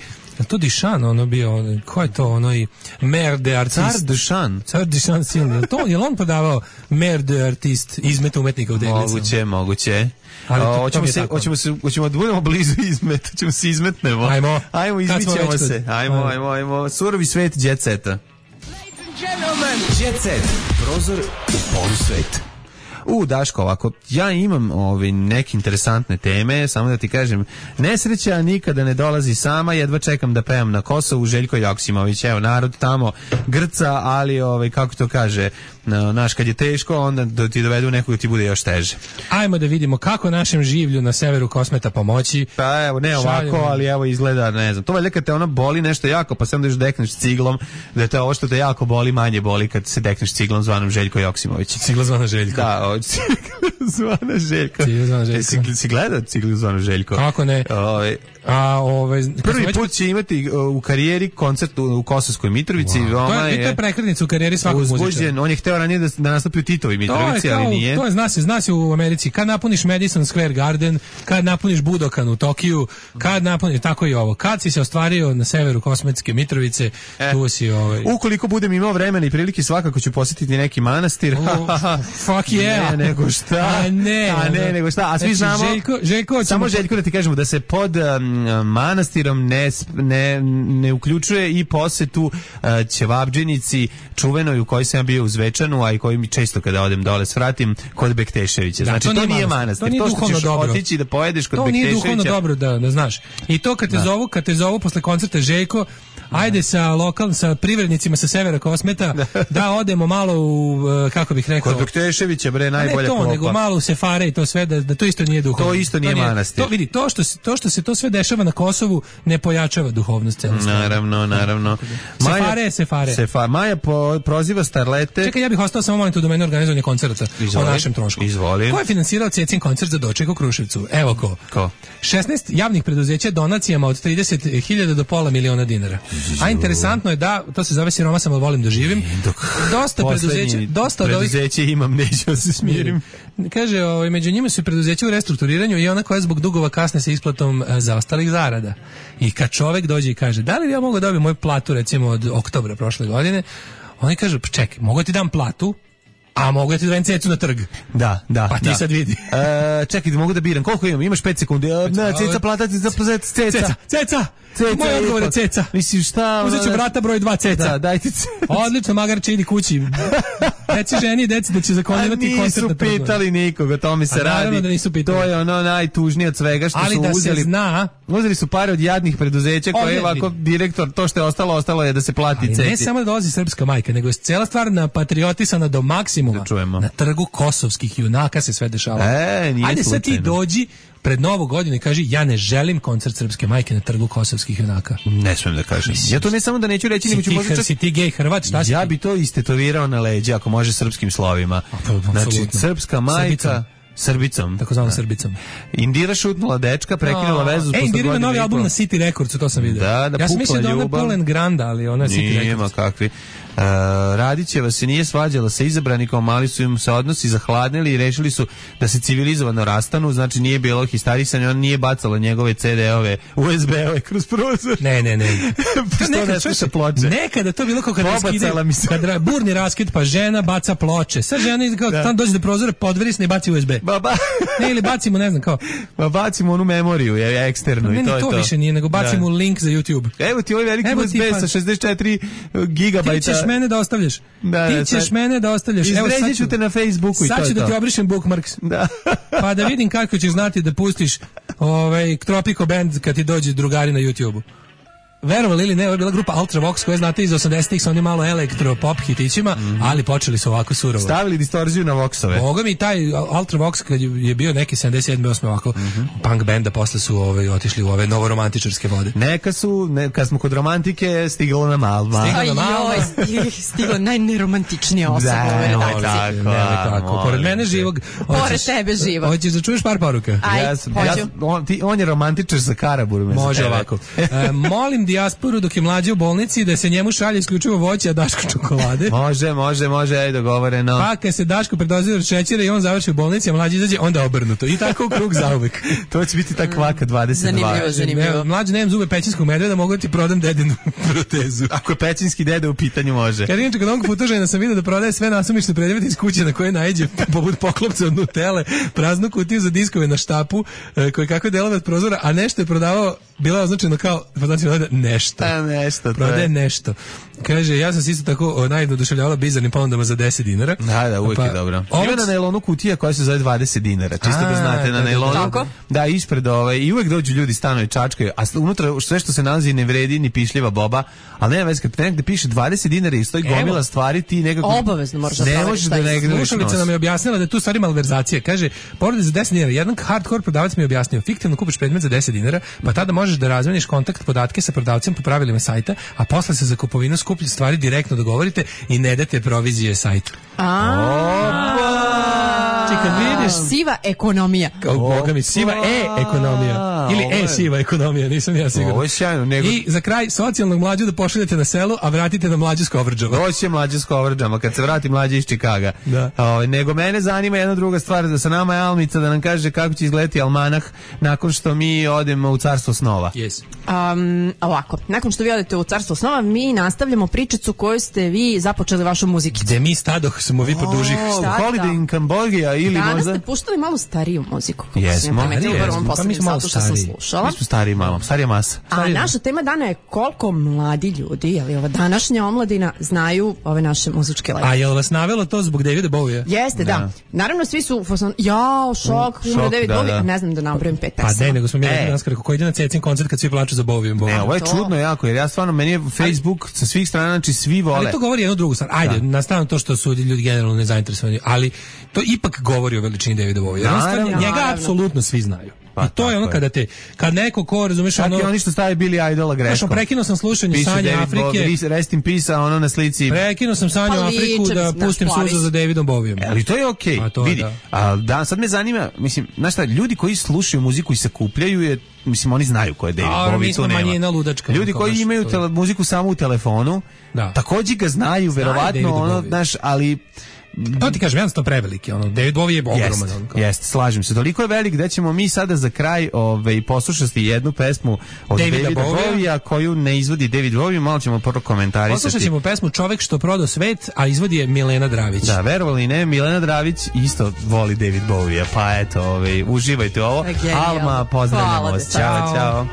to Duchamp, ono bio, ono, ko je to, onaj mer de artist. Car Duchamp. Car Duchamp silni. Je to, je li on podavao mer de artist, izmet umetnika u teglicama? Moguće, moguće. Ali to, hoćemo to se, hoćemo se, hoćemo da budemo blizu izmet, hoćemo se izmetnemo. Ajmo. Ajmo, izmićemo se. Ajmo, ajmo, ajmo. Surovi svet jet seta. Jet set. Prozor u polusvet. U, Daško, ovako, ja imam ove neke interesantne teme, samo da ti kažem, nesreća nikada ne dolazi sama, jedva čekam da pevam na Kosovu, Željko Joksimović, evo, narod tamo grca, ali, ovaj, kako to kaže, naš, kad je teško, onda da ti dovedu nekog ti bude još teže. Ajmo da vidimo kako našem življu na severu Kosmeta pomoći. Pa evo, ne ovako, šaljemo. Ali evo izgleda, ne znam, to valjda kad te ona boli nešto jako, pa se onda još dekneš ciglom, da te ovo što te jako boli, manje boli kad se dekneš ciglom zvanom Željko Joksimović. Cigla zvana Željko. Da, zvana Željko. Cigla zvana Željko. Si, si gledao Cigla zvana Željko? Kako ne? Ove, A, ove, prvi put će imati u karijeri koncert u, u Kosovskoj Mitrovici. Wow. To, je, to je prekretnica u karijeri svakog muzičara. On je hteo ranije da, da nastupi u Titovi Mitrovici, kao, ali nije. To je, zna se, zna se u Americi. Kad napuniš Madison Square Garden, kad napuniš Budokan u Tokiju, kad napuniš, tako i ovo. Kad si se ostvario na severu Kosmetske Mitrovice, e, tu si ovaj... Ukoliko budem imao vremena i prilike, svakako ću posjetiti neki manastir. Oh, fuck yeah. Ne, nego šta. A ne. A ne, nego šta. A svi znači, znamo... Željko, Željko, samo Željko da ti kažemo da se pod um, manastirom ne, ne, ne uključuje i posetu uh, Ćevabdžinici čuvenoj u kojoj sam ja bio u Zvečanu, a i koji mi često kada odem dole svratim kod Bekteševića. Da, znači, to, to nije manastir. manastir. To, nije to što ćeš dobro. otići da pojedeš kod to Bekteševića. To nije duhovno dobro, da, da znaš. I to kad te, zovu, kad te zovu posle koncerta Željko, ajde sa lokal, sa privrednicima sa severa Kosmeta, da odemo malo u, kako bih rekao... Kod Bekteševića, bre, najbolja klopa. Ne to, klopa. nego malo u Sefare i to sve, da, da to isto nije duhovno. To isto nije, to nije manastir. To, vidi, to što, to što se to sve dešava na Kosovu ne pojačava duhovnost cele stvari. Naravno, naravno. Maja, sefare je Sefare. Sefa, Maja po, proziva starlete... Čekaj, ja bih ostao samo moment u domenu organizovanja koncerta o našem trošku. Izvoli. Ko je finansirao Cecin koncert za doček u Kruševcu? Evo ko. Ko? šesnaest javnih preduzeća donacijama od trideset hiljada do pola miliona dinara. A interesantno je da, to se zove siroma sam, ali volim da živim. Dosta preduzeća, dosta od ovih preduzeća imam, neću da se smirim. Kaže, ovaj, među njima su preduzeća u restrukturiranju i ona koja zbog dugova kasne sa isplatom e, zaostalih zarada. I kad čovek dođe i kaže, da li ja mogu dobiti moju platu recimo od oktobra prošle godine, oni kažu, pa čekaj, mogu ti dam platu, a mogu ja ti dajem cecu na trg. Da, da. Pa ti da. sad vidi. E, čekaj, mogu da biram. Koliko imam? Imaš pet sekundi. E, ne, ceca, plata ti za ceca. Ceca, ceca. Ceca, moj odgovor je ceca. Mislim, šta? Uzet ću brata broj dva ceca. Da, dajte ceca. Odlično, magarče, idi kući. Deci ženi, deci da će zakonjivati koncert na trgu. Nisu pitali nikog, o tome se radi. Da nisu pitali. To je ono najtužnije od svega što ali su da uzeli. Se zna, uzeli su pare od jadnih preduzeća koje je ovako direktor, to što je ostalo, ostalo je da se plati ceci. Ne samo da dolazi srpska majka, nego je cela stvar napatriotisana do maksimuma. Da čujemo. Na trgu kosovskih junaka se sve dešava. E, nije ajde sad ti dođi pred Novu godinu i kaži ja ne želim koncert srpske majke na trgu kosovskih junaka. Ne smem da kažem. Ja to ne samo da neću reći, nego ću možda čak... Si ti gej Hrvat, šta si ja ti? bi to istetovirao na leđa, ako može srpskim slovima. Znači, srpska majka... Srbicom. Tako zvanom Srbicom. Indira šutnula dečka, prekinula oh. vezu. E, Indira ima novi album na City Recordsu, to sam vidio. Da, da, ja sam mislio da ona Polen Granda, ali ona je City Records. Nijema kakvi. Uh, Radićeva se nije svađala sa izabranikom, ali su im se odnosi zahladnili i rešili su da se civilizovano rastanu, znači nije bilo histarisanja, on nije bacala njegove ce de ove, u es be-ove kroz prozor. Ne, ne, ne. Što nekad, ne sluša ploče? Nekada to bilo kao kad raskide, kad burni raskid, pa žena baca ploče. Sad žena kao da. Tam dođe do prozora, podverisne i baci u es be. Ba, ba. Ne, ili bacimo, ne znam, kao. Ba, bacimo onu memoriju, je eksternu ne, i to ne, je to. to. više nije, nego bacimo da. Link za YouTube. Evo ti ovaj veliki u es be pa... sa šezdeset četiri gigabajta. Ti ćeš mene da ostavljaš. Da, ti da, ćeš sad... mene da ostavljaš. Evo sad ću te na Facebooku i to je to. Sad ću da ti obrišem bookmarks. Da. Pa da vidim kako ćeš znati da pustiš ovaj Tropico Band kad ti dođe drugari na YouTubeu. verovali ili ne, ovo je bila grupa Ultravox koja znate iz osamdesetih sa onim malo elektro pop hitićima, mm-hmm. ali počeli su ovako surovo. Stavili distorziju na voksove. Boga mi taj Ultravox kad je bio neki sedamdeset sedam osam ovako mm-hmm. punk benda, posle su ovaj, otišli u ove novoromantičarske vode. Neka su, ne, kad smo kod romantike, stiglo na Malva. Stiglo na Malva. Joj, stiglo najneromantičnija osoba u ovoj redakciji. Tako, pored mene živog. Pored tebe živog. Hoćeš da čuješ par poruka? Aj, ja sam, ja, on, ti, on je romantičar za Karaburom. Može ovako. E, molim dijasporu dok je mlađe u bolnici da se njemu šalje isključivo voće, a Daško čokolade. Može, može, može, aj dogovoreno. Pa kad se Daško predozira šećera i on završi u bolnici, a mlađe izađe, onda obrnuto. I tako u krug zauvek. To će biti ta kvaka dvadeset dva. Zanimljivo, zanimljivo. Mlađe, nemam zube pećinskog medveda, mogu ti prodam dedinu protezu. Ako je pećinski deda u pitanju, može. Kad inače kod onog putožena sam vidio da prodaje sve nasumične predmete iz kuće na koje naiđe poput poklopca od Nutele, praznu kutiju za diskove na štapu, koje kako je delove od prozora, a nešto je prodavao, bilo je označeno kao nešto. A nešto. Prodaje nešto. Kaže, ja sam se isto tako najedno oduševljavala bizarnim ponudama za deset dinara. Da, da, uvijek pa, je dobro. Ovog... Ima na nailonu kutija koja se zove dvadeset dinara. Čisto da znate, na nailonu. Tako? Da, ispred ove, i uvijek dođu ljudi stano i čačkaju, a unutra sve što se nalazi ne vredi ni pišljiva boba, ali nema veze, kad negde piše dvadeset dinara i stoji gomila stvari, ti nekako... Obavezno moraš da ne možeš da negde... Slušalica nam je objasnila da je tu stvari malverzacija. Kaže, porede za deset dinara. Jedan hardcore prodavac mi je objasnio, fiktivno kupiš predmet za deset dinara, pa tada možeš da razmeniš kontakt podatke sa prodavcem po pravilima sajta, a posle se za kupovinu skuplje stvari direktno dogovorite i ne date provizije sajtu. Čekaj, vidiš siva ekonomija. Kao boga mi, siva e-ekonomija. Ili e-siva ekonomija, nisam ja siguran. Ovo je sjajno. Nego... I za kraj, socijalnog mlađu da pošaljete na selu, a vratite na mlađu s Kovrđama. Ovo će mlađe s Kovrđama, kad se vrati mlađe iz Čikaga. Da. O, nego mene zanima jedna druga stvar, da sa nama je Almica da nam kaže kako će izgledati almanah nakon što mi odemo u carstvo snova. Yes. Um, ovako, nakon što vi odete u carstvo snova, mi nastavljamo pričicu koju ste vi započeli vašom muzikicu. Gde mi stadoh smo vi po dužih. Holiday in Cambodia ili danas možda... ste puštali malo stariju muziku. Jesmo. Pa mi smo malo stariji. Mi smo stariji malo, starija masa. A naša tema dana je koliko mladi ljudi, je li ova današnja omladina, znaju ove naše muzičke legende. A je li vas navelo to zbog Davida Bowie? Jeste, da. da. Naravno, svi su, jao, šok, umre David da, Bowie, da. ne znam da nabrojim pet pesama. Pa ne, nego smo mi rekli danas kako ko ide na Cecin koncert kad svi plaču za Bowie. Ne, ovo je čudno jako, jer ja stvarno, meni je Facebook sa svih strana, znači svi vole. Ali to govori jednu drugu stvar. Ajde, na stranu to što su ljudi generalno nezainteresovani, ali to ipak govori o veličini Davida Bowie. Njega apsolutno svi znaju. Pa, I to je ono kada te, kad neko ko, razumeš, ono... Čak i oni što stavi Billy Idola greškom. Prekinuo sam slušanje Sanje Afrike. Bowie, rest in peace, a ono na slici... Prekinuo sam Sanju pa, Afriku da pustim suzu za Davidom Bowijem. Ali to je okej, okay. Vidi. Da. A, da, sad me zanima, mislim, znaš šta, ljudi koji slušaju muziku i sakupljaju je, mislim, oni znaju ko je David a, Bowie, mi smo to nema. manjina ludačka. Ljudi koji imaju tele, muziku samo u telefonu, da. Takođe ga znaju, verovatno, ono, znaš, ali... To ti kažem, jednostavno preveliki, ono, David Bowie je ogroman. Jeste, jest, slažem se. Toliko je velik da ćemo mi sada za kraj ove, poslušati jednu pesmu od Davida, Davida Bowie-a koju ne izvodi David Bowie, malo ćemo prvo komentarisati. Poslušat ćemo pesmu Čovek što prodao svet, a izvodi je Milena Dravić. Da, verovali ne, Milena Dravić isto voli David Bowie-a, pa eto, ove, uživajte ovo. Genial. Alma, pozdravljamo vas. Ćao, čao.